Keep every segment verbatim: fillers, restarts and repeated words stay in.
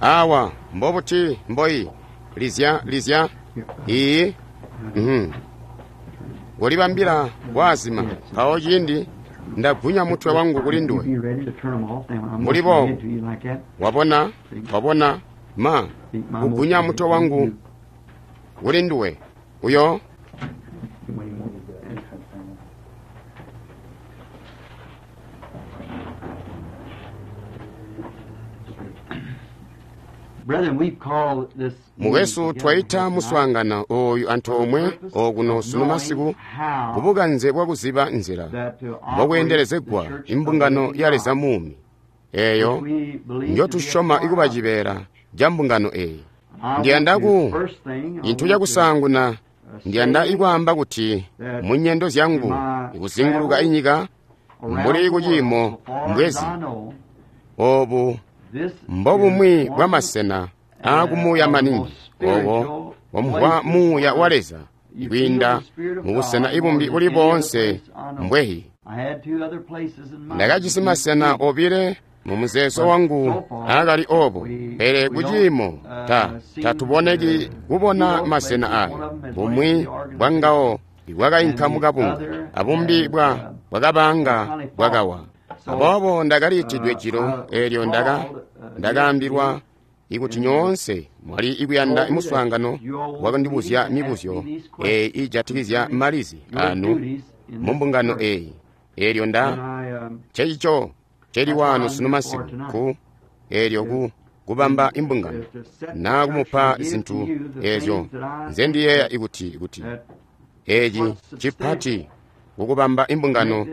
Awa mbobuti mboi lizya lizya iyi mhm kolibambila kwazima mpawo ciindi ndagunya mutwe wangu kuli nduwe mbuli boobu wabona wabona ma kugunya mutwe wangu kuli nduwe uyo mukwesu twaita muswaangano ooyu antoomwe okuno sunu masiku kubukanze bwakuziba nzila mbokweendelezegwa imbungano ya Leza muumi eeyo njotusyoma ikuba cibeela ca mbungano eeyi. Ndiyanda ku cintu cakusaanguna ndiyanda ikwaamba kuti mu nyendo zyangu ikuzinguluka inyika mbuli kuciimo mbwezi oobu mbobumwi bwamasena aakumuuya maningi obo bwamvwa muuya wa Leza kwiinda mubusena ibumbi buli boonse mbwehi. Ndakajisi masena obile mu muzeezo wangu aakali obo, pele kuciimo ta tatuboneki kubona masena ayo. Bumwi bwangawo bwakainka mukabunga, abumbi bwa bwakabanga bwakawa. Aboobo ndakaliitidwe jilo eelyo ndaka ndakaambilwa ikuti nyoonse mwali ikuyanda muswaangano wakundibuzya mibuzyo eeyi iijatikizya malizi anu mumbungano eeyi. Eelyo nda cecico celi wano sunu masiku ku eelyo ku kubamba imbungano naa kumupa zintu eezyo nzendiyeeya ikuti kuti eeci cipati kukubamba imbungano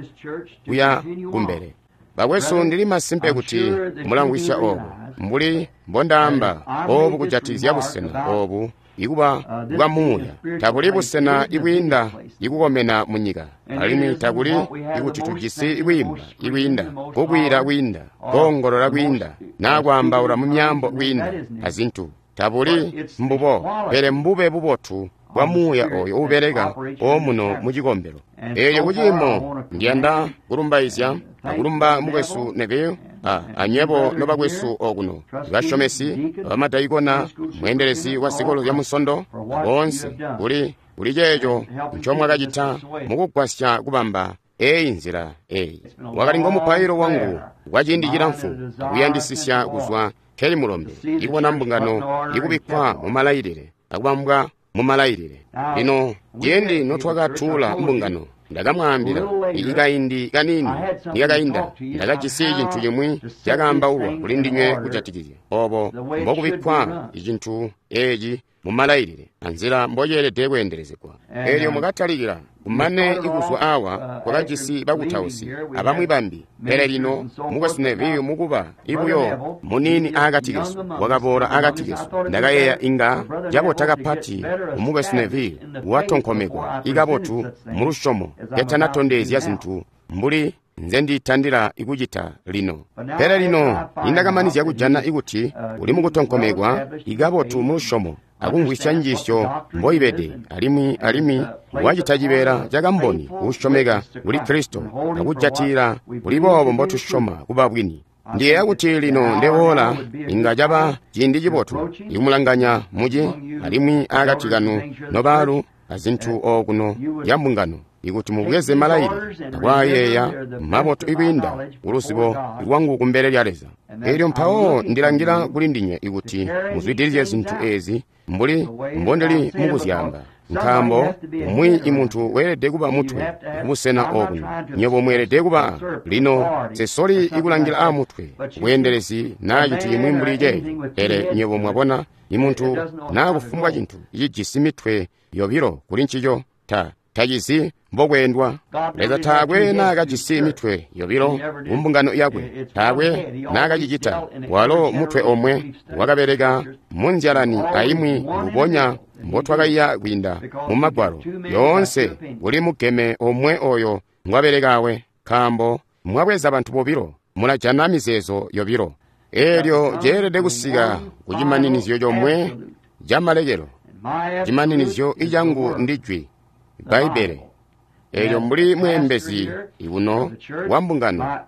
kuya kumbele. Bakwesu, ndili masimpe kuti mulamvwisya oobu mbuli mbondaamba oobu kujatikizya busena oobu ikuba bwa muuya. Tabuli busena ibwiinda ikukomena munyika, alimwi takuli ikuti tujisi ikwiimba ikwiinda, kukwiila kwiinda, koongolola kwiinda, naa kwaambaula mu myaambo kwiinda azintu. Tabuli mbubo, pele mbube bubotu bwa muuya ooyo uubeleka omuno mucikombelo. Eelyo kuciimo ndiyanda kulumbaizya akulumba mukwesu Neville a anywebo nobakwesu okuno basyomesi, bamadaikona, mweendelezi wa zikolo zya Munsondo, boonse kuli kuli ceeco ncomwakacita mukugwasya kubamba eeyi nzila eeyi. Wakali ngomupailo wangu kwa ciindi cilamfu akuyandisisya kuzwa nkeli mulombe ikubona mbungano ikubikkwa mumalailile akubambwa mumalailile. Lino ciindi notwakatuula mbungano, ndakamwaambila ikaindi kaniini nikakainda ndakajisi cintu cimwi cakaambaulwa kuli ndinywe kujatikizya obo mbokubikkwa icintu eeci mumalailile anzila mboceelede kweendelezegwa. Eelyo mwakatalikila kumane ikuzwa awa kwakajisi bakutausi abamwi bambi, pele lino mukwesu Neville mukuba ibuyo muniini aakati kesu wakaboola aakati kesu. Ndakayeeya inga cabota kapati umukwesu Neville watonkomekwa ikabotu mulusyomo ketanatondezya zintu mbuli nzenditandila ikucita lino. Pele lino nindakamanizya kujana ikuti uli mukutonkomekwa ikabotu mulusyomo akumvwisya njiisyo mboibede, alimwi alimwi wacita cibeela ca kamboni uusyomeka kuli Kristo akujatila kuli boobo mbotusyoma kuba bwini. Ndiyeeya kuti lino ndewoola inga caba ciindi cibotu ikumulanganya muci alimwi aakati kanu nobaalu azintu okuno ya mbungano ikuti mubweze malailile akwaayeeya mabotu ikwiinda kuluzibo lwangu kumbele lya Leza. Eelyo mpawo ndilangila kuli ndinywe ikuti muzwidilizye zintu eezi mbuli mbondili mukuzyaamba, nkaambo umwi imuntu weelede kuba mutwe kubusena okuno. Nywebo mweelede kuba lino sesoli ikulangila aamutwe bweendelezi naa cintu cimwi mbuli ceeco, pele nywebo mwabona imuntu naa kufumbwa cintu cijisi mitwe yobilo kuli ncico ta tacizi mbokweendwa. Leza taakwe naakajisi mitwe yobilo kumbungano yakwe, taakwe naakacicita. Walo mutwe omwe wakabeleka munzyalani aimwi mbubonya mbotwakaiya kwiinda mu Magwalo yoonse kuli mugeme omwe oyo ngwabelekawe, nkaambo mwabweza bantu bobilo mulajana mizeezo yobilo. Eelyo ceelede kusika kucimaninizyo comwe camalekelo. Cimaninizyo icangu ndi jwi Bbaibbele. Eelyo mbuli mweembezi ikuno wa mbungano,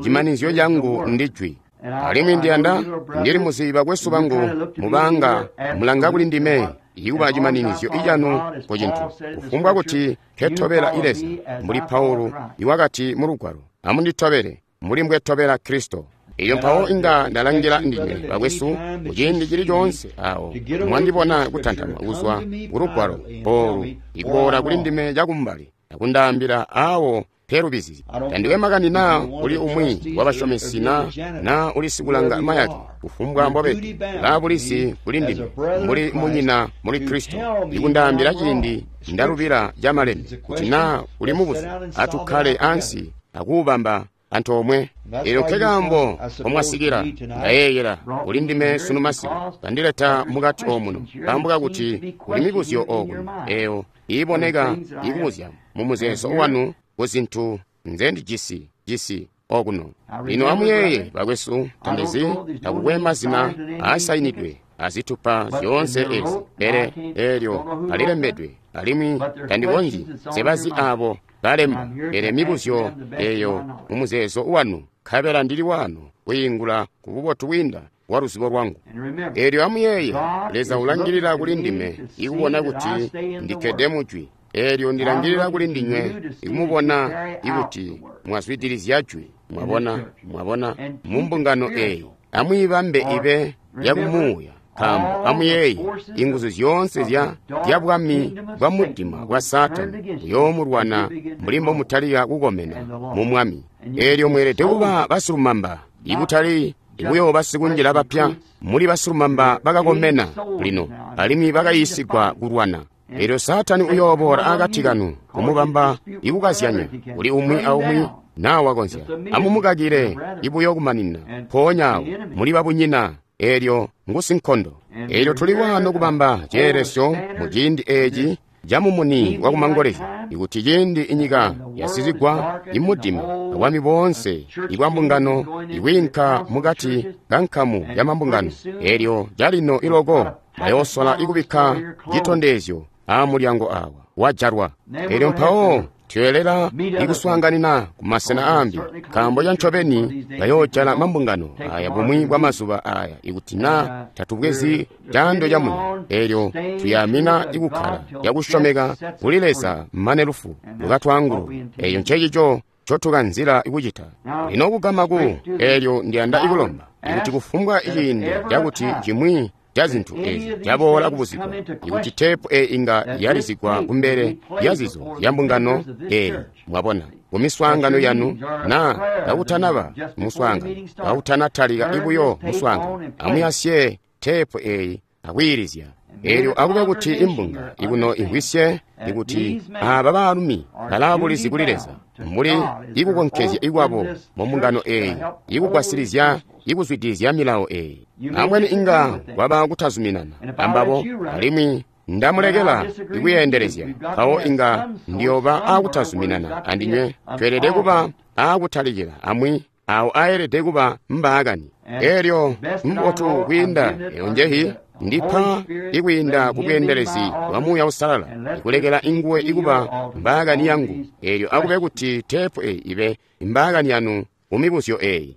cimaninizyo cangu ndi jwi. Alimwi ndiyanda ndili muzi bakwesu bangu mubanga mulanga kuli ndime ikuba cimaninizyo icanu ku cintu kufumbwa kuti nketobela Leza mbuli Paulo iwakati mu lugwalo, amunditobele mbuli mbwetobela Kristo. Elyo mpawo inga ndalangila ndinywe bakwesu kuciindi cili coonse awo mwandibona kutantama kuzwa ku lugwalo olu ikuboola kuli ndime cakumbali akundaambila awo pelubizi. Tandiwe makani naa uli umwi wabasyomesi na naa uli sikulanga mayake, kufumbwa mbobede laabulizi kuli ndime mbuli munyina muli Kristo ikundaambila ciindi ndalubila camalembe kuti naa uli mubuzu atukkale ansi akuubamba antoomwe. Elyo nkekaambo komwasikila ndayeeyela kuli ndime sunu masiku kandileta mukati omuno nkaambo kakuti kuli mibuzyo okuno eyo iiboneka ikubuzya mu muzeezo wanu ku zintu nzendijisi jisi okuno. Lino amuyeeye bakwesu, tandizi takukwe mazina aasayinidwe azitupa zyoonse ezi, pele eelyo alilembedwe alimwi tandikonzyi nsebazi abo balemba, pele mibuzyo eyo mu muzeezo wanu, nkabela ndili wano kwiingula ku bubotu bwiinda bwa luzibo lwangu. Eelyo amuyeeye, Leza ulangilila kuli ndime ikubona kuti ndikkede mujwi. Eelyo ndilangilila kuli ndinywe ikumubona ikuti mwazwidilizya jwi. Mwabona, mwabona mu mbungano eyi amwiibambe ibe yakumuuya, nkaambo amuyeeye inguzu zyoonse zya zya bwami bwa mudima bwa Saatani buyoomulwana mbuli mbomutalika kukomena mu Mwami. Eelyo mweelede kuba basilumamba, ikutali ikuyooba sikunjila bapya. Muli basilumamba bakakomena lino alimwi bakayiisigwa kulwana. Eelyo Saatani uyooboola akati kanu kumubamba ikukazyanya kuli umwi aumwi naa wakonzya. Amumukakile ibuyo kumanina mpoonya awo muli babunyina, eelyo ngusinkondo. Eelyo tuli wano kubamba ceelesyo mu ciindi eeci camumuni wakumangolezya, ikuti ciindi inyika yasizigwa imudima abwami boonse ibwa mbungano ikwiinka mukati kankamu ya mambungano, eelyo calino iloko bayoosola ikubikka citondezyo aamulyango awa wajalwa. Eelyo mpawo tweelela ikuswaanganina ku masena aambi, nkaambo cancobeni bayoojala mambungano aya bumwi bwa mazuba aya ikuti naa tatubwezi caando camuno. Eelyo tuyamina ikukkala cakusyomeka kuli Leza mane lufu lukatwaangulule. Eeyo ncecico ncotukanzila ikucita lino kugama ku. Eelyo ndiyanda ikulomba ikuti kufumbwa ciindi cakuti cimwi ca zintu ezi caboola kubuzigwa, ikuti teepu eyi inga yalizigwa kumbele lya zizo zya mbungano eyi, mwabona, ku miswaangano yanu, naa kakutanaba muswaangano, kakutanatalika ibuyo muswaangano, amuyasye teepu eyi akwiilizya. Eelyo akube kuti imbunga ikuno imvwisye ikuti aaba baalumi balaabulizi kuli Leza mbuli ikukonkezya ikwabo mu mbungano eyi ikugwasilizya ikuzwidilizya milawo eyi. Ambweni inga kwaba kutazuminana ambabo, alimwi ndamulekela ikuyeendelezya, mpawo inga ndiyooba aakutazuminana andinywe. Tweelede kuba aakutalikila amwi awo aelede kuba mbaakani. Eelyo mbotu kwiinda eyo njehi ndipa ikwiinda ku bweendelezi bwa Muuya Uusalala, ikulekela inguwe ikuba mbaakani yangu. Eelyo akube kuti teepu eyi ibe mbaakani yanu mu mibuzyo eyi.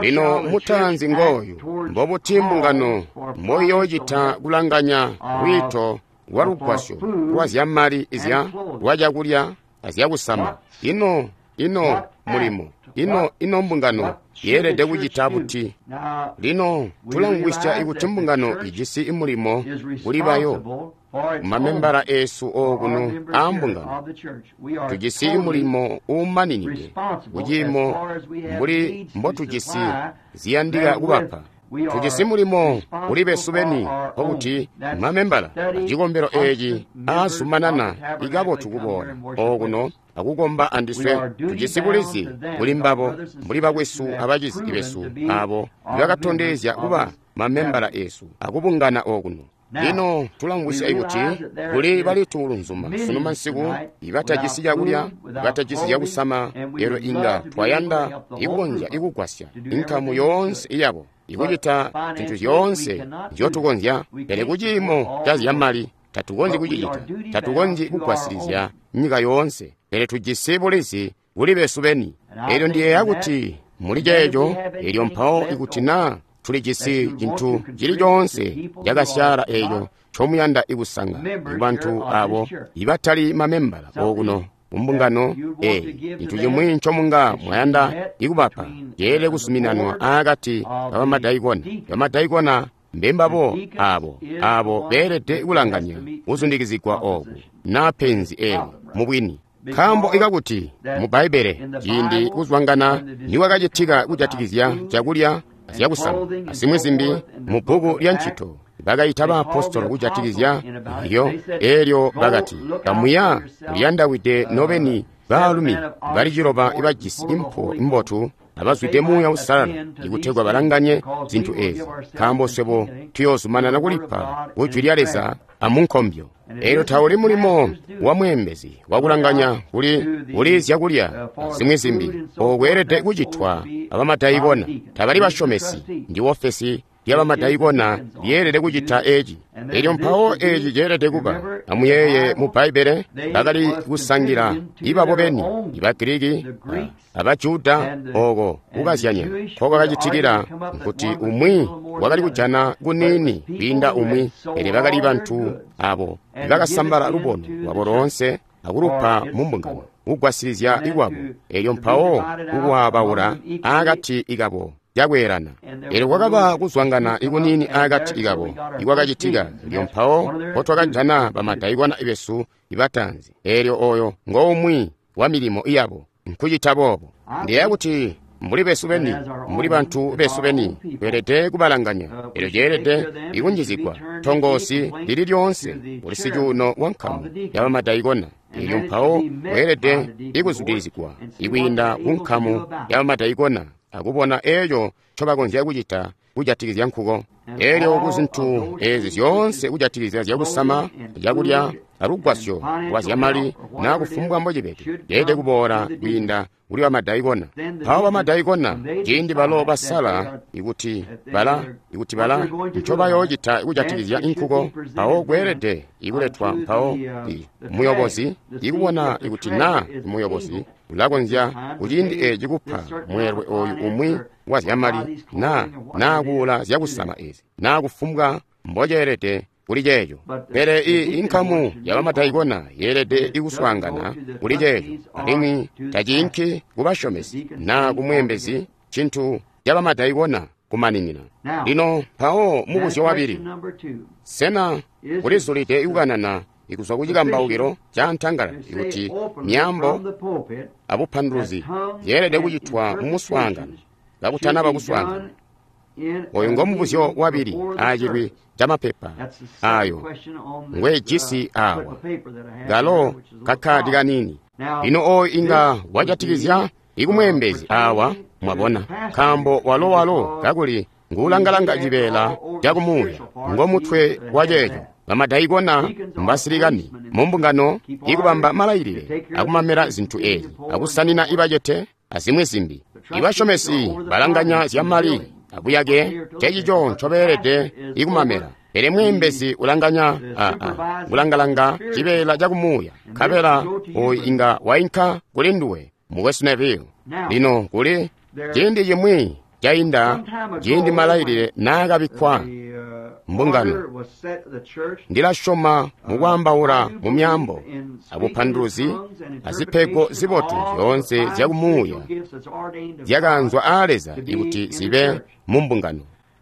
Lino mutaanzi ngooyu, mbobuti mbungano mboiyoocita kulanganya lwiito lwa lugwasyo lwa zyamali izya lwa cakulya azyakusama? Ino ino mulimo ino ino mbungano yeelede kucita buti? Lino tulamvwisya ikuti mbungano ijisi mulimo kuli bayo mamembala eesu okuno aambungano. Tujisi mulimo uumaninide kuciimo mbuli mbotujisi ziyandika kubapa. Tujisi mulimo kuli besu beni, nkokuti mamembala acikombelo eeci aazumanana ikabotu kuboola okuno akukomba andiswe. Tujisi bulizi kuli mbabo mbuli bakwesu abacizi besu abo ibakatondezya kuba mamembala eesu akubungana okuno. Lino tulamvwisya ikuti kuli balituulunzuma sunu mansiku ibatajisi cakulya, ibatajisi cakusama. Elyo inga twayanda ikukonzya ikugwasya inkamu yoonse iyabo ikucita zintu zyoonse nzyotukonzya, pele kuciimo ca zyamali tatukonzyi kucicita, tatukonzyi kugwasilizya nyika yoonse, pele tujisi bulizi kuli besu beni. Elyo ndiyeeya kuti Muli ceeco, elyo mpawo ikuti naa tuli jisi cintu cili coonse cakasyaala eeco ncomuyanda ikusanga kubantu abo ibatali mamembala okuno mumbungano eyi, cintu cimwi ncomunga mwayanda ikubapa ceelede kuzuminanwa aakati kabamadaikona. Bamadaikona mbembabo abo abo beelede kulanganya kuzundikizigwa oku naa penzi eli mubwini. Nkaambo ikakuti mu Bbaibbele ciindi kuzwangana nikwakacitika kujatikizya cakulya azyakusama azimwi zimbi mu bbuku lya Ncito, bakaita baapostolo kujatikizya iyo, eelyo bakati, kamuya muliyandawide nobeni baalumi bali ciloba ibajisi impuwo imbotu abazwide Muuya Uusalala ikutegwa balanganye zintu ezi, nkaambo swebo tuyoozumanana kulipa kujwi lya Leza amunkombyo. Eelyo tauli mulimo wa mweembezi wakulanganya kuli kuli zyakulya zimwi zimbi, ookweelede kucitwa abamadaikona. Tabali basyomesi, ndi ofesi lyabamadaikona lyeelede kucita eci. Elyo mpawo eci ceelede kuba. Amuyeeye mu Bbaibbele bakali kusangila ibabo beni, iba Giriki aba Juda, oko kukazyanya nkokwakacitikila nkuti umwi wakali kujana kuniini kwiinda umwi, pele bakali bantu abo ibakasambala lubono lwabo loonse akulupa mu mbungano kugwasilizya ikwabo, elyo mpawo kukwaabaula aakati ikabo yakweelana. Elyo kwakaba kuzwangana ikuniini aakati ikabo ikwakacitika, elyo mpawo mpotwakajana bamadaikona besu ibatanzi. Elyo oyo ngoumwi wa milimo yabo nkucita boobo. Ndiyeeya kuti mbuli besu beni, mbuli bantu besu beni, tweelede kubalanganya. Elyo ceelede ikunjizigwa tongoosi lili lyoonse kuli sicuuno wa nkamu yabamadaikona. Elyo mpawo weelede ikuzwidilizigwa ikwiinda ku nkamu yabamadaikona akubona eeco ncobakonzya kucita kujatikizya nkuko. Elyo ku zintu ezi zyoonse kujatikizya zyakusama, cakulya, alugwasyo lwa zyamali naa kufumbwa mbocibede, ceelede kuboola kwiinda kuli bamadaikona. Mpawo bamadaikona ciindi balo basala ikuti bala ikuti bala ncobayoocita kujatikizya inkuko, mpawo kweelede ikuletwa mpawo muyobozi ikubona ikuti naa muyobozi ulakonzya kuciindi eci kupa mweelwe oyu umwi wa zyamali naa naa kuula zyakusama ezi naa kufumbwa mboceelede kuli ceeco. Pele i inkamu yabamadaikona yeelede ikuswaangana kuli ceeco, alimwi taciinki kubasyomesi naa kumweembezi, cintu cabamadaikona kumaninina. Lino mpawo mubuzyo wabili, sena kulizulide ikukanana ikuzwa kucikambaukilo ca ntangalala ikuti myaambo abupanduluzi zyeelede kucitwa mumuswaangano kakutanaba kuswaangana? Oyu ngomubuzyo wabili aacilwi camapepa ayo ngwejisi awa, galo kakkaadi kaniini. Lino oyu inga wajatikizya ikumweembezi awa, mwabona, nkaambo walo walo kakuli nguulangalanga cibeela cakumuuya, ngomutwe wa ceeco. Bamadaikona mbasilikani mumbungano ikubamba malailile akumamela zintu ezi, akusanina ibacete azimwi zimbi. Ibasyomesi balanganya zyamali abuyake, cecico ncobeelede ikumamela. Pele mweembezi ulanganya aa kulangalanga cibeela cakumuuya, nkabela oyu inga wainka kuli nduwe, mukwesu Neville. Lino kuli ciindi cimwi cainda ciindi malailile naakabikkwa mbungano, ndilasyoma mukwaambaula mu myaambo abupanduluzi azipego zibotu zyoonse zyakumuuya zyakaanzwa aa Leza ikuti zibe mu mbungano.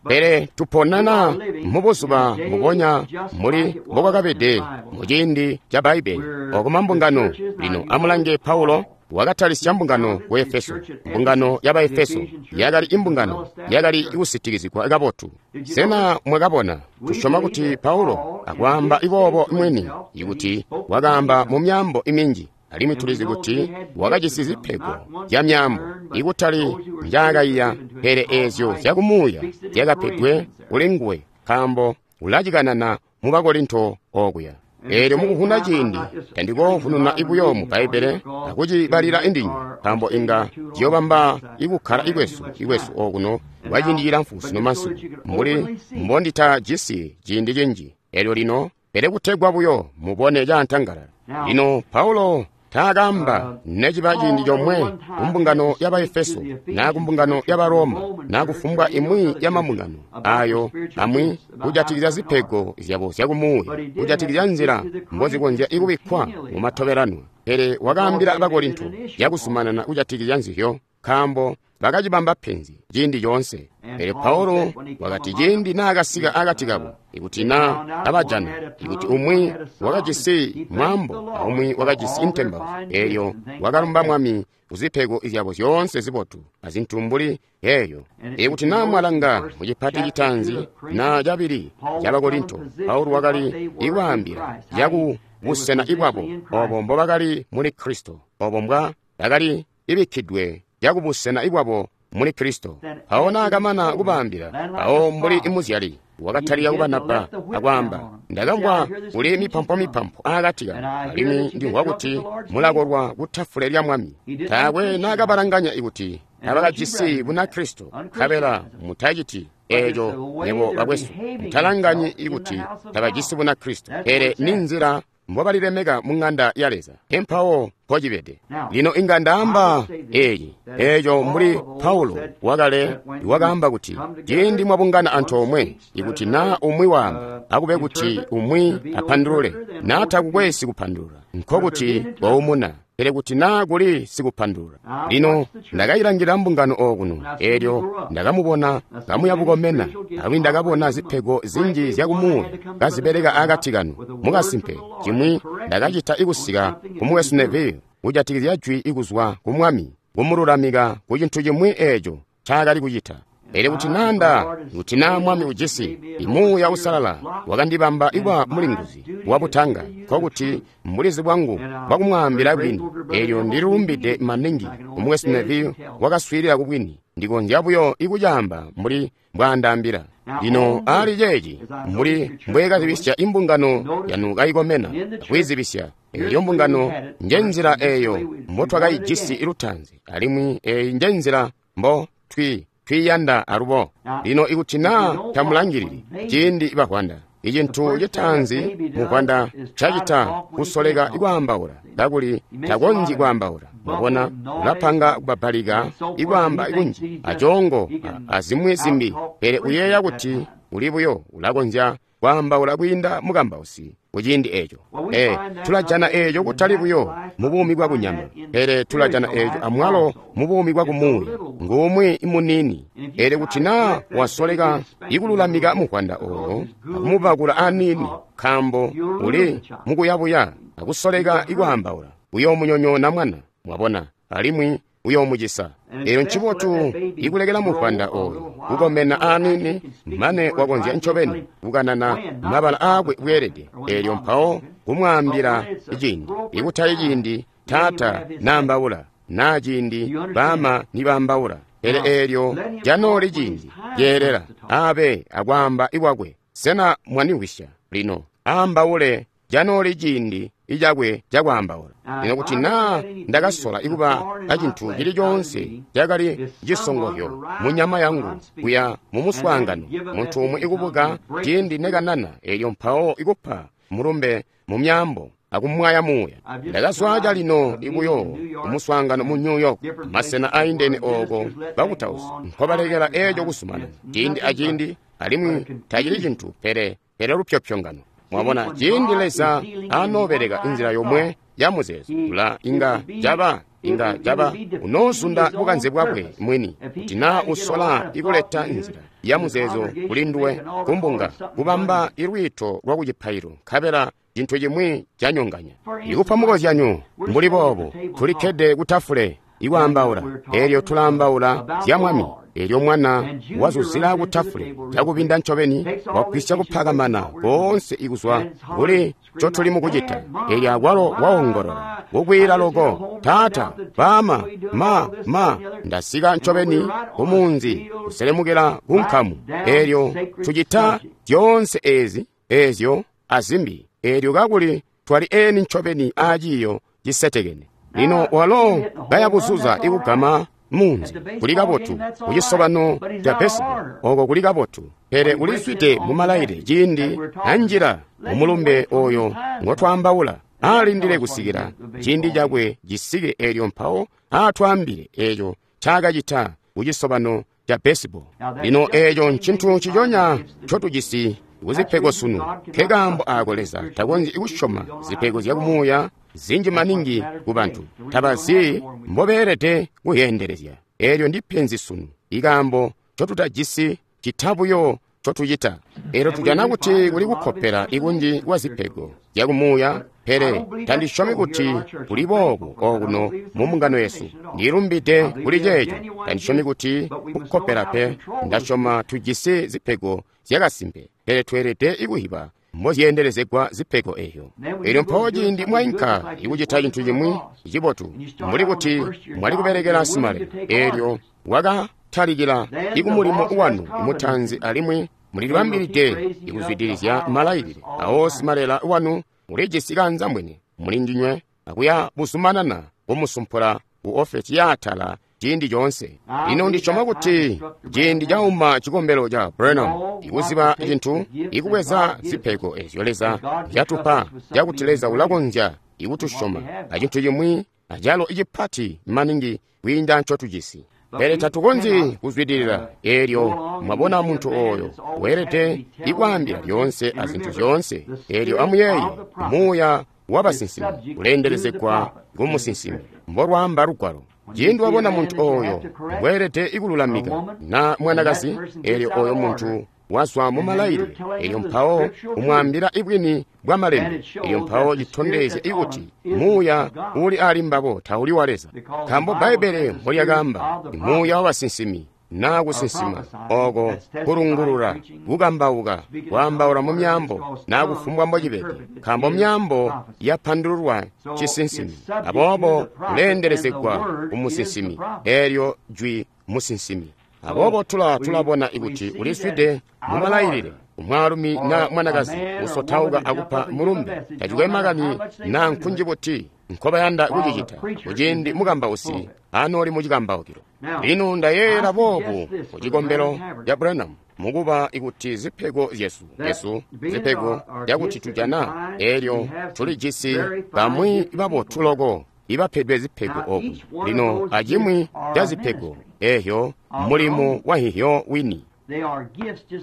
Pele tuponana mubuzuba mbubonya mbuli mbokwakabede muciindi ca Bbaibbele oko mambungano. Lino amulange Paulo wakatalisya mbungano ku Efeso. Mbungano ya Baefeso yakali imbungano yakali kusitikizigwa kabotu. Sena mwakabona? Tusyoma kuti Paulo akwaamba iboobo mwini ikuti wakaamba mu myaambo iminji, alimwi tulizi kuti wakajisi zipego zya myaambo ikutali njaakaiya, pele eezyo zyakumuuya zyakapedwe kuli nguwe, nkaambo ulacikanana mu Bakorinto okuya. Eelyo mukuvuna ciindi tandikoovununa ibuyo mu Bbaibbele akucibalila indinywe, nkaambo inga ciyobamba ikukkala ikwesu ikwesu okuno kwaciindi cilamfu sino masiku, mbuli mbonditajisi ciindi cinji. Eelyo lino, pele kutegwa buyo mubone caantangalala. Lino Paulo Taakamba neciba ciindi comwe kumbungano ya Baefeso naa kumbungano ya Baroma naa kufumbwa imwi ya mambungano ayo amwi kujatikizya zipego zyabo zyakumuuya, kujatikizya nzila mbozikonzya ikubikkwa mumatobelanwa. Pele wakaambila Bakorinto yakuzumanana kujatikizya nzizyo, nkaambo bakacibamba penzi ciindi coonse. Pele Paulo wakati ciindi naakasika akati kabo, ikuti naa abajana, ikuti umwi wakajisi mwaambo aumwi wakajisi intembauzyo, eelyo wakalumba Mwami kuzipego zyabo zyoonse zibotu azintu mbuli eeyo. Ikuti naa mwalanga mucipati citaanzi naa cabili ca Bakorinto, Paulo wakali ikwaambila yaku busena ibwabo obo mbobakali muli Kristo, obo mbwa bakali ibikkidwe yakubusena ibwabo muli Kristo. Mpawo naakamana kubaambila, mpawo mbuli imuzyali wakatalika kubanabba akwaamba, ndakamvwa kuli mipampomipampo aakati kanu, alimwi ndimvwa kuti mulakolwa kutafule lya Mwami. Taakwe naakabalanganya ikuti tabakajisi Bunakristo, nkabela mutaciti eeco nywebo bakwesu, mutalanganyi ikuti tabajisi Bunakristo, pele ninzila mbobalilemeka mu ng'anda ya Leza. Empawo mpocibede. Lino inga ndaamba eeci, eeco mbuli Paulo wakale wakaamba kuti ciindi mwabungana antoomwe, ikuti naa umwi waamba, akube kuti umwi apandulule, naa takukwe sikupandulula, nkokuti waumuna. Pele kuti naa kuli sikupandulula. Lino ndakayilangila mbungano okuno, eelyo ndakamubona kamuya bukomena, alimwi ndakabona zipego zinji zyakumuuya kazibeleka akati kanu. Mukasimpe cimwi ndakacita ikusika ku Mukwesu Neville kujatikizya jwi ikuzwa ku Mwami kumululamika ku cintu cimwi eeco ncaakali kucita. Pele kuti naa nda, kuti naa Mwami ujisi Muuya Uusalala wakandibamba ikuba mulinguzi wabutanga, nkokuti mbulizi bwangu bwakumwaambila bwini. Eelyo ndililumbide maningi ku Mukwesu Neville wakaswiilila kubwini. Ndikonzya buyo ikucaamba mbuli mbwaandaambila. Lino ali ceeci, mbuli mbweekazibisya imbungano yanu kayikomena akwiizibisya, eelyo mbungano njenzila eeyo mbotwakayijisi lutaanzi, alimwi eeyi njenzila mbo twi twiyanda alubo. Lino ikuti naa tamulangilili ciindi bavwanda, icintu citaanzi muvwanda cacita kusoleka ikwaambaula, kakuli takonzyi kwaambaula. Mwabona, ulapanga kubabbalika ikwaamba kunji acoongo azimwi zimbi, pele uyeeya kuti uli buyo ulakonzya kwaambaula kwiinda mukambausi kuciindi eeco. E, tulajana eeco kutali buyo mu buumi bwa kunyama, pele tulajana eeco amwalo mu buumi bwa kumuuya. Ngumwi muniini. Pele kuti naa wasoleka ikululamika muvwanda oyo akumubakula aniini, nkaambo uli mukuyabuya akusoleka ikwaambaula, uyoomunyonyoona mwana, mwabona, alimwi uyoomucisa. Eelyo ncibotu ikulekela muvwanda oyo kukomena aniini mane wakonzya ncobeni kukanana mabala aakwe bweelede. Eelyo mpawo kumwaambila ciindi, ikutali ciindi taata naambaula naa ciindi baama nibaambaula, pele eelyo janooli ciindi lyeelela abe akwaamba ikwakwe. Sena mwanimvwisya? Lino aambaule janooli ciindi icakwe cakwaambaula. Lino kuti naa ndakasola ikuba acintu cili coonse cakali cisongozyo mu nyama yangu kuya mu muswaangano, muntu umwi ikubuka ciindi nekanana, eelyo mpawo ikupa mulumbe mu myaambo akumwaya muuya. Ndakazwa calino ibuyo kumuswaangano mu New York, masena aindene ooko bakutausi nkobalekela eeco kuzumanana ciindi aciindi, alimwi tacili cintu pele pele lupyopyongano. Mwabona, ciindi Leza anoobeleka inzila yomwe ya muzeezo, ula inga caba inga caba unoozunda bukanze bwakwe mwini. Kuti naa usola ikuleta nzila ya muzeezo kuli nduwe kumbunga kubamba ilwiito lwa kucipailo, nkabela cintu cimwi canyonganya. Ikupa mukozyanyo mbuli boobo, tulikkede kutafule ikwaambaula, eelyo tulaambaula zya Mwami. Eelyo mwana wazuzila kutafule cakubinda ncobeni, wagwisya kupakamana koonse ikuzwa kuli ncotuli mukucita. Eelyo akwalo waongolola kukwiila loko, taata, baama, ma, ma, ndasika ncobeni kumunzi kuselemukila kunkamu. Eelyo tucita zyoonse eezi, eezyo azimbi, eelyo kakuli twali eni ncobeni aaciiyo cisetekene. Lino walo kayabuzuza ikugama munzi kuli kabotu kucisobano ca baseball oko kuli kabotu, pele ulizwide mumalaile ciindi anjila mumulumbe oyo ngotwaambaula. Alindile kusikila ciindi cakwe cisike elyo mpawo atwaambile eco ncaakacita kucisobano ca baseball. Lino eeco ncintu nciconya ncotujisi kuzipego sunu. Nkekaambo aako Leza takonzyi kusyoma zipego zyakumuuya zinji maningi ku bantu. Tabazi mbobeelede kuyeendelezya. Eelyo ndipenzi sunu, ikaambo ncotutajisi cita buyo ncotucita. Eelyo tujana kuti kuli kukkopela ikunji kwa zipego zyakumuuya, pele tandisyomi kuti kuli boobo okuno mu mbungano yesu. Ndilumbide kuli ceeco. Tandisyomi kuti kukkopela pe. Ndasyoma tujisi zipego zyakasimpe, pele tweelede kuhiba mbozyeendelezegwa zipego eyo. Elyo mpawo ciindi mwainka ikucita cintu cimwi cibotu, mbuli kuti mwali kubelekela simale, elyo wakatalikila ikumulimo wanu mutaanzi alimwi mulilibambilide ikuzwidilizya malailile awo simalela wanu ulijisi kanzambwene muli ndinywe akuya buzumanana kumusumpula ku ofesi yaatala ciindi coonse. Lino ndisyoma kuti ciindi cauma cikombelo ca Branham ikuziba cintu, ikubweza zipego ezyo Leza zyatupa, cakuti Leza ulakonzya ikutusyoma acintu cimwi acalo icipati maningi kwiinda ncotujisi. Pele tatukonzyi kuzwidilila eelyo mwabona muntu ooyo weelede ikwaambila lyoonse azintu zyoonse. Eelyo amuyeeye, muuya wabasinsimi uleendelezegwa kumusinsimi, mbolwaamba lugwalo. Ciindi wabona muntu ooyo weelede ikululamika na mwanakazi, eelyo ooyo muntu wazwa mu malailile, eelyo mpawo umwaambila ibwini bwa malembe, eelyo mpawo citondezya ikuti muuya uli ali mbabo tauli wa Leza. Nkaambo Bbaibbele mbolyakaamba, muuya wabasinsimi naa kusinsima oko kulungulula, kukambauka, kwaambaula mu myaambo naa kufumbwa mbocibede, nkaambo myaambo yapandululwa cisinsimi. Aboobo kuleendelezegwa kumusinsimi, eelyo jwi musinsimi. Aboobo tula tulabona ikuti uliswide mu malailile umwaalumi na mwanakazi usotauka akupa mulumbe, tacikwe makani naa nkunji buti nkobayanda kucicita kuciindi mukambausi anooli mucikambaukilo. Lino ndayeeyela boobu ku cikombelo ca Branham, mukuba ikuti zipego zyesu yesu zipego zyakuti tujana, eelyo tulijisi bamwi babotu loko ibapedwe zipego oku. Lino acimwi ca zipego eeyo mulimo wa hihyo wini.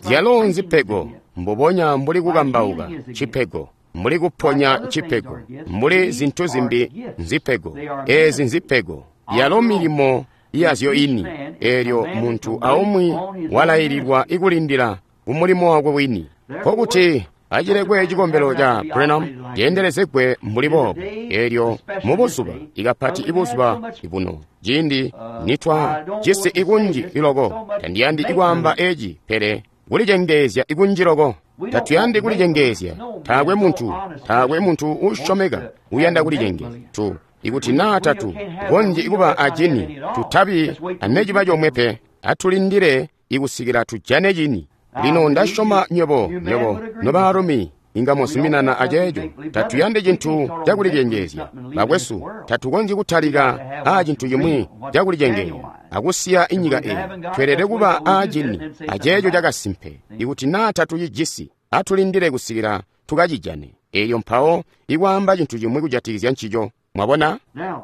Zyalo nzipego mbubonya mbuli kukambauka cipego, mbuli kuponya cipego, mbuli zintu zimbi nzipego. Eezi nzipego yalo milimo yazyo ini. Eelyo muntu aumwi walaililwa ikulindila kumulimo wakwe wini. Nkokuti acilekwe cikombelo ca Branham ceendelezegwe mbuli boobo. Eelyo mubuzuba, ikapati ibuzuba buno, ciindi nitwa jisi ikunji iloko, tandiyandi ikwaamba eci, pele kulicengeezya ikunji loko. Tatuyandi kulicengeezya. Taakwe muntu, taakwe muntu uusyomeka uyanda kulicengeezya. Tu ikuti naa tatu konzyi kuba acini, tutabi aneciba comwe pe. Atulindile ikusikila tujane cini. Lino ndasyoma nywebo, nywebo nobaalumi inga muzuminana aceeco. Tatuyandi cintu cakulicengeezya. Bakwesu, tatukonzyi kutalika aa cintu cimwi cakulicengeezya akusiya inyika eyi. Tweelede kuba aa cini aceeco cakasimpe. Ikuti naa tatucijisi, atulindile kusikila tukacijane. Eelyo mpawo ikwaamba cintu cimwi kujatikizya ncico. Mwabona?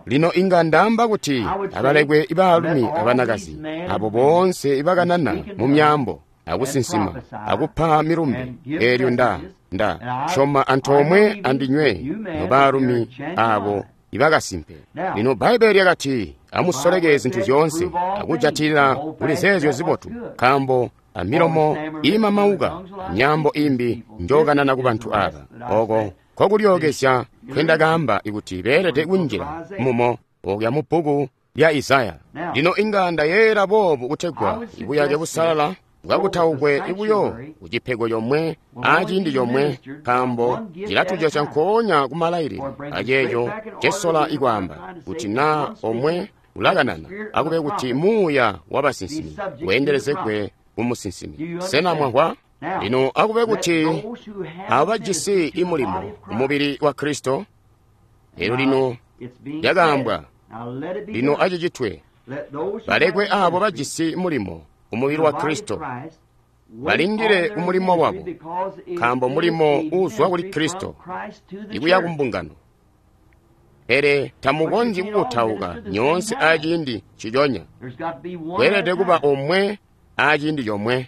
Lino inga ndaamba kuti abalekwe ibaalumi abanakazi abo boonse ibakanana mu myaambo akusinsima akupa milumbe, eelyo nda nda syoma antoomwe andinywe nobaalumi abo ibakasimpe. Lino Bbaibbele lyakati, amusoleke zintu zyoonse akujatilila kuli zeezyo zibotu, nkaambo amilomo iimamauka myaambo imbi njokanana ku bantu aba. Oko nkokulyookezya nkendakaamba ikuti beelede kunjila mumo okuya mu bbuku lya Isaya. Lino inga ndayeeyela boobu kutegwa ibuyake busalala bwakutaukwe ibuyo kucipego comwe aciindi comwe, nkaambo cilatujosya nkoonya kumalailile aceeco cesola ikwaamba kuti naa omwe ulakanana akube kuti muuya wabasinsimi weendelezegwe kumusinsimi. Sena mwamvwa? Lino akube kuti abajisi imulimo umubili wa Kristo. Elyo lino lyakaambwa, lino acicitwe. Balekwe abo bajisi mulimo umubili wa Kristo balindile umulimo wabo, nkaambo mulimo uuzwa kuli Kristo ikuya kumbungano. Pele tamukonzyi kukutauka nyoonse aciindi nciconya. Kweelede kuba omwe aciindi comwe.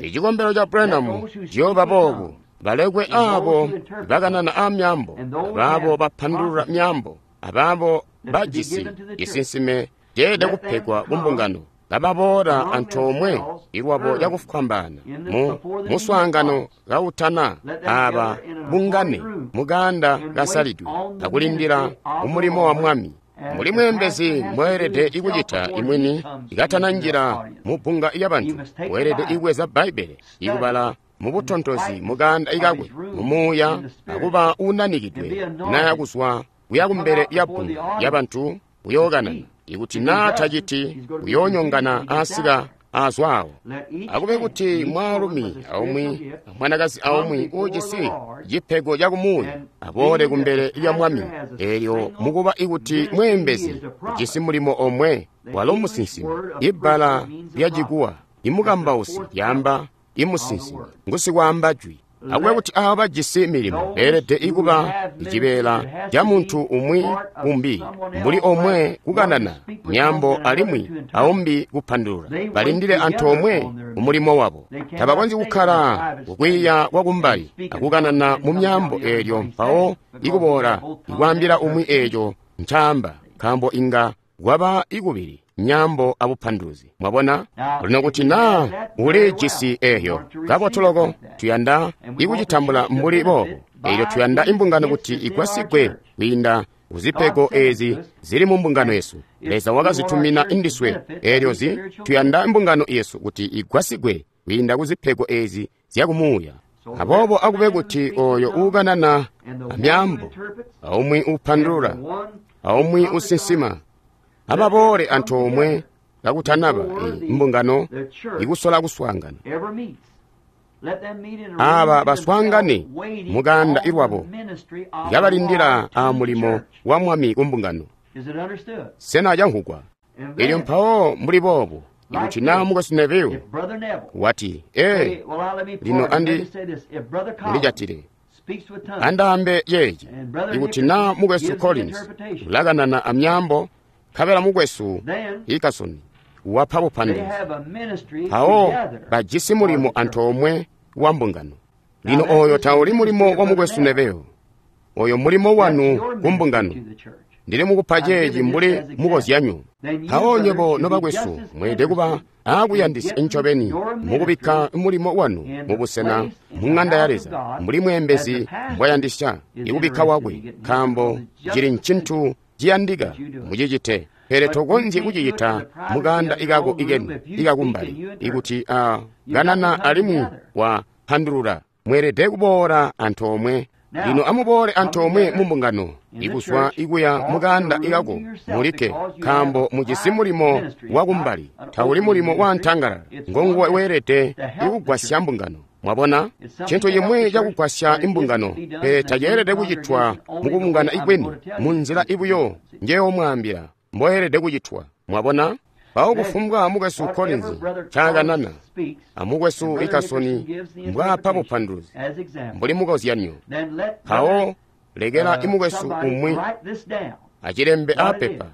Icikombelo ca Branham ciyooba boobu. Balekwe aabo bakanana a myaambo, abaabo bapandulula myaambo, abaabo bajisi cisinsime ceelede kupegwa kumbungano, kababoola antoomwe ilwabo cakufwambaana mu muswaangano kautana aaba bungane mukaanda kasalidwe akulindila umulimo wa Mwami. Mbuli mweembezi mweelede ikucita imwini ikatananjila mubbunga lyabantu, weelede ibweza Bbaibbele ikubala mubutontozi mukaanda ikakwe mumuuya akuba unanikidwe naya kuzwa kuya kumbele lya bbunga lyabantu uyookanana. Ikuti naa taciti, uyoonyongana asika azwaawo. Akube kuti mwaalumi aumwi amwanakazi aumwi uujisi cipego cakumuuya aboole kumbele lya Mwami. Eelyo mukuba ikuti mweembezi ujisi mulimo omwe, walo musinsimi. Ibbala lya Chikuwa imukambausi lyaamba imusinsimi, ngusikwaamba jwi. Akube kuti aabo bajisi milimo beelede ikuba icibeela ca muntu umwi umbi, mbuli omwe kukanana myaambo alimwi aumbi kupandulula. Balindile antoomwe umulimo wabo. Tabakonzyi kukkala kukwiiya kwakumbali akukanana mu myaambo eelyo mpawo ikuboola ikwaambila umwi eeco ncaamba, nkaambo inga kwaba ikubili myaambo abupanduluzi. Mwabona? Lino kuti naa ulijisi eeyo kabotoloko, tuyanda ikucitambula mbuli boobo. Eelyo tuyanda imbungano kuti igwasigwe kwiinda kuzipego eezi zili mu mbungano yesu. Leza wakazitumina indiswe. Eelyo zi tuyanda imbungano yesu kuti igwasigwe kwiinda kuzipego eezi zyakumuuya. Aboobo akube kuti oyo uukanana amyaambo, aumwi uupandulula, aumwi usinsima, ababoole antoomwe kakutanaba imbungano ikusola kuswaangana. Aaba baswaangane mukaanda ilwabo kabalindila aamulimo wa Mwami kumbungano. Sena canhukwa? Elyo mpawo mbuli boobu, ikuti naa Mukwesu Neville wati, ee, lino andi ndijatile andaambe yeeci, ikuti naa Mukwesu Collins ulakanana amyaambo, nkabela Mukwesu Hickerson wapa bupanduluzi, mpawo bajisi mulimo antoomwe wa mbungano. Lino oyo tauli mulimo wa Mukwesu Neville, oyo mulimo wanu kumbungano. Ndili mukupa ceeci mbuli mukozyanyo. Mpawo nywebo nobakwesu mweelede kuba aakuyandisya ncobeni mukubikka mulimo wanu mubusena mu ŋanda ya Leza mbuli mweembezi mbwayandisya ikubikka wakwe, nkaambo cili ncintu ciyandika mucicite. Pele tokonzyi kucicita mukaanda ikako ikeni ikakumbali ikuti a kanana alimwi wapandulula. Mweelede kuboola antoomwe. Lino amuboole antoomwe mumbungano ikuzwa ikuya mukaanda ikako mulikke, nkaambo mujisi mulimo wakumbali, tauli mulimo wa ntangalala. Ngonguwe weelede ikugwasya mbungano. Mwabona? Cintu cimwi cakugwasya imbungano, pele taceelede kucitwa mukubungana ikweni munzila ibuyo njeyoomwaambila mboyeelede kucitwa. Mwabona? Mpawo kufumbwa Mukwesu Collins ncakanana amukwesu Hickerson mbwaapa bupanduluzi mbuli mukozyanyo, mpawo lekela imukwesu umwi acilembe apepa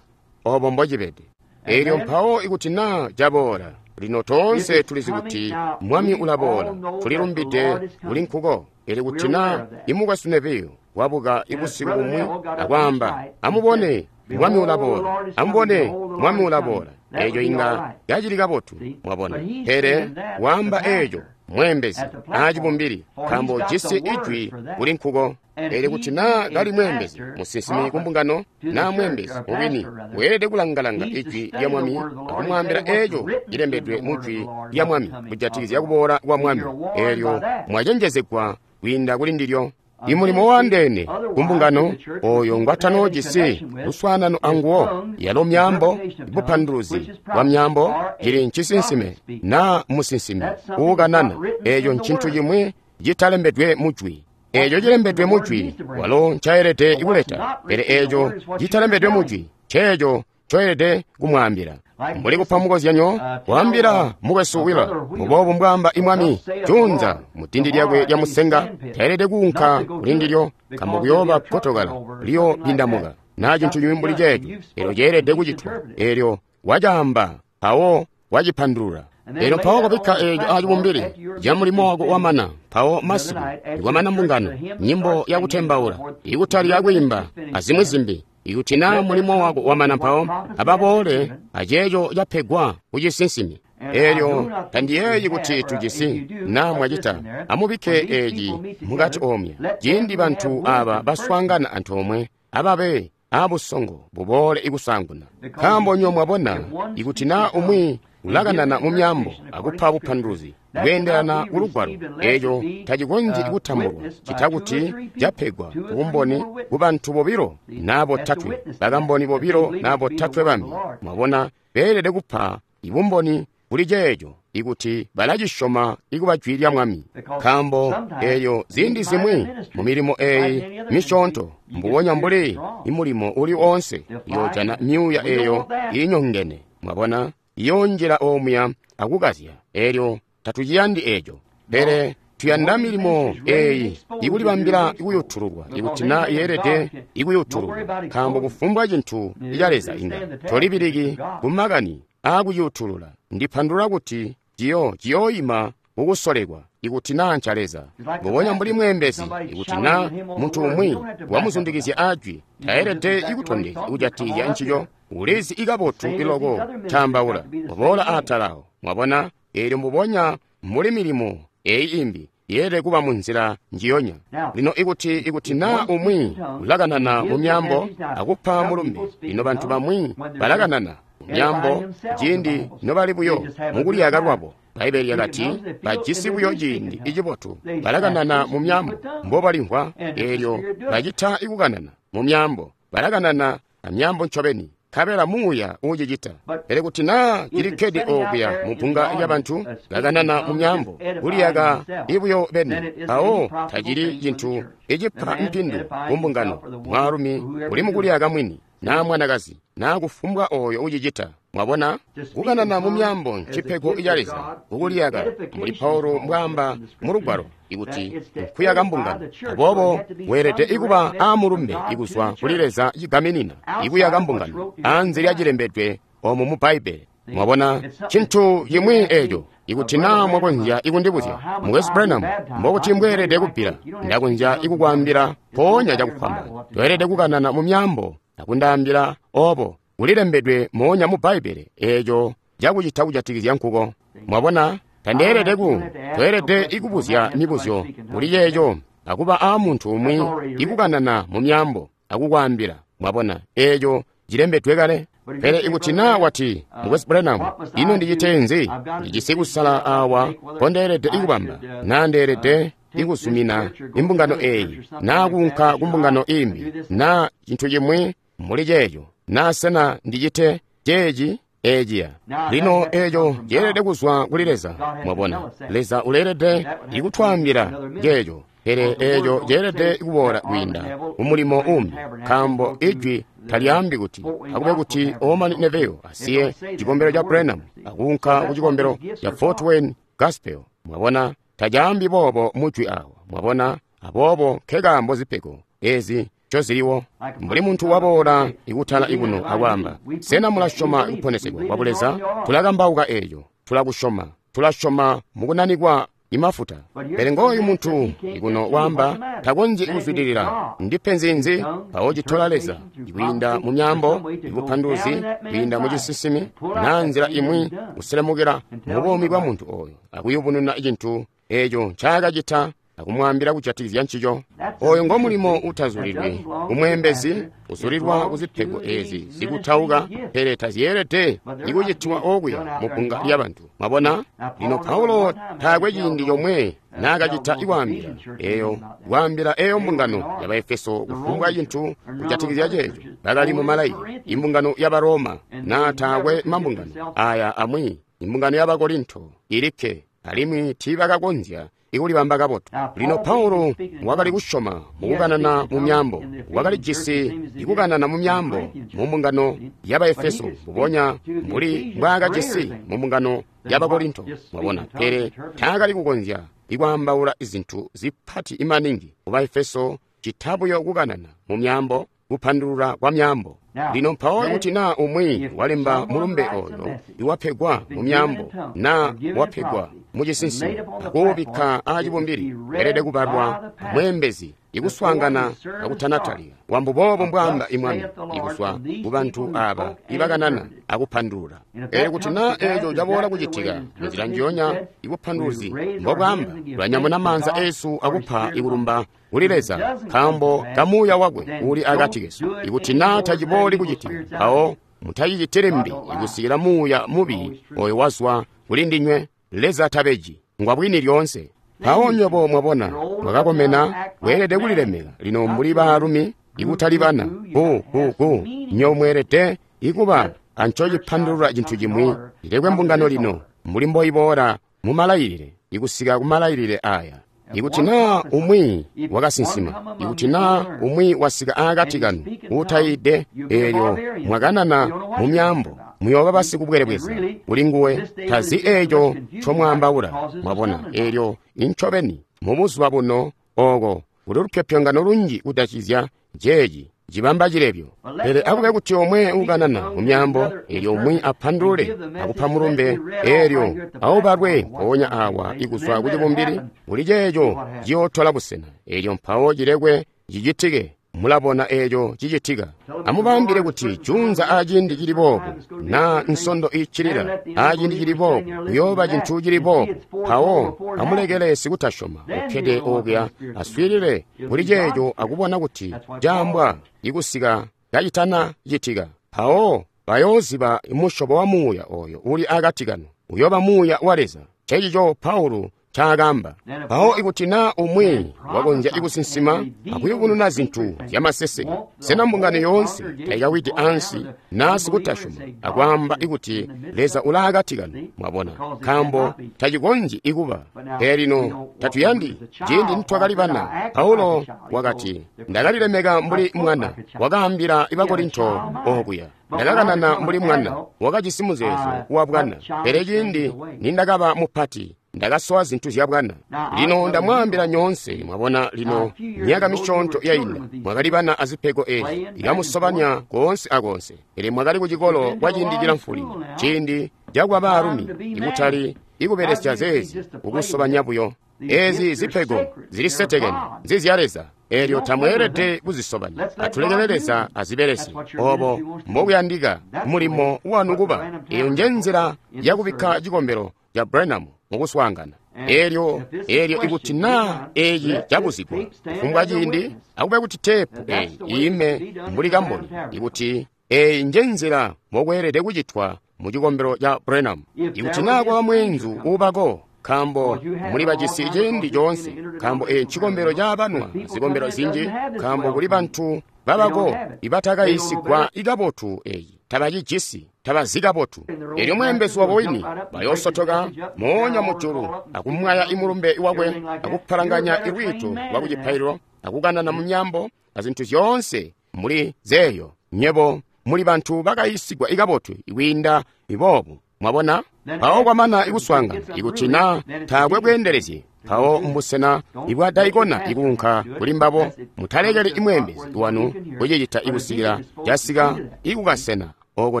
obo mbocibede. Eelyo mpawo ikuti naa caboola, lino toonse tulizi kuti Mwami ulaboola, tulilumbide kuli nkuko. Pele kuti naa imukwesu Neville wabuka ibusiku bumwi akwaamba, amubone Mwami ulaboola, amubone Mwami ulaboola, eeco inga cacili kabotu, mwabona. Pele waamba eeco mweembezi aacibumbili, nkaambo jisi ijwi kuli nkuko. Pele kuti naa kali mweembezi musinsimi kumbungano naa mweembezi mubwini, weelede kulangalanga ijwi lya Mwami akumwaambila eeco cilembedwe mu jwi lya Mwami kujatikizya kuboola kwa Mwami. Eelyo mwacenjezegwa kwiinda kuli ndilyo. Imulimo waandeene kumbungano oyo ngwatanoojisi luswaanano anguwo, yalo myaambo, bupanduluzi bwa myaambo, cili ncisinsime naa musinsimi uukanana. Eeco ncintu cimwi citalembedwe mu jwi. Eeco cilembedwe mu jwi walo ncaelede kuleta, pele eeco citalembedwe mu jwi nceeco ncoelede kumwaambila. Mbuli kupa mukozyanyo, kwaambila mukwesu Wheeler, mbuboobu mbwaamba imwami, junza mudindi lyakwe lya musenga, taelede kuunka kulindilyo, nkambo kuyooba kotokala liyo pindamuka, naa cintu cimwi mbuli ceeco. Elyo ceelede kucitwa. Elyo wacaamba, mpawo wacipandulula. Elyo mpawo kobikka eeco acibumbili ca mulimo wako wamana, mpawo masiku ikwamana mbungano, nyimbo yakutembaula, ikutali yakwiimba, azimwi zimbi. Ikuti naa mulimo wako wamana, mpawo ababoole aceeco capegwa kucisinsimi. Elyo tandiyeeyi kuti tujisi, naa mwacita, amubikke eeci mukati omya. Ciindi bantu aba baswaangana antoomwe, ababe abusongo buboole ikusaanguna. Nkaambo nyo mwabona, ikuti naa umwi ulakanana mu myaambo akupa bupanduluzi bweendelana ku lugwalo, eeco tacikonzyi kutambulwa cita kuti capegwa bumboni ku bantu bobilo naa botatwe, bakamboni bobilo naa botatwe bambi. Mwabona, beelede kupa ibumboni kuli ceeco ikuti balacisyoma ikuba jwi lya Mwami. Nkaambo eeyo ziindi zimwi mu milimo eeyi misyoonto, mbubonya mbuli imulimo uli oonse, iyoojana myuuya eeyo iinyongene. Mwabona, iyoonjila omuya akukazya. Elyo tatuciyandi eeco, pele tuyanda milimo eeyi ikulibambila ikuyutululwa, ikuti naa yeelede ikuyutululwa. Nkaambo kufumbwa cintu ca Leza inga tolibiliki kumakani aakuyutulula. Ndipandulula kuti ciyo ciyooima kukusolekwa ikuti naa nca Leza. Mbubonya mbuli mweembezi, ikuti naa muntu umwi wamuzundikizya ajwi, taelede ikutondezya kujatikizya ncico. Ulizi ikabotu iloko taambaula, uboola aatalawo. Mwabona, eelyo mbubonya mbuli milimo eyi imbi yeelede kuba mu nzila njiyonya. Lino ikuti ikuti naa umwi ulakanana mu myaambo akupa mulumbe, lino bantu bamwi balakanana mu myaambo ciindi nobali buyo mukuliyaka lwabo. Bbaibbele lyakati bajisi buyo ciindi icibotu, balakanana mu myaambo mbobalimvwa. Eelyo bacita ikukanana mu myaambo, balakanana amyaambo ncobeni, nkabela muuya uucicita. Pele kuti naa cilikkede okuya mu bbunga lyabantu bakanana mu myaambo kuliyaka ibuyo beni, mpawo tacili cintu icipa mpindu ku mbungano. Mwaalumi uli mukuliyaka mwini, naa mwanakazi, naa kufumbwa oyo ucicita. Mwabona, kukanana mu myaambo ncipego ca Leza kukuliyaka, mbuli Paulo mbwaamba mu lugwalo ikuti nkuyaka mbungano. Aboobo weelede ikuba aamulumbe ikuzwa kuli Leza cigaminina ikuyaka mbungano anze lya cilembedwe omu mu Bbaibbele. Mwabona, cintu cimwi eeco. Ikuti naa mwakonzya ikundibuzya, Mukwesu Branham, mbokuti mbweelede kubbila, ndakonzya ikukwaambila mpoonya cakufwamba. Toelede kukanana mu myaambo akundaambila obo kulilembedwe moonya mu Bbaibbele eeco cakucita kujatikizya nkuko. Mwabona, tandeelede ku toelede ikubuzya mibuzyo kuli ceeco akuba aamuntu umwi ikukanana mu myaambo akukwaambila. Mwabona, eeco cilembedwe kale. Pele ikuti naa wati, Mukwesu Branham, ino ndicite nzi? Ndijisi kusala awa mpondeelede ikubamba, naa ndeelede ikuzumina imbungano eeyi, naa kuunka ku mbungano imbi, naa cintu cimwi mbuli ceeco, naa sena ndicite ceeci eeciya. Lino eeco ceelede kuzwa kuli Leza. Mwabona, Leza uleelede ikutwaambila ceeco, pele eeco ceelede kuboola kwiinda kumulimo umbi, nkaambo ijwi talyaambi kuti akube kuti Orman Neville asiye cikombelo ca Branham akuunka ku cikombelo ca Fort Wayne Gospel. Mwabona, tacaambi boobo mujwi awa. Mwabona, aboobo nkekaambo zipego ezi ncoziliwo. Mbuli muntu waboola ikutala ikuno akwaamba, sena mulasyoma kuponesegwa kwa Buleza? Tulakambauka eeco, tulakusyoma, tulasyoma mukunanikwa imafuta. Pele ngooyu muntu ikuno waamba takonzyi kuzwidilila. Ndipenzi nzi? Mpawo citola Leza kwiinda mu myaambo, ibupanduluzi, kwiinda mu cisinsimi, naa nzila imwi kuselemukila mu buumi bwa muntu oyo akuyubununa cintu eeco ncaakacita akumwaambila kujatikizya ncico. Oyo ngo mulimo utazulilwi umweembezi uzulilwa kuzipego ezi zikutauka, pele tazyeelede ikucitwa okuya mu bbunga lyabantu. Mwabona, lino Paulo taakwe ciindi comwe naakacita ikwaambila eyo kwaambila eyo mbungano ya Baefeso kufumbwa cintu kujatikizya ceeco. Bakali mu malayi, imbungano ya Baroma, naa taakwe mambungano aya amwi, imbungano ya Bakorinto ilikke, alimwi tiibakakonzya ikulibamba kabotu. Lino Paulo wakali kusyoma mukukanana mu myaambo. Wakali jisi ikukanana mu myaambo mu mbungano ya Baefeso mbubonya mbuli mbwaakajisi mu mbungano ya Bakorinto. Mwabona, pele taakali kukonzya ikwaambaula izintu zipati maningi ku Baefeso citabuyo kukanana mu myaambo, kupandulula kwa myaambo. Lino mpawo kuti naa umwi walemba mulumbe oyo iwapegwa mu myaambo naa wapegwa mu cisinsimi akuubikka aacibumbili, weelede kubalwa mweembezi ikuswaangana akutanatalika. Wambuboobo mbwaamba imwami ikuzwa ku bantu aaba ibakanana akupandulula. Pele kuti naa eeco caboola kucitika munzila njiyonya ibupanduluzi mbobwaamba, tulanyamuna maanza eesu akupa ikulumba kuli Leza nkaambo kamuuya wakwe uli akati kesu. Ikuti naa tacibooli kucitika, mpawo mutacicitili mbi ikusikila muuya mubi oyo wazwa kuli ndinywe. Leza tabeji, ngwa bwini lyoonse. Mpawo nywebo mwabona, mwakakomena, mweelede kulilemeka lino mbuli baalumi, ikutali bana. Ku ku ku nywebo mweelede ikuba ancocipandulula cintu cimwi. Ilekwe mbungano lino mbuli mboiboola mu malayilile, ikusika ku malayilile aya. Ikuti naa umwi wakasinsima, ikuti naa umwi wasika aakati kanu uutayiide, eelyo mwakanana mu myaambo, muyooba basikubwelebweza kuli nguwe, tazi eeco ncomwaambaula. Mwabona, eelyo incobeni mubuzuba buno ooko kuli lupyopyongano lunji kudacizya jeeci cibamba cilebyo. Pele akube kuti omwe ukanana mu myaambo, eelyo umwi apandulule akupa mulumbe, eelyo aubalwe mpoonya awa ikuzwa ku cibumbili kuli ceeco ciyootola busena, eelyo mpawo cilekwe cicitike. Mulabona eeco cicitika. Amubaambile kuti juunza aciindi cili boobu, naa nsondo iccilila aciindi cili boobu, kuyooba cintu cili boobu. Mpawo amulekele sikutasyoma ukkede okuya aswiilile kuli ceeco akubona kuti caambwa ikusika kacitana citika. Mpawo bayooziba musyobo wa muuya oyo uli akati kanu, uyooba muuya wa Leza. Ncencico Paulo ncaakaamba. Mpawo ikuti naa umwi wakonzya ikusinsima akuyubununa zintu zyamaseseke, sena mbungano yoonse taikawidi ansi naa sikutasyoma akwaamba ikuti Leza ulaakati kanu? Mwabona, nkaambo tacikonzyi ikuba. Pele lino tatuyandi. Ciindi nitwakali bana, Paulo wakati, ndakalilemeka mbuli mwana, wakaambila Bakorinto okuya. Ndakakanana mbuli mwana, wakajisi muzeezo wa bwana. Pele ciindi nindakaba mupati, ndakasowa zintu zya bwana. Lino ndamwaambila nyoonse, mwabona lino myaka misyoonto yainda, mwakali bana azipego eezi, ikamusobanya koonse akoonse. Pele mwakali kucikolo kwa ciindi cilamfu lino, ciindi cakuba baalumi, ikutali ikubelesya zeezi kukusobanya buyo. Eezi zipego zilisetekene, nzizya Leza, eelyo tamweelede kuzisobanya. Atulekele Leza azibelesye. Obo mbokuyandika mulimo wanu kuba. Eyo nje nzila yakubikka cikombelo ca Branham mukuswaangana. Eelyo eelyo ikuti naa eeci cabuzigwa kufumbwa ciindi, akube kuti teepu eeyi iime mbuli kamboni ikuti eeyi nje nzila mbokweelede kucitwa mu cikombelo ca Branham. Ikuti naa kwaba mweenzu uubako, nkaambo muli bajisi ciindi coonse, nkaambo eeci ncikombelo caabanwa zikombelo zinji, nkaambo kuli bantu babako ibatakayiisigwa ikabotu eeci, tabacijisi, tabazi kabotu. Eelyo mweembezi wabo wini bayoosotoka moonya mujulu akumwaya imulumbe wakwe akupalanganya ilwiito lwa kucipaililo akukanana mu myaambo azintu zyoonse muli zeeyo. Nywebo muli bantu bakayiisigwa ikabotu ikwiinda iboobu. Mwabona? Mpawo kwamana ikuswaangana, ikuti naa taakwe bweendelezi, mpawo mbusena ibwa daikona ikuunka kuli mbabo. Mutalekeli imweembezi wanu kucicita ikusikila casika ikukasena oko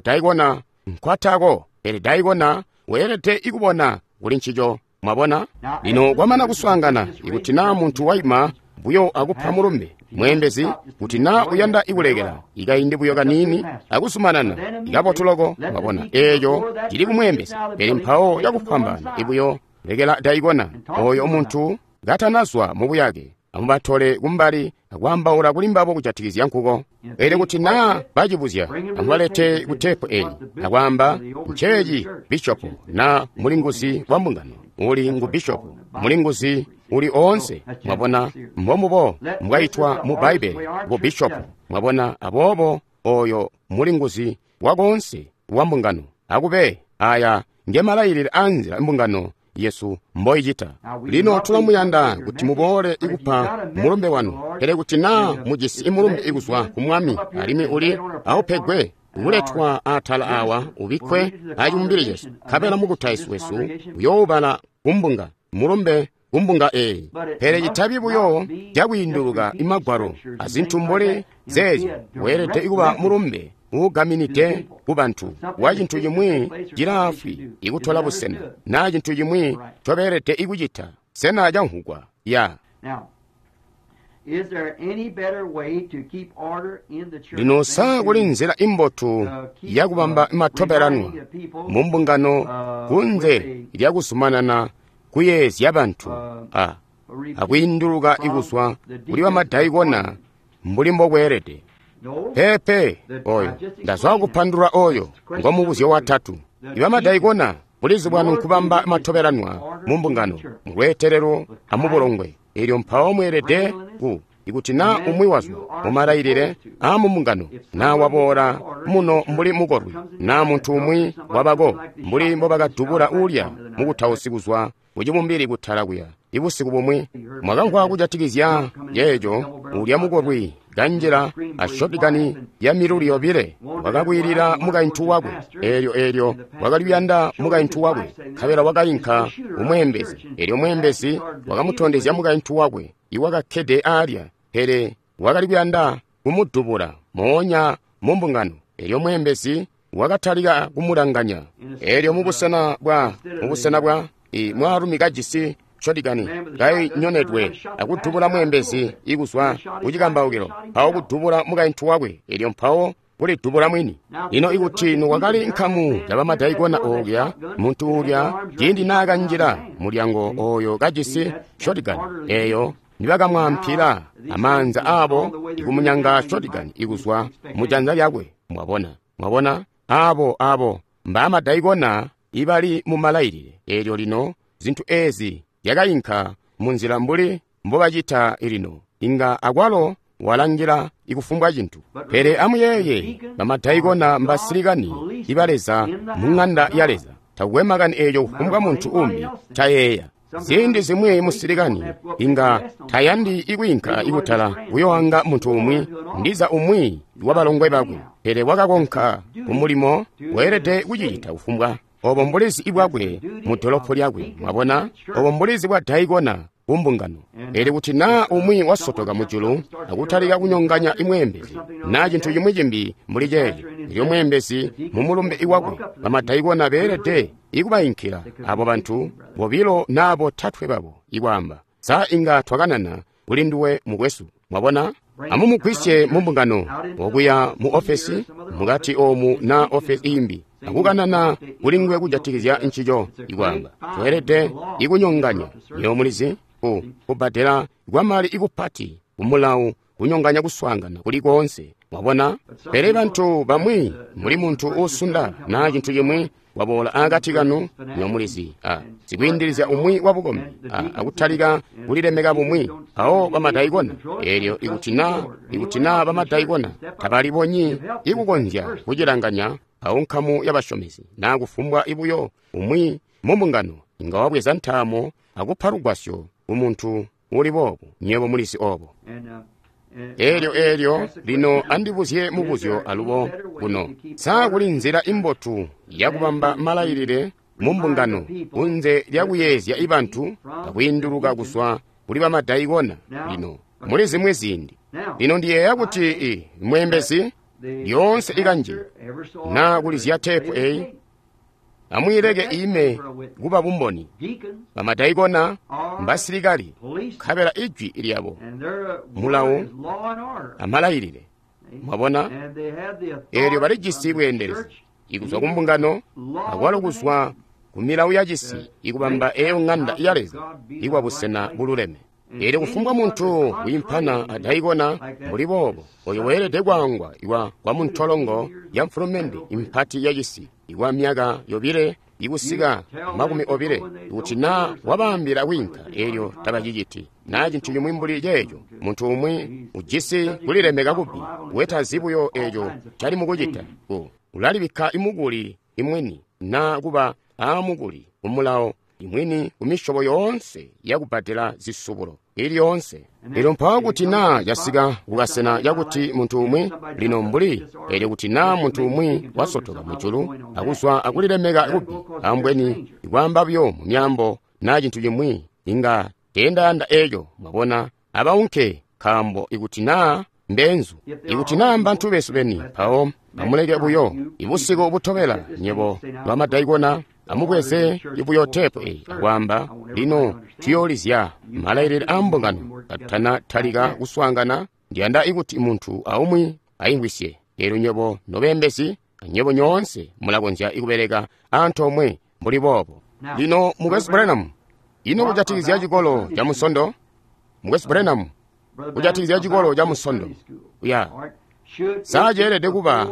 daikona nkwatako. Pele daikona weelede ikubona kuli ncico. Mwabona? Lino kwamana kuswaangana, ikuti naa muntu waima buyo akupa mulumbe, mweembezi, kuti naa uyanda ikulekela ikaindi buyo kaniini akuzumanana ikabotu loko. Mwabona, eeco cili kumweembezi. Pele mpawo cakufwambaana ibuyo lekela daikona oyo muntu katanazwa mubuyake, amubatole kumbali akwaambaula kuli mbabo kujatikizya nkuko. Pele kuti naa bacibuzya, amubalete ku teepu eeyi akwaamba, nceeci bishopu naa mulinguzi wa mbungano uli ngu bishopu, mulinguzi uli oonse. Mwabona, mbombubo mbwaitwa mu Bbaibbele bu bishopu. Mwabona, aboobo oyo mulinguzi wakoonse wa mbungano. Akube aya nge malayilile aanzila mbungano yesu mboicita. Lino tulamuyanda kuti muboole ikupa mulumbe wanu, pele kuti naa mujisi mulumbe ikuzwa ku Mwami alimwi uli aupegwe kuletwa atala awa ubikkwe acibumbili cesu, nkabela mukutausi wesu uyoobala kumbunga mulumbe kumbunga eeyi. Pele citabi buyo cakwiinduluka imagwalo azintu mbuli zeezyo, weelede kuba mulumbe uugaminide ku bantu wa cintu cimwi cilaafwi ikutola busena naa cintu cimwi ncobeelede ikucita. Sena camvwugwa? Ya. Lino sa kuli nzila imbotu yakubamba matobelanwa mu mbungano kunze lyakuzumanana kuyeezya bantu a akwiinduluka ikuzwa kuli bamadaikona mbuli mbokweelede? Peepe, oyo ndazwa kupandulula oyo ngo mubuzyo watatu. Ibamadaikona bulizi bwanu nkubamba matobelanwa mu mbungano mulweetelelo amubulongwe. Elyo mpawo mweelede ku ikuti naa umwi wazwa mumalailile aamumbungano naa waboola muno mbuli mukolwi naa muntu umwi wabako mbuli mbobakadubula uulya mukutausi kuzwa kucibumbili kutala kuya ibusiku bumwi, mwakamvwa kujatikizya yeeco. Uulya mukolwi kanjila a shotigani ya miluli yobile wakakwiilila mukaintu wakwe. Eelyo eelyo wakali kuyanda mukaintu wakwe, nkabela wakayinka kumweembezi. Eelyo mweembezi wakamutondezya mukaintu wakwe iwakakkede aalya, pele wakali kuyanda kumudubula moonya mu mbungano. Eelyo mweembezi wakatalika kumulanganya. Eelyo mubusena bwa mubusena bwa mwaalumi kajisi shotigani kainyonedwe akudubula mweembezi ikuzwa kucikambaukilo, mpawo kudubula mukaintu wakwe, elyo mpawo kulidubula mwini. Lino ikuti nokwakali nkamu ya bamadaikona oolya, muntu uulya ciindi naakanjila mulyango oyo kajisi shotigani eyo, nibakamwaampila amaanza aabo ikumunyanga shotigani ikuzwa mujanza lyakwe. Mwabona, mwabona abo abo mbaamadaikona ibali mumalailile. Elyo lino zintu ezi zyakayinka munzila mbuli mbobacita lino, inga akwalo walangila ikufumbwa cintu. Pele amuyeeye, bamadaikona mbasilikani iba Leza mu ng'anda ya Leza. Takukwe makani eeco kufumbwa muntu umbi tayeeya. Ziindi zimwi musilikani inga tayandi ikwiinka ikutala kuyoanga muntu umwi, ndiza umwi wabalongwe bakwe, pele wakakonka kumulimo weelede kucicita kufumbwa. Obo mbulizi bwakwe mu dolopo lyakwe, mwabona, obo mbulizi bwa daikona ku mbungano. Elyo kuti naa umwi wasotoka mujulu akutalika kunyonganya imweembezi naa cintu cimwi cimbi mbuli ceeco, elyo mweembezi mu mulumbe iwakwe, bamadaikona beelede ikubayinkila abo bantu bobilo naa botatwe babo ikwaamba, sa inga twakanana kuli nduwe mukwesu? Mwabona, amumugwisye mu mbungano okuya mu ofesi mukati omu naa ofesi imbi, akukanana kuli nguwe kujatikizya ncico, ikwaamba tweelede ikunyonganya. Nyo mulizi ku kubbadela kwamali ikupati kumulawu kunyonganya kuswaangana kuli koonse. Mwabona, pele bantu bamwi muli muntu uusunda naa cintu cimwi waboola akati kanu, nyo mulizi a sikwiindilizya umwi wabukombi a akutalika kulilemeka bumwi, mpawo bamadaikona. Elyo ikuti naa ikuti naa bamadaikona tabalibonyi ikukonzya kucilanganya, awo nkamu yabasyomizi naa kufumbwa ibuyo umwi mu mbungano inga wabweza ntaamo akupa lugwasyo kumuntu uli boobu. Nywebo mulizi obo. Elyo elyo lino andibuzye mubuzyo alubo kuno, sa kuli nzila imbotu yakubamba malailile mu mbungano kunze lyakuyeezya ibantu akwiinduluka kuzwa kuli bamadaikona? Lino muli zimwi ziindi, lino ndiyeeya kuti i mweembezi lyoonse ikanji naa kulizya teepu eyi, amwiileke ime kuba bumboni. Bamadaikona mbasilikali, nkabela ijwi lyabo mulawu amalailile. Mwabona, eelyo balijisi bweendelezi ikuzwa ku mbungano akwalo kuzwa ku milawu ya cisi ikubamba eyo ng'anda ya Leza ikwa busena bululeme. Elyo kufumbwa muntu wiimpana adaikona mbuli boobo, oyo weelede kwaangwa iwa kwa muntolongo ya mfulumende impati ya cisi ikwa myaka yobile ikusika makumi obile. Kuti naa wabaambila kwiinka, elyo tabaciciti naa cintu cimwi mbuli ceeco, muntu umwi ujisi kulilemeka kubi wetazi buyo eeco cali mukucita, ku ulalibikka imukuli imwini naa kuba aamukuli kumulawo imwini ku misyobo yoonse yakubbadela zisubulo ili yoonse. Elyo mpawo kuti naa casika kukasena cakuti muntu umwi lino mbuli elyo kuti naa muntu umwi wasotoka mujulu akuzwa akulilemeka kubi, ambweni ikwaamba buyo mu myaambo naa cintu cimwi, inga teendayanda eco, mwabona, abaunke, nkaambo ikuti naa mbeenzu, ikuti naa mbantu besu beni, mpawo amuleke buyo. Ibusiku butobela nyebo lwamadaikona amubweze ibuyo tepu eyi akwaamba, lino tuyoolizya malailile a mbungano katutana talika kuswaangana. Ndiyanda ikuti muntu aumwi aimvwisye. Elyo nyebo nobeembezi anyebo nyoonse mulakonzya kubeleka antoomwe mbuli boobo. Lino Mukwesu Branham, ino kujatikizya cikolo ca Munsondo? Mukwesu Branham, kujatikizya cikolo ca Munsondo, ya saa ceelede kuba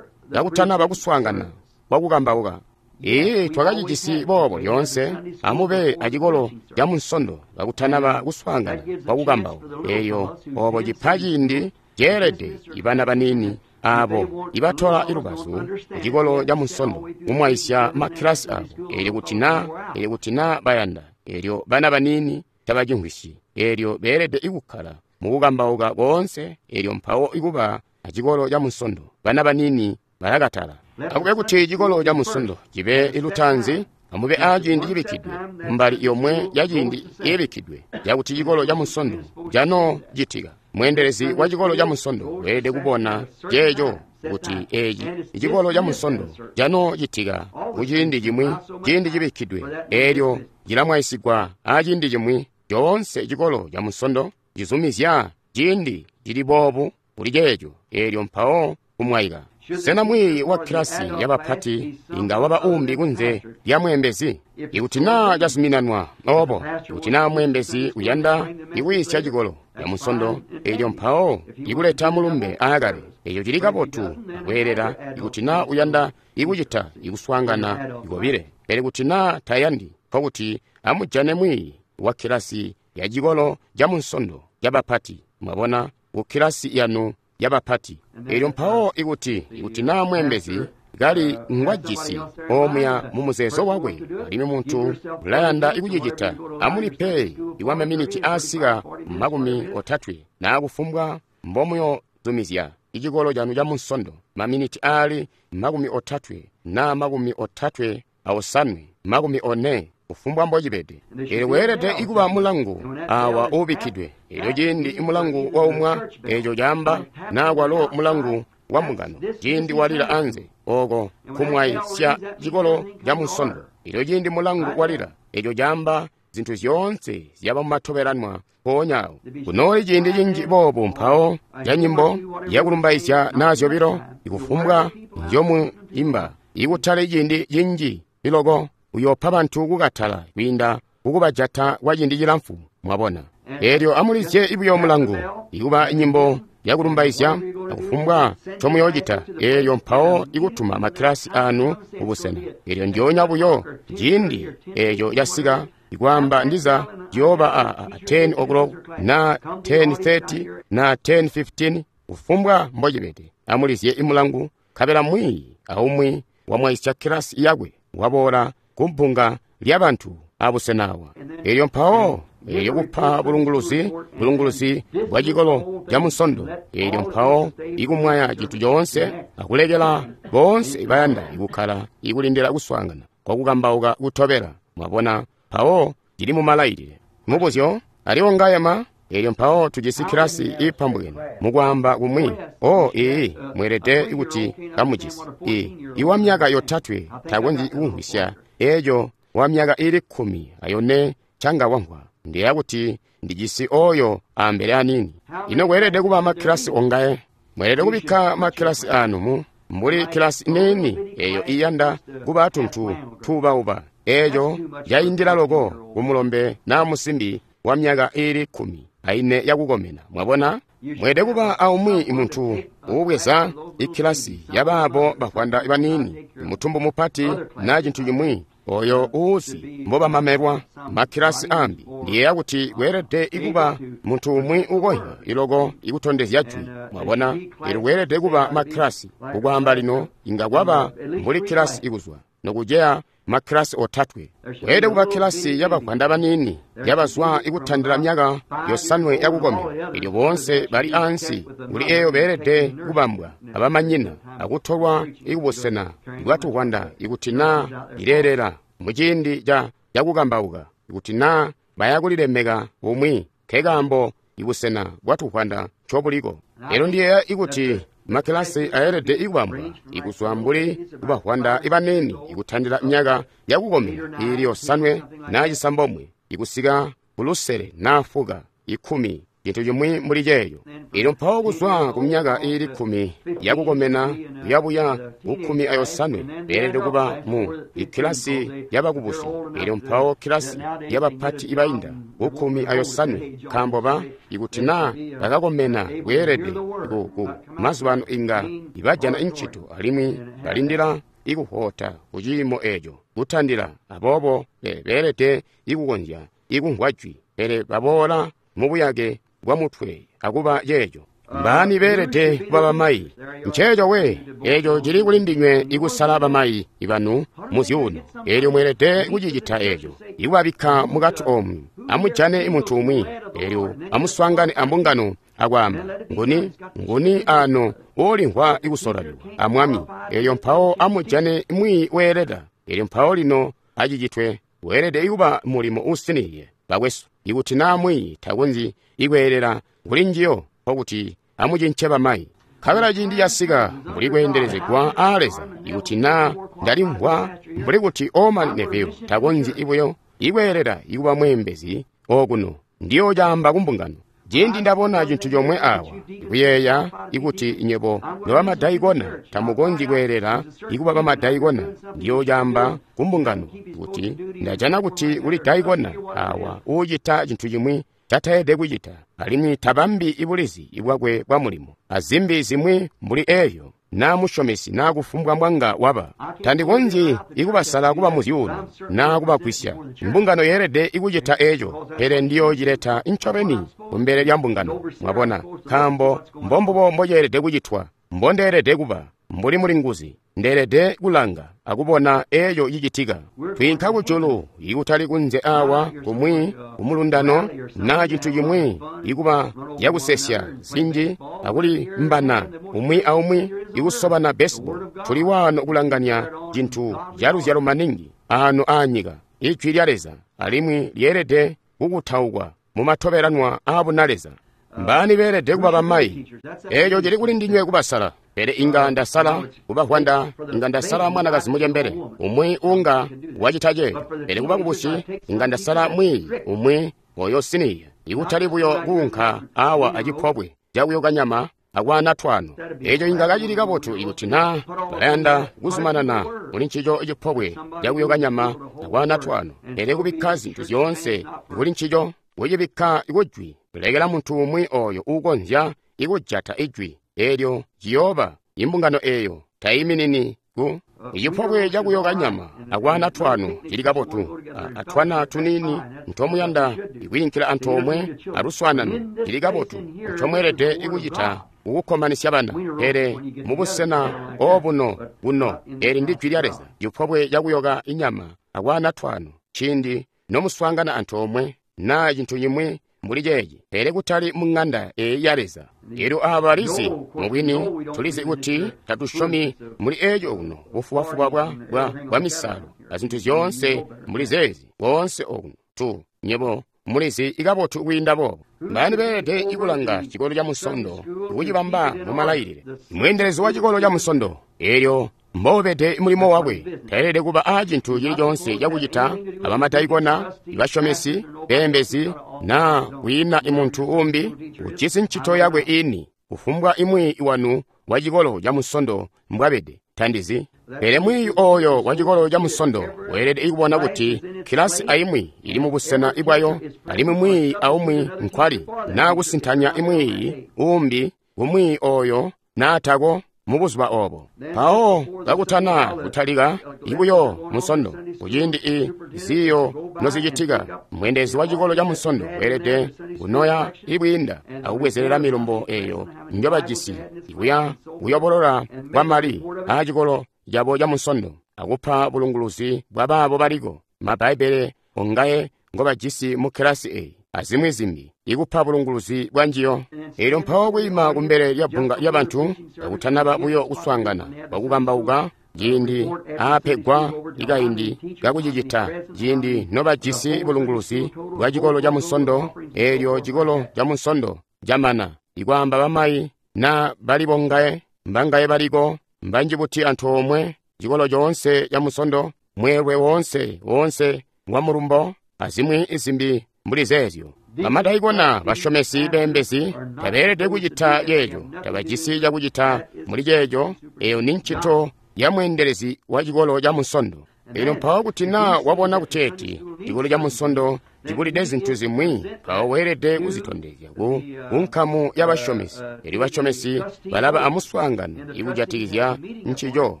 kakutanaba kuswaangana kwakukambauka. Ee, twakacijisi boobo lyoonse. Amube acikolo ca Munsondo kakutanaba kuswaangana kwakukambauka. Eyo obo cipa ciindi ceelede ibana baniini abo ibatola ilubazu kucikolo ca Munsondo kumwaisya makkilasi abo. Elyo kuti naa elyo kuti naa bayanda, elyo bana baniini tabacimvwisyi, elyo beelede ikukkala mukukambauka koonse, elyo mpawo ikuba acikolo ca Munsondo. Bana baniini balakatala. Akube kuti cikolo ca Munsondo cibe ilutaanzi, amube aciindi cibikkidwe mbali yomwe ya ciindi ibikkidwe yakuti cikolo ca Munsondo canoocitika. Mweendelezi wa cikolo ca Munsondo weelede kubona ceeco kuti eci icikolo ca Munsondo canoocitika kuciindi cimwi, ciindi cibikkidwe, elyo cilamwaisigwa aciindi cimwi. Coonse cikolo ca Munsondo cizumizya ciindi cili boobu kuli ceeco, elyo mpawo kumwaika. Sena mwiiyi wa kilasi yabapati inga waba umbi kunze lya mweembezi? Ikuti naa cazuminanwa obo, ikuti naa mweembezi uyanda ikwiisya cikolo ca Munsondo, elyo mpawo ikuleta mulumbe aakale, eco cili kabotu akweelela. Ikuti naa uyanda ikucita ikuswaangana ikobile, pele kuti naa tayandi, nkokuti amujane mwiiyi wa kilasi ya cikolo ca Munsondo cabapati, mwabona, ku kilasi yanu yabapati. Elyo mpawo ikuti ikuti naa mweembezi kali ngwajisi omuya mu muzeezo wakwe, alimwi muntu ulayanda ikucicita, amulipe iwa maminiti aasika makumi otatwe naa kufumbwa mbomuyozumizya icikolo canu ca Munsondo, maminiti aali makumi otatwe naa makumi otatwe aosanwe, makumi one, kufumbwa mbocibede. Elyo weelede ikuba mulangu awa uubikkidwe. Elyo ciindi mulangu waumwa, eco caamba naa kwalo mulangu wa mbungano, ciindi walila anze, oko kumwaisya cikolo ca Munsondo. Elyo ciindi mulangu walila, eco caamba zintu zyoonse zyaba mumatobelanwa mpoonya awo. Kunooli ciindi cinji boobu mpawo ca nyimbo yakulumbaizya naa zyobilo, ikufumbwa nzyomuimba, ikutali ciindi cinji iloko uyoopa bantu kukatala kwiinda kukubajata kwa ciindi cilamfu, mwabona. Elyo amulizye ibuyo mulangu ikuba nyimbo yakulumbaizya akufumbwa ncomuyoocita, elyo mpawo ikutuma makkilasi anu kubusena. Elyo ndyoonya buyo ciindi eco casika, ikwaamba ndiza ciyooba a ten o'clock na ten thirty na ten fifteen, kufumbwa mbocibede. Amulizye imulangu, nkabela mwiiyi aumwi wamwaisya kilasi yakwe waboola kubbunga lyabantu abusena awa. Elyo mpawo elyo kupa bulunguluzi, bulunguluzi bwa cikolo ca Munsondo, elyo mpawo ikumwaya cintu coonse akulekela boonse bayanda ikukkala ikulindila kuswaangana kwakukambauka kutobela, mwabona, mpawo cili mumalailile. Mubuzyo aliwo ngayema. Elyo mpawo tujisi kilasi iipambukene mukwaamba kumwi. O ii, mweelede kuti kamujisi i iwa myaka yotatwe takonzyi kumvwisya eco wa myaka ili kkumi ayone canga wamvwa. Ndiyeeya kuti ndijisi oyo ambele aniini. Ino kweelede kuba makkilasi ongaye? Mweelede kubikka makkilasi anu mu mbuli kilasi niini eyo iyanda kuba tuntu tuubauba, eco caindila loko kumulombe naa musimbi wa myaka ili kkumi aine yakukomena, mwabona. Mweelede kuba aumwi muntu uubweza ikkilasi yabaabo bavwanda baniini, mutumbu mupati naa cintu cimwi, oyo uuzi mbobamamelwa makkilasi ambi. Ndiyeeya kuti kweelede ikuba muntu umwi ukonya iloko ikutondezya jwi, mwabona. Elyo kweelede kuba makkilasi kukwaamba lino inga kwaba mbuli kilasi ikuzwa nokuceya makkilasi otatwe. Kweelede kuba kkilasi yabavwanda baniini yabazwa ikutandila myaka yosanwe yakukomena. Elyo boonse bali ansi kuli eyo beelede kubambwa abamanyina akutolwa ikubusena bwatuvwanda ikuti naa ileelela muciindi ca cakukambauka, ikuti naa baya kulilemeka bumwi, nkekaambo ibusena bwatuvwanda ncobuliko. Elyo ndiyeeya ikuti makkilasi ayelede ikubambwa ikuzwa mbuli kubavwanda ibaniini ikutandila myaka yakukomena iili yosanwe naa cisambomwe ikusika kulusele naa fuka ikkumi, cintu cimwi mbuli ceeyo. Elyo mpawo kuzwa ku myaka iili kkumi yakukomena kuyabuya kukkumi ayosanwe beelede kuba mu ikkilasi yabakubusi. Elyo mpawo kkilasi yabapati ibainda kukkumi ayosanwe, nkaambo ba ikuti naa bakakomena kweelede ku, ku mazubaano inga ibajana incito alimwi balindila ikuhoota kuciimo eeco kutandila, aboobo beelede ikukonzya ikumvwa jwi, pele baboola mubuyake bwa mutwe akuba ceeco. Mbaani beelede kuba bamayi? Nceeco we, eeco cili kuli ndinywe ikusala bamayi ibanu muzyuuno. Eelyo mweelede kucicita eeco, ikubabikka mukati omwe. Amujane muntu umwi, eelyo amuswaangane ambungano akwaamba, nguni, nguni ano uulimvwa ikusolalelwa amwami. Eelyo mpawo amujane mwiiyi weeleda. Eelyo mpawo lino acicitwe, weelede ikuba mulimo uusiniye, bakwesu. Ikuti naa mwiiyi takonzyi ikweelela kuli njiyo, nkokuti amucince bamayi. Nkabela ciindi casika mbuli kweendelezegwa aa Leza, ikuti naa ndalimvwa mbuli kuti Orman Neville takonzyi ibuyo ikweelela ikuba mweembezi okuno, ndiyocaamba kumbungano. Ciindi ndabona cintu comwe awa, kuyeeya ikuti nyebo nobamadaikona tamukonzyi kweelela ikuba bamadaikona, ndiyocaamba kumbungano kuti ndajana kuti kuli daikona awa uucita cintu cimwi cataelede kucita, alimwi tabambi ibulizi bwakwe bwa mulimo, azimbi zimwi mbuli eeyo, naa musyomesi naa kufumbwa mbwanga waba. Tandikonzyi ikubasala kuba muzyuuno naa kubagwisya. Mbungano yeelede ikucita eeco, pele ndiyoocileta ncobeni kumbele lya mbungano, mwabona, nkaambo mbombubo mboceelede kucitwa, mbondeelede kuba mbuli mulinguzi. Ndeelede kulanga akubona eeco cicitika. Twiinka kujulu ikutali kunze awa kumwi kumulundano naa cintu cimwi ikuba yakusesya zinji akulimbana umwi aumwi ikusobana baseball. Tuli waano kulanganya cintu caluzyalo maningi aano aanyika, Ijwi lya Leza, alimwi lyeelede kukutaukwa mumatobelanwa aabunaleza. Mbaani beelede kuba bamayi? Eeco cili kuli ndinywe kubasala. Pele inga ndasala kubavwanda, inga ndasala mwanakazi mucembele umwi unga wacita ceeco. Pele kubakubusi inga ndasala mwiiyi umwi oyo siniya, ikutali buyo kuunka awa acipobwe cakuyoka nyama akwaana twano. Eeco inga kacili kabotu ikuti naa balayanda kuzumanana kuli ncico cipobwe cakuyoka nyama akwaana twano, pele kubikka zintu zyoonse kuli ncico, kucibikka kujwi, kulekela muntu umwi oyo uukonzya ikujata ijwi eelyo ciyooba imbungano eeyo tayiminini ku icipobwe cakuyoka nyama akwaana twano cili kabotu, atwana tuniini ntomuyanda ikwiinkila antoomwe aluswaanano cili kabotu, ncomweelede ikucita kukukkomanisya bana. Pele mubusena obuno buno, eli ndi jwi lya Leza, cipobwe cakuyoka inyama akwaana twano ciindi nomuswaangana antoomwe naa cintu cimwi mbuli ceeci, pele kutali mu ŋanda eeyi ya Leza. Elyo aaba balizi, mubwini tulizi kuti tatusyomi muli eeco kuno, bufubafuba bwa, bwa, bwa misalo azintu zyoonse mbuli zeezi koonse okuno. Tu nyebo mulizi ikabotu kwiinda boobo. Mbaani beelede ikulanga cikolo ca Munsondo kucibamba mu malailile? Mweendelezi wa cikolo ca Munsondo, eelyo mboubede mulimo wakwe, taelede kuba aa cintu cili coonse cakucita abamadaikona, ibasyomesi, beembezi, naa kwiina imuntu umbi ujisi ncito yakwe ini, kufumbwa imwi wanu wa cikolo ca Munsondo mbwabede, tandizi. Pele mwiiyi oyo wa cikolo ca Munsondo weelede kubona kuti kilasi aimwi ili mubusena bwayo, alimwi mwiiyi aumwi nkwali, naa kusintanya imwiiyi umbi kumwiiyi oyo naatako mubuzuba obo. Mpawo kakutana kutalika ibuyo Munsondo, kuciindi i ziyo nozicitika, mweendelezi wa cikolo ca Munsondo weelede kunoya ibwiinda akubwezelela milumbo eyo njobajisi ikuya kuyobolola kwa mali aa cikolo cabo ca Munsondo. akupa bulunguluzi bwa baabo baliko, ma Bbaibbele ongaye ngobajisi mu kilasi eyi, azimwi zimbi, ikupa bulunguluzi bwa njiyo. Elyo mpawo kwiima kumbele lya bbunga lya bantu, kakutanaba buyo kuswaangana kwakukambauka, ciindi aapegwa ikaindi kakucicita, ciindi nobajisi bulunguluzi bwa cikolo ca Munsondo, eelyo cikolo ca Munsondo camana, ikwaamba bamayi na bali bongaye, mbangaye baliko, mbanji buti antoomwe, cikolo coonse ca Munsondo, mweelwe woonse woonse wa mulumbo, azimwi zimbi mbuli zeezyo. Bamadaikona, basyomesi, beembezi tabeelede kucita ceeco, tabajisi cakucita muli ceeco. Eyo ni ncito ya mweendelezi wa cikolo ca Munsondo. Elyo mpawo kuti naa wabona kuteeti cikolo ca Munsondo cibulide zintu zimwi, mpawo weelede kuzitondezya ku nkamu ya basyomesi. Elyo basyomesi balaba amuswaangano ikujatikizya ncico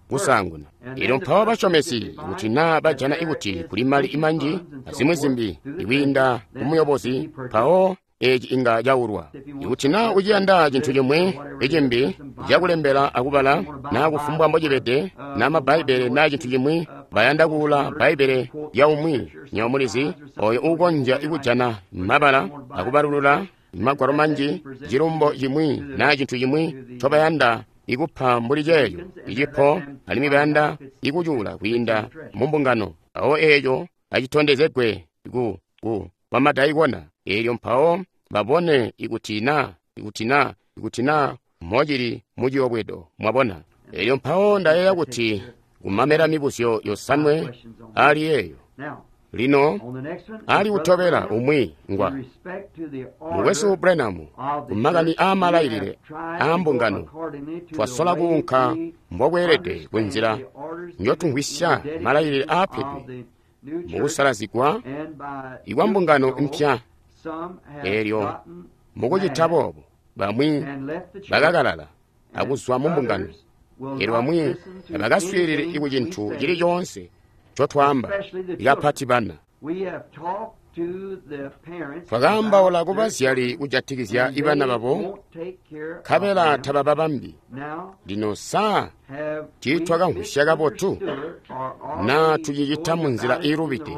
kusaanguna. Elyo mpawo basyomesi kuti naa bajana ikuti kuli mali imanji azimwi zimbi ikwiinda kumuyobozi, mpawo eci inga caulwa. Ikuti naa uciyanda cintu cimwi icimbi cakulembela akubala, naa kufumbwa mbocibede, naa Mabbaibbele naa cintu cimwi, bayanda kuula Bbaibbele lya umwi, nywebo mulizi, oyo uukonzya kujana mabala akubalulula magwalo manji, cilumbo cimwi naa cintu cimwi ncobayanda ikupa mbuli ceeco icipo, alimwi bayanda ikucuula kwiinda mu mbungano, mpawo eeco acitondezegwe ku ku bamadaikona. Eelyo mpawo babone ikuti na ikuti na ikuti na mocili muciyobwedo, mwabona. Eelyo mpawo ndayeeya kuti kumamela mibuzyo yosanwe ali eyo. Lino ali kutobela umwi ngwa Mukwesu Branham, kumakani aamalailile aambungano, twasola kuunka mbokweelede kunzila njotumvwisya malailile aapedwe mukusalazigwa ikwa mbungano mpya. Eelyo mukucita boobo, bamwi bakakalala akuzwa mu mbungano, eelyo bamwi tabakaswiilili kucintu cili coonse ncotwaamba, ikapati bana. Twakaambaula kubazyali kujatikizya ibana babo, nkabela tabababambi. Lino saa tiitwakamvwisya kabotu naa tucicita munzila iilubide?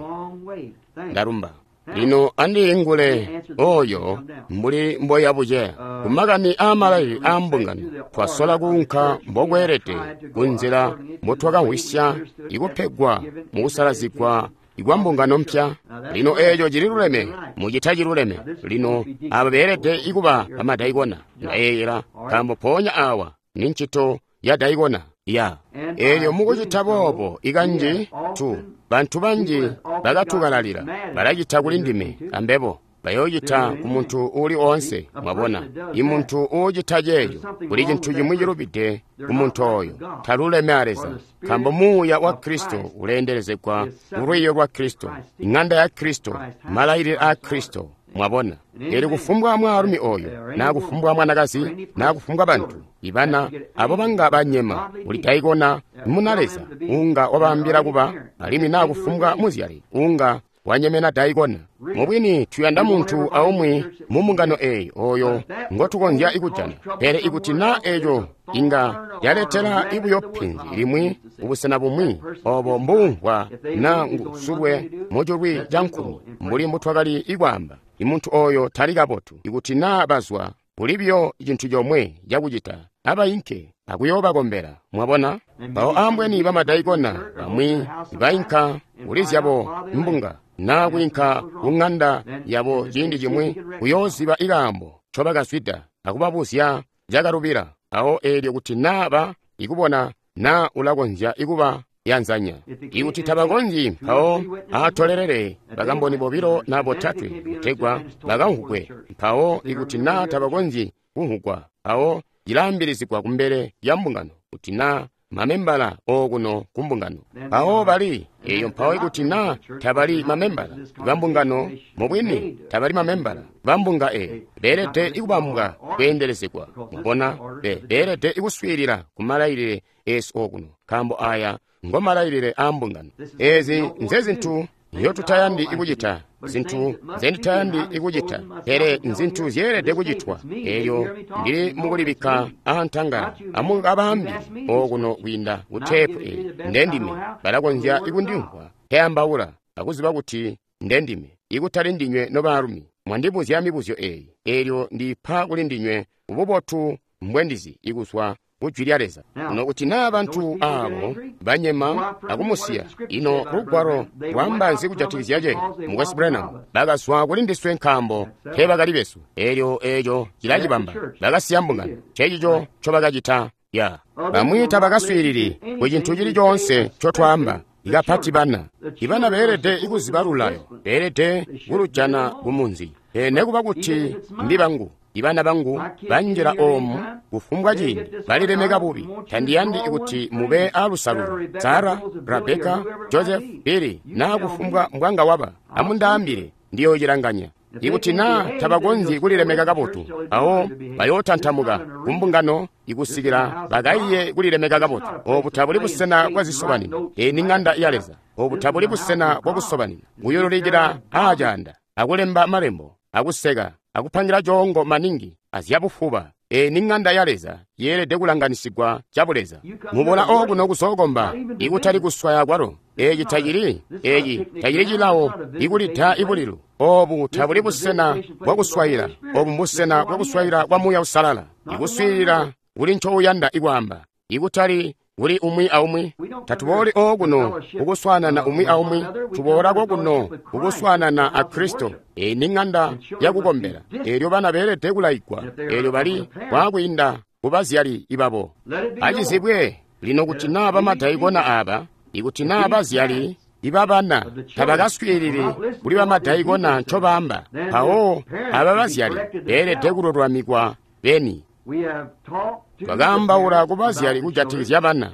Ndalumba. Lino andiingule oyo mbuli mboya buceya. Kumakani aamalailile aambungano, twasola kuunka mbokweelede kunzila mbotwakamvwisya ikupegwa mukusalazigwa ikwa mbungano mpya. Lino eeco cililuleme, mucita ciluleme. Lino aba beelede ikuba bamadaikona, ndayeeyela, nkaambo mpoonya awa ni ncito ya daikona ya. Eelyo mukucita boobo ikanji tu bantu banji bakatukalalila, balacita kuli ndime ambebo bayoocita ku muntu uuli oonse. Mwabona, imuntu uucita ceeco, kuli cintu cimwi cilubide ku muntu oyo, taluleme a Leza, nkaambo Muuya wa Kristo uleendelezegwa mu lwiiyo lwa Kristo, iŋanda ya Kristo, malailile aa Kristo. Mwabona, eelyo kufumbwa mwaalumi oyo, naa kufumbwa mwanakazi, naa kufumbwa bantu ibana abo banga banyema, uli daikona muna Leza unga wabaambila kuba, alimwi naa kufumbwa muzyali unga wanyemena daikona. Mubwini tuyanda muntu aumwi mu mbungano eyi oyo ngotukonzya ikujana, pele ikuti naa eeco inga yaletela ibuyo penzi limwi ubusena bumwi, obo mbumvwa naa ngusulwe muculwi ca nkulu mbuli mbutwakali ikwaamba, imuntu oyo tali kabotu. Ikuti naa bazwa, kuli biyo cintu comwe cakucita, abainke akuyoobakombela. Mwabona, mpawo ambweni bamadaikona bamwi bainka kuli zyabo mbunga naa kwiinka ku ŋanda yabo ciindi cimwi kuyooziba ikaambo ncobakazwida akubabuzya cakalubila. Mpawo eelyo kuti naa ba ikubona naa ulakonzya ikuba yanzanya, ikuti tabakonzyi, mpawo atolelele bakamboni bobilo na botatwe kutegwa bakamvugwe. Mpawo ikuti naa tabakonzyi kumvugwa, mpawo cilaambilizigwa kumbele lya mbungano kuti naa mamembala okuno ku mbungano. Mpawo bali eyo. Mpawo ikuti naa tabali mamembala ba mbungano, mubwini tabali mamembala ba mbunga eyo, beelede ikubambwa kweendelezegwa. Mwabona, be beelede ikuswiilila ku malailile esu okuno, nkaambo aya ngo malailile aa mbungano. Ezi nzezintu nzyotutayandi ikucita, zintu nzenditayandi kucita, pele nzintu zyeelede kucitwa. Elyo ndili mukulibikka aantangala. Amukabaambi okuno kwiinda ku teepu eyi, ndendime. Balakonzya kundimvwa nkeyambaula akuziba kuti ndendime, ikutali ndinywe nobaalumi. Mwandibuzya mibuzyo eyi, elyo ndipa kuli ndinywe bubotu mbwendizi ikuzwa kujwi lya Leza. Ino kuti naa bantu abo banyema akumusiya, ino lugwalo lwaamba nzi kujatikizya ceeco? Mukwesu Branham, bakazwa kuli ndiswe nkaambo teebakali besu. Elyo eco cilacibamba. Bakasiya mbungano. Ncencico ncobakacita. Ya bamwi tabakaswiilili ku cintu cili coonse ncotwaamba, ikapati bana. Ibana beelede kuziba lulayo, beelede kulujana kumunzi. Pele nekuba kuti mbi bangu, ibana bangu banjila oomu kufumbwa ciindi balilemeka bubi. Tandiyandi kuti mube aalusalulu. Sara, Rebeka, Joseph, Billy, naa kufumbwa mbwanga waba, amundaambile, ndiyoocilanganya. Ikuti naa tabakonzyi kulilemeka kabotu, awo bayootantamuka kumbungano ikusikila bakaiye kulilemeka kabotu. Obu tabuli busena bwazisobanino. Eyi ni ŋanda ya Leza. Obu tabuli busena bwakusobanina. Kuyululikila aacaanda, akulemba malembo, akuseka, akupangira coongo maningi azyabufuba. Eyi ni ŋanda ya Leza, yeelede kulanganisigwa cabuleza. Mubola okuno kuzookomba, ikutali kuswaya kwalo. Eci tacili, eci tacili cilawo ikulida ibulilu. Obu tabuli busena bwakuswayila. Obu mbusena bwakuswayila kwa Muuya Uusalala. Ikuswiilila kuli ncouyanda ikwaamba, ikutali kuli umwi aumwi. Tatubooli okuno kukuswaanana umwi aumwi, tuboola kokuno kukuswaanana a Kristo. Eyi ni ŋanda yakukombela. Eelyo bana beelede kulaigwa, eelyo bali kwaakwiinda kubazyali ibabo. Acizibwe lino kuti naa bamadaikona aaba, ikuti naa bazyali ibabana tabakaswiilili kuli bamadaikona ncobaamba, mpawo aba bazyali beelede kululamikwa beni. Twakaambaula kubazyali kujatikizya bana,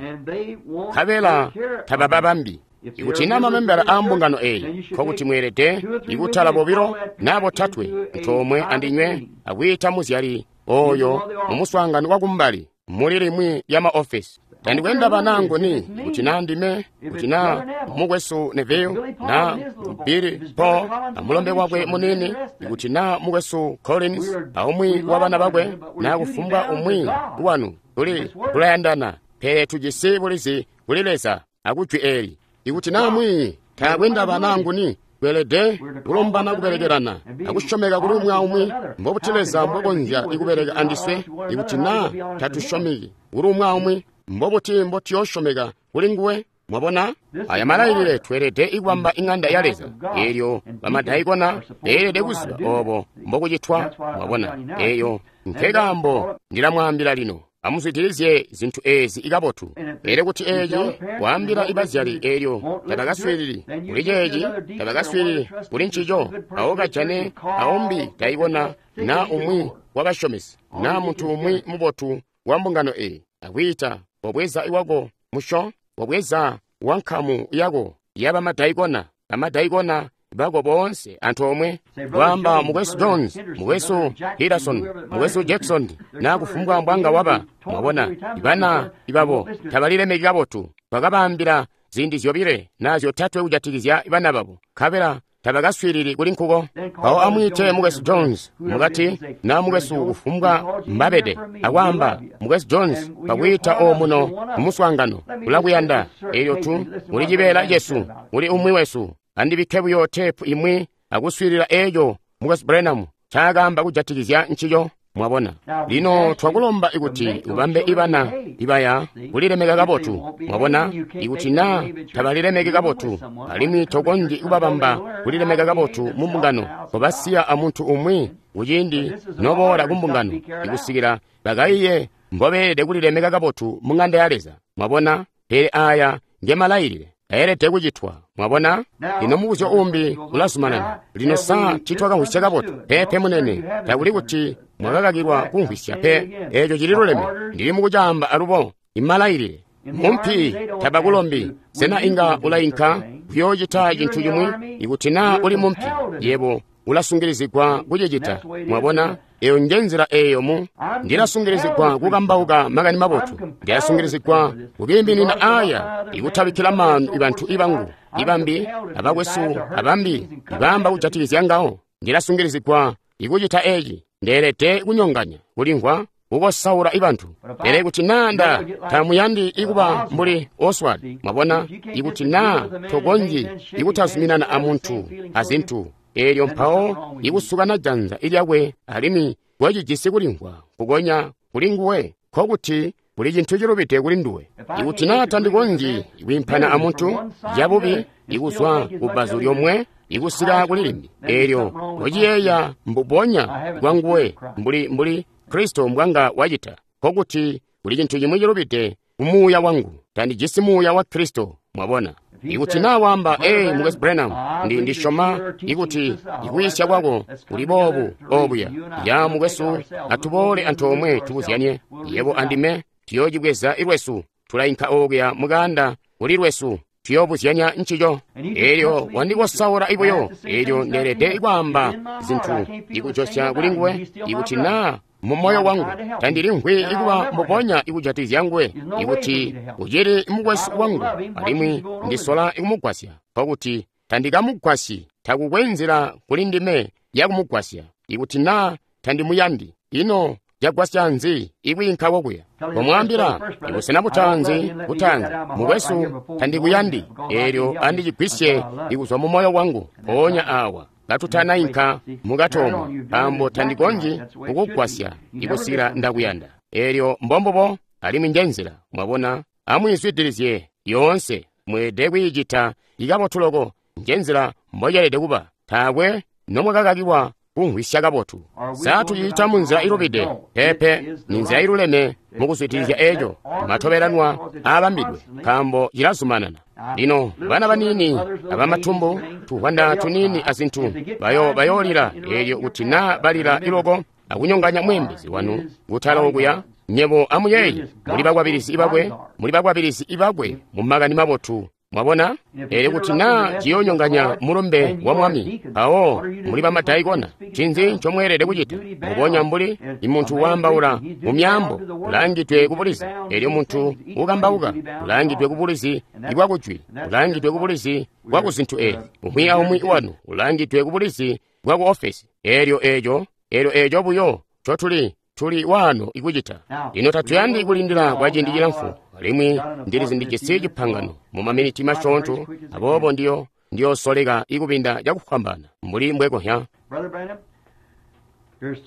nkabela tabababambi. Ikuti naa mamembala aambungano eyi, nkokuti mweelede ikutala bobilo naa botatwe antoomwe andinywe akwiita muzyali oyo mumuswaangano wakumbali muli limwi lya maofesi. Tandikwenda banangu ni kuti naa ndime, kuti naa mukwesu Neville, naa Billy Paul amulombe wakwe munini, kuti naa mukwesu Collins aumwi wa bana bakwe, naa kufumbwa umwi wanu. Tuli tulayandana, pele tujisi bulizi kuli Leza akujwi eli. Ikuti naa mwi takwenda banangu ni, tweelede kulombana kubelekelana akusyomeka kuli umwi aumwi. Mbobuti Leza mbwakonzya ikubeleka andiswe ikuti naa tatusyomeki kuli umwi aumwi? Mbobuti mbotuyoosyomeka kuli nguwe? Mwabona aya malailile, tweelede ikubamba ing'anda ya Leza. Eelyo bamadaikona beelede kuziba obo mbokucitwa. Mwabona, eyo nkekaambo ndilamwaambila lino. Amuzwidilizye zintu ezi ikabotu. Pele kuti eci waambila ibazyali, eelyo tabakaswiilili kuli ceeci, tabakaswiilili kuli ncico, awo kajane aumbi daikona naa umwi wabasyomesi naa muntu umwi mubotu wa mbungano eyi, akwiita wabweza iwako musho, wabweza wankamu yako yabamadaikona, bamadaikona bako boonse antoomwe, kwaamba mukwesu Jones, mukwesu Henderson, mukwesu Jackson, naa kufumbwa mbwanga waba. Mwabona, ibana ibabo tabalilemeki kabotu. Twakabaambila ziindi zyobile naa zyotatwe kujatikizya bana babo, nkabela tabakaswiilili kuli nkuko. Mpawo amwiite mukwesu Jones mukati, naa mukwesu kufumbwa mbabede, akwaamba, mukwesu Jones, bakwiita omuno kumuswaangano, ulakuyanda. Elyo tu uli cibeela cesu, uli umwi wesu. Andibikke buyo teepu imwi akuswiilila eeco mukwesu Branham ncaakaamba kujatikizya ncico. Mwabona, lino twakulomba ikuti ubambe ibana ibaya kulilemeka kabotu. Mwabona, ikuti naa tabalilemeki kabotu, alimwi tokonzyi kubabamba kulilemeka kabotu mu mbungano, kobasiya amuntu umwi kuciindi noboola kumbungano ikusikila bakaiye mbobeelede kulilemeka kabotu mu ŋanda ya Leza. Mwabona, pele aya ngemalailile ayelede kucitwa. Mwabona, lino mubuzyo umbi ulazumanana. Lino sa titwakamvwisya kabotu? Peepe munene, takuli kuti mwakakakilwa kumvwisya pe. Eeco cililuleme. Ndili mukucaamba alubo. Imalailile mumpi tabakulombi. Sena inga ulainka kuyoocita cintu cimwi? Ikuti naa uli mumpi, yebo ulasungilizigwa kucicita. Mwabona, Eyo nje nzila eyo mu Ndilasungilizigwa kukambauka makani mabotu. Ndilasungilizigwa kukiiminina aya ikutabikkila maanu ibantu ibangu ibambi abakwesu abambi ibaamba kujatikizya ngawo. Ndilasungilizigwa ikucita eci. Ndeelede kunyonganya kulimvwa kukosaula ibantu. Pele kuti naa nda tamuyandi ikuba mbuli Oswald, mwabona, ikuti naa tokonzyi ikutazuminana amuntu azintu eelyo mpawo ikusukana janza ilyakwe alimwi wacijisi kulimvwa kukonya kuli nguwe, nkokuti kuli cintu cilubide kuli nduwe. Ikuti naa tandikonzyi kwiimpana amuntu cabubi ikuzwa kubbazu lyomwe ikusika kuli limbi, eelyo wociyeeya mbubonya bwanguwe mbuli mbuli Kristo mbwanga wacita, nkokuti kuli cintu cimwi cilubide kumuuya wangu. Tandijisi muuya wa Kristo, mwabona. Ikuti naa waamba, ee, Mukwesu Branham, ndi ndisyoma ikuti ikuyisya kwako kuli boobu obuya. Ya mukwesu, atuboole antoomwe tubuzyanye. Yebo andime tuyoocibweza ilwesu, tulainka okuya mukanda kuli lwesu, tuyobuzyanya ncico. Eelyo wandikosaula ibuyo, eelyo ndeelede kwaamba zintu ikujosya kuli nguwe. Ikuti naa mu moyo wangu tandilimvwi ikuba mbubonya ikujatikizya nguwe, ikuti ucili mukwesu wangu alimwi ndisola ikumugwasya, nkokuti tandikamugwasyi. Takukwe nzila kuli ndime yakumugwasya ikuti naa tandimuyandi. Ino cagwasya nzi ikwiinka kokuya? Komwaambila ibusena butaanzi butaanzi, mukwesu, tandikuyandi, eelyo andicigwisye ikuzwa mu moyo wangu mpoonya awa katutanainka mukatomo, nkaambo tandikonzyi kukugwasya ikusikila ndakuyanda. Eelyo mbombubo, alimwi nje nzila, mwabona. Amwiizwidilizye yoonse, mweelede kwiicita ikabotu loko. Nje nzila mboceelede kuba. Taakwe nomwakakakilwa kumvwisya kabotu. Sa tuciita munzila ilubide? Peepe, ni nzila iluleme mukuzwidilizya eeco matobelanwa aabambidwe, nkaambo cilazumanana. Lino bana baniini abamatumbu, tuvwanda tuniini azintu, bayo bayoolila. Eelyo kuti naa balila iloko akunyonganya mweembezi wanu kutala okuya, nyebo amuyeeye, muli bakwabilizi ibakwe, muli bakwabilizi ibakwe mu makani mabotu. Mwabona? Eelyo kuti naa ciyoonyonganya mulumbe wa Mwami, mpawo muli bamadaikona, ncinzi ncomweelede kucita? Mbubonya mbuli imuntu waambaula mu myaambo ulaangidwe kubulizi, eelyo muntu ukambauka ulaangidwe kubulizi bwakujwi, ulaangidwe kubulizi bwakuzintu eezi. Umwi aumwi wanu ulaangidwe kubulizi bwaku ofesi. Eelyo eeco, eelyo eeco buyo ncotuli tuli waano ikucita. Lino tatuyandi kulindila kwa ciindi cilamfu, alimwi ndilizi ndijisi cipangano mu maminiti masyoonto, aboobo ndiyo ndiyosoleka ikubinda cakufwambaana mbuli mbwekonzya.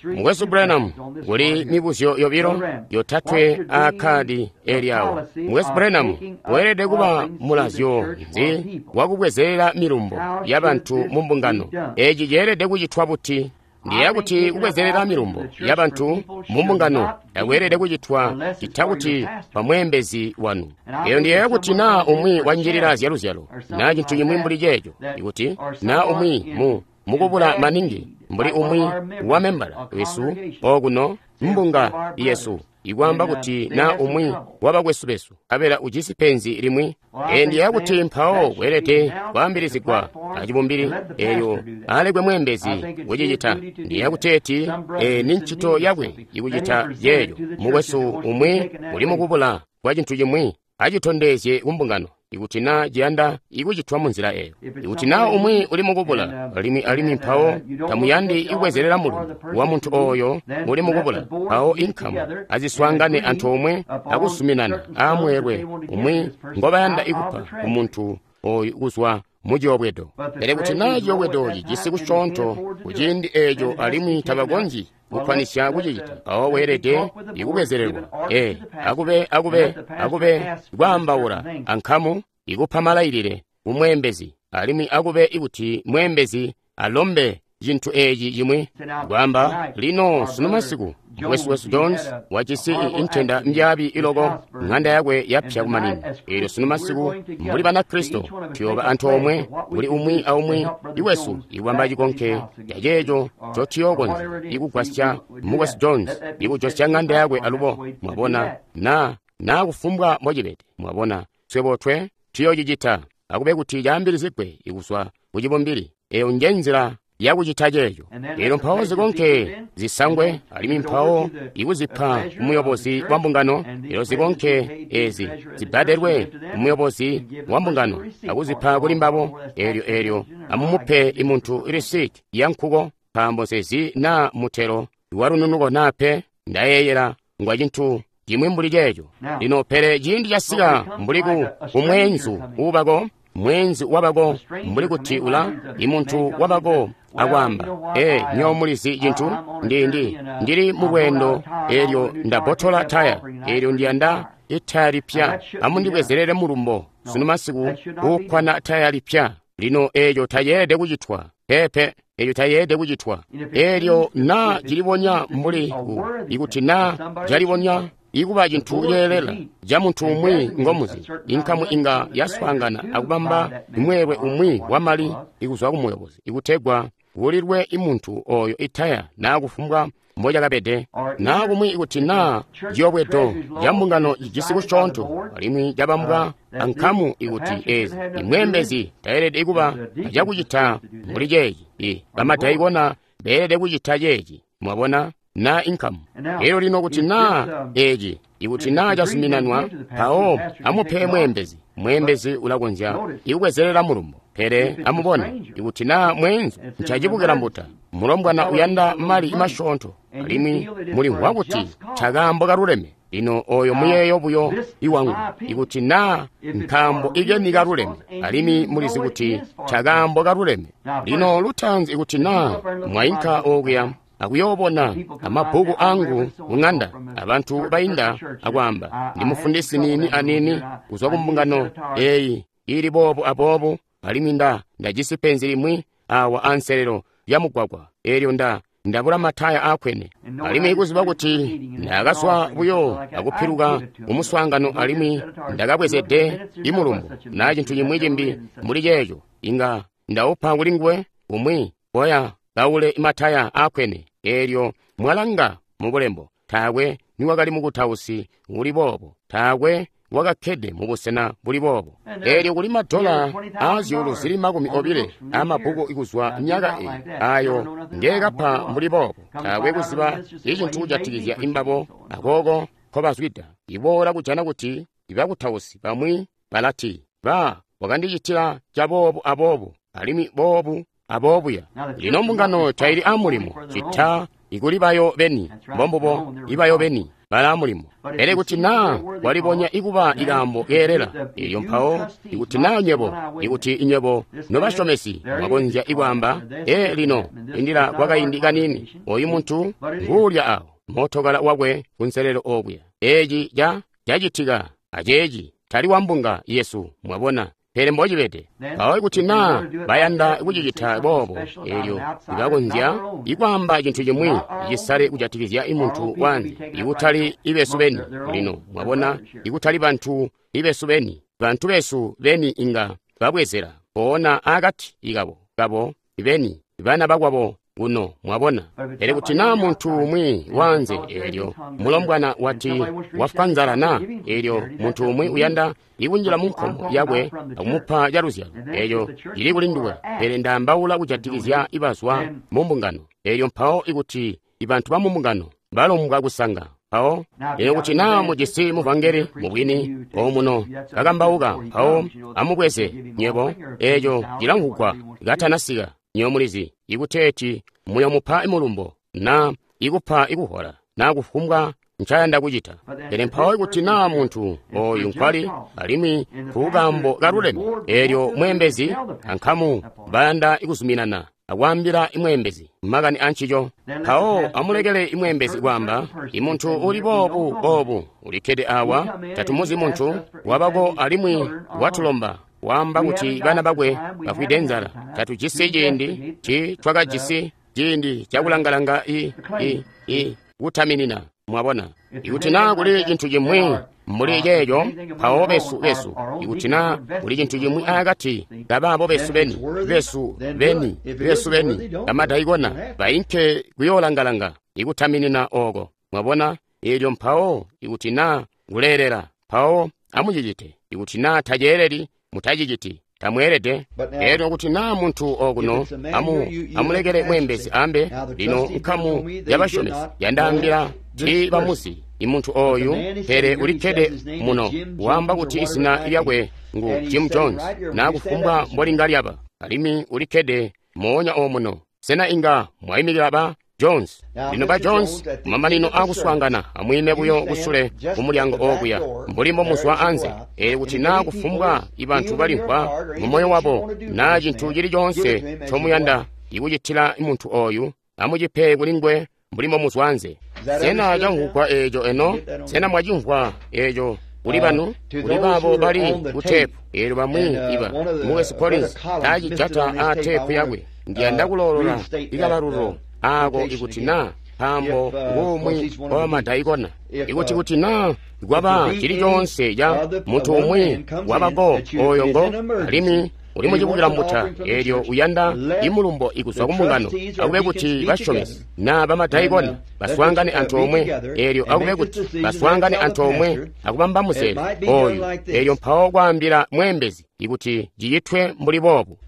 Mukwesu Branham, kuli mibuzyo yobilo yotatwe aakkadi eli awo. Mukwesu Branham, weelede kuba mulazyo nzi wakubwezelela milumbo yabantu mu mbungano? Eci ceelede kucitwa buti? Ndiyeeya kuti kubwezelela milumbo yabantu mu mbungano takweelede kucitwa ccita kuti pamweembezi wanu. Eyo ndiyeeya kuti naa umwi wanjilila zyaluzyalo naa cintu cimwi mbuli ceeco, ikuti naa umwi mu mukubula maningi mbuli umwi wa membala wesu okuno mbunga yesu, ikwaamba kuti naa umwi wabakwesu besu abela ujisi penzi limwi. Ee, ndiyeeya kuti mpawo kweelede kwaambilizigwa acibumbili, eelyo alekwe mweembezi kucicita. Ndiyeeya kuteeti ee, ni ncito yakwe ikucita yeeyo. Mukwesu umwi uli mukubula kwa cintu cimwi, acitondezye kumbungano ikuti naa ciyanda ikucitwa munzila eyo. Ikuti naa umwi uli mukubula alimwi alimwi mpawo tamuyandi ikubwezelela mulumbo wa muntu oyo uli mukubula, mpawo inkamu aziswaangane antoomwe akuzuminana aamweelwe umwi ngobayanda ikupa kumuntu oyu kuzwa mu ciyobwedo. Pele kuti naa ciyobwedo cijisi kusyoonto kuciindi eeco alimwi tabakonzyi kukwanisya kucicita, mpawo weelede ikubwezelelwa. Ee, akube akube akube kwaambaula ankamu ikupa malailile kumweembezi, alimwi akube ikuti mweembezi alombe cintu eci cimwi. Kwaamba, lino sunu masiku mukwesu wesu Jones wajisi intenda mbyaabi iloko, ng'anda yakwe yapya kumanino. Eelyo sunu masiku mbuli Banakristo tuyooba antoomwe kuli umwi aumwi iwesu ikubamba cikonke caceeco ncotuyookonzya ikugwasya mukwesu Jones ikujosya ng'anda yakwe alubo. Mwabona, na naa kufumbwa mbocibede, mwabona, swebo twe tuyoocicita. Akube kuti caambilizigwe ikuzwa kucibumbili. Eyo nje nzila yakucita ceeco. Elyo mpawo zikonke zisangwe, alimwi mpawo ikuzipa kumuyobozi wa mbungano. Elyo zikonke ezi zibbadelwe kumuyobozi wa mbungano akuzipa kuli mbabo. Elyo elyo amumupe imuntu risiti ya nkuko, nkaambo nsizi naa mutelo walununuko naa pe. Ndayeeyela ngwa cintu cimwi mbuli ceeco. Lino pele ciindi casika mbuli ku kumweenzu uubako, mweenzu wabako mbuli kuti ula imuntu wabako akwaamba, ee, nyo mulizi cintu, ndi ndi ndili mu lweendo, elyo ndabbotola taya, elyo ndiyanda itaya lipya, amundibwezerere mulumbo sunu masiku uukwana taya lipya. Lino eeco tayeelede kucitwa, peepe, eeco tayeelede kucitwa. Elyo naa cilibonya mbuli ku, ikuti naa calibonya ikuba cintu ceelela ca muntu umwi ngomuzi, inkamu inga yaswaangana akubamba mweelwe umwi wamali ikuzwa ku muyobozi ikutegwa kulilwe imuntu oyo itaya naa kufumbwa mbocakabede, naa kumwi ikuti naa ciyobwedo ca mbungano cijisi kusyoonto alimwi cabambwa ankamu, ikuti ezi imweembezi tayeelede kuba acakucita mbuli ceeci, i bamadaikona beelede kucita ceeci, mwabona, naa inkamu. Elyo lino kuti naa eci, ikuti naa cazuminanwa, mpawo amupe mweembezi. Mweembezi ulakonzya ikubwezerera mulumbo. Pele amubone, ikuti naa mweenzu ncacibukila mbuta, mulombwana uyanda mali masyoonto, alimwi mulimvwa kuti ntakaambo kaluleme. Lino oyo muyeeyo buyo iwangu, ikuti naa nkaambo ikeni kaluleme, alimwi mulizi kuti ntakaambo kaluleme. Lino lutaanzi ikuti naa mwainka okuya akuyoobona amabbuku angu ku ng'anda, abantu bainda akwaamba, ndi mufundisi niini aniini kuzwa ku mbungano eyi ili boobu aboobu, alimwi nda ndajisi penzi limwi awa anselelo lya mugwagwa, elyo nda ndabula mataya akwene. Alimwi kuziba kuti ndakazwa buyo akupiluka kumuswaangano, alimwi ndakabwezede imulumbo na cintu cimwi cimbi mbuli ceeco, inga ndaupa kuli nguwe umwi koya kaule mataya akwene. Elyo mwalanga mubulembo, taakwe niwakali mukutausi uli boobo, taakwe wakakkede mubusena buli boobo. Elyo kuli madola aazyuulu zili makumi obile amabbuku ikuzwa myaka eyi ayo ngeekapa mbuli boobo, taakwe kuziba icintu kujatikizya imbabo akooko nkobazwida. Iboola kujana kuti ibakutausi bamwi balati, ba wakandicitila caboobu aboobu, alimwi boobu aboobuya. Lino mbungano taili amulimo cita ikuli bayo beni, mbombubo ibayo beni bala mulimo. Pele kuti naa walibonya ikuba ikaambo keelela, elyo mpawo ikuti naa nywebo, ikuti inywebo nobasyomesi mwakonzya ikwaamba, ee lino indila kwakaindi kaniini, oyu muntu nguulya awo mootokala wakwe kunselelo okuya, eci ca cacitika aceeci tali wa mbunga yesu, mwabona. Pele mbocibede. Mpawo ikuti naa bayanda kucicita boobo, elyo ibakonzya ikwaamba cintu cimwi cisale kujatikizya imuntu wanze, ikutali ibesu beni. Lino mwabona, ikutali bantu ibesu beni, bantu besu beni inga babwezela mpoona akati ikabo kabo beni, bana bakwabo kuno, mwabona. Pele kuti naa muntu umwi wanze, elyo mulombwana wati wafwa nzala na, elyo muntu umwi uyanda ikunjila mu nkomo yakwe akumupa caluzyalo, elyo cili kuli nduwe. Pele ndaambaula kujatikizya ibazwa mu mbungano. Elyo mpawo ikuti ibantu ba mu mbungano balombwa kusanga, mpawo elyo kuti naa mujisi muvangeli mubwini omuno kakambauka, mpawo amubweze nywebo, eco cilamvugwa katanasika. Nywebo mulizi ikuteeti muyomupa mulumbo na ikupa ikuhola na kufumbwa ncayanda kucita. Pele mpawo ikuti naa muntu oyu nkwali alimwi kukaambo kaluleme, elyo mweembezi ankamu bayanda ikuzuminana akwaambila imweembezi makani ancico, mpawo amulekele imweembezi kwaamba, imuntu uli boobu boobu ulikkede awa, tatumuzi muntu wabako alimwi watulomba waamba kuti bana bakwe bafwide nzala. Tatujisi ciindi, ti twakajisi ciindi cakulangalanga i i i kutaminina, mwabona. Ikuti naa kuli cintu cimwi mbuli ceeco, mpawo besu besu, ikuti naa kuli cintu cimwi akati kabaabo besu beni, besu beni, besu beni, bamadaikona bainke kuyoolangalanga ikutaminina ooko, mwabona. Elyo mpawo ikuti naa kuleelela, mpawo amucicite. Ikuti naa taceeleli, mutaciciti. Tamweelede. Elyo kuti naa muntu okuno, amu amulekele mweembezi ambe. Lino nkamu yabasyomesi yandaambila tiibamuzi imuntu oyu, pele ulikkede muno, waamba kuti izina lyakwe ngu Jim Jones, naa kufumbwa mbolinga lyaba, alimwi ulikkede moonya omuno. Sena inga mwaimikila ba Jones? Lino ba Jones, kumamanino aakuswaangana, amwiime buyo kusule kumulyango okuya, mbuli mbomuzwa anze. Elyo kuti naa kufumbwa ibantu balimvwa mumoyo wabo naa cintu cili coonse ncomuyanda ikucitila muntu oyu, amucipe kulinguwe mbuli mbomuzwa anze. Sena camvwugwa eeco eno? Sena mwacimvwa eeco kuli banu, kuli baabo bali ku teepu? Eelyo bamwi iba Mukwesu Collins taacijata aa teepu yakwe. Ndiyanda kuloolola ikabalulu aako ikuti naa nkaambo nguumwi wabamadaikona. Ikuti kuti naa kwaba cili coonse ca muntu umwi wabako oyo ngo alimwi uli mucibukila mbuta, eelyo uyanda imulumbo ikuzwa kumbungano, akube kuti basyomesi naa bamadaikona baswaangane antoomwe, eelyo akube kuti baswaangane antoomwe akubamba muzeezo oyu, eelyo mpawo kwaambila mweembezi ikuti cicitwe mbuli boobu.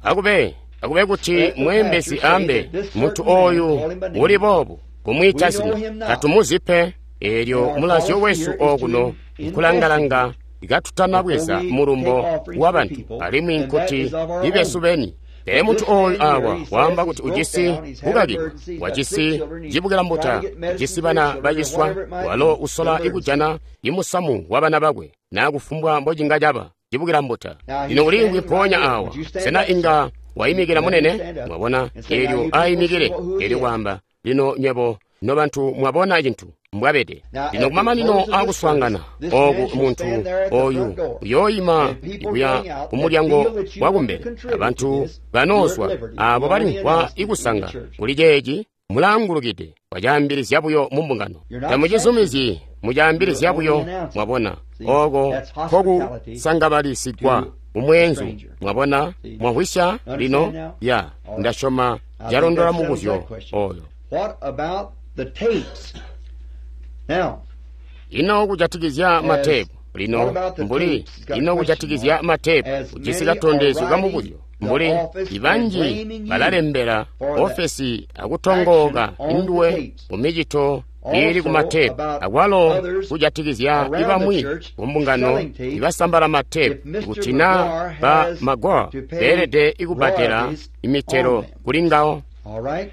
Akube akube kuti mweembezi ambe muntu oyu uli boobu, kumwiita zina, tatumuzi pe. Eelyo mulazyo wesu okuno nkulangalanga katutanabweza mulumbo wabantu, alimwi nkuti ibesu beni. Pele muntu oyu awa waamba kuti ujisi kukakilwa, wajisi cibukila mbuta, ujisi bana baciswa, walo usola ikujana imusamu wa bana bakwe, naa kufumbwa mbocinga caba cibukila mbuta. Lino uliimvwi mpoonya awa. Sena inga waimikila munene? Mwabona, eelyo aimikile, eelyo kwaamba, lino nywebo nobantu mwabona cintu mbwabede. Lino kumamanino aakuswaangana oku, muntu oyu uyooima kuya kumulyango wakumbele, abantu banoozwa aabo balimvwa ikusanga kuli ceeci, mulaangulukide wacaambilizya buyo mumbungano. Tamucizumizyi, mucaambilizya buyo. Mwabona, oko nkokusangabalisigwa umweenzu. Mwabona, mwamvwisya lino? Ya, ndasyoma calondola mubuzyo oyo. What about the tapes? Now, ino kujatikizya mateepu? Lino mbuli ino kujatikizya mateepu, ujisi katondezyo kamubuzyo. Mbuli ibanji balalembela ofesi akutongooka induwe mumicito iili kumateepu, akwalo kujatikizya ibamwi kumbungano ibasambala mateepu, kuti naa ba Magwar beelede ikubbadela imitelo kuli ngawo. all right.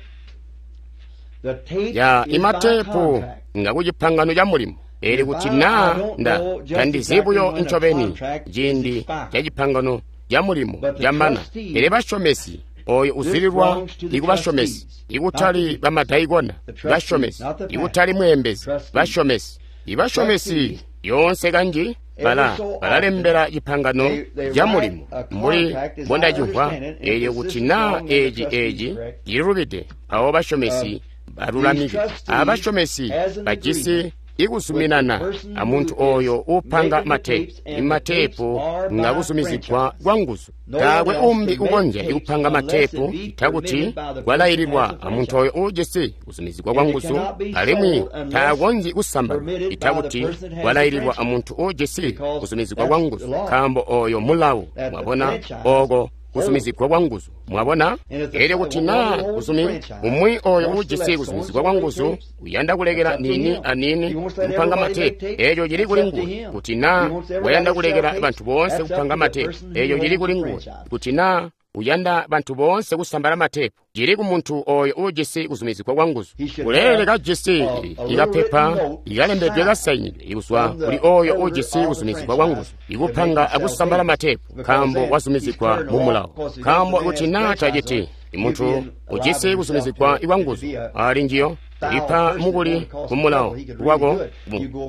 The tape Ya is by imateepu contract. nga kucipangano ca mulimo. Eli kuti naa nda tandizi buyo ncobeni ciindi ca cipangano ca mulimo camana, pele basyomesi oyo uzililwa ikubasyomesi, ikutali bamadaikona, basyomesi, ikutali mweembezi, basyomesi. Ibasyomesi yoonse kanji bala balalembela cipangano ca mulimo mbuli mbondacimvwa. Eelyo kuti naa eeci eeci cililubide, mpawo basyomesi balulamike. Abasyomesi bajisi ikuzuminana amuntu oyo upanga mateepu. Imateepu nga kuzumizigwa kwa nguzu. Taakwe umbi ukonzya ikupanga mateepu takuti kwalaililwa amuntu oyo uujisi kuzumizigwa kwa nguzu, alimwi taakonzyi kusambalwa itakuti kwalaililwa amuntu uujisi kuzumizigwa kwa nguzu, nkaambo oyo mulawu. Mwabona, oko kuzumizigwa kwa nguzu. Mwabona, elyo kuti naa kuzumi umwi oyo uujisi kuzumizigwa kwa nguzu uyanda kulekela nini anini kupanga mateepu, eeco cili kuli nguwe. Kuti naa wayanda kulekela bantu boonse kupanga mateepu, eeco cili kuli nguwe. Kuti naa uyanda bantu boonse kusambala mateepu, cili ku muntu oyo uujisi kuzumizigwa kwa nguzu. Uleelede kajisi ikapepa ikalembedwe kasainidwe ikuzwa kuli oyo uujisi kuzumizigwa kwa nguzu ikupanga akusambala mateepu, nkaambo wazumizigwa mu mulawo. Nkaambo kuti naa taciti, imuntu ujisi kuzumizigwa kwa nguzu ali njiyo lipa mukuli ku mulawo wako.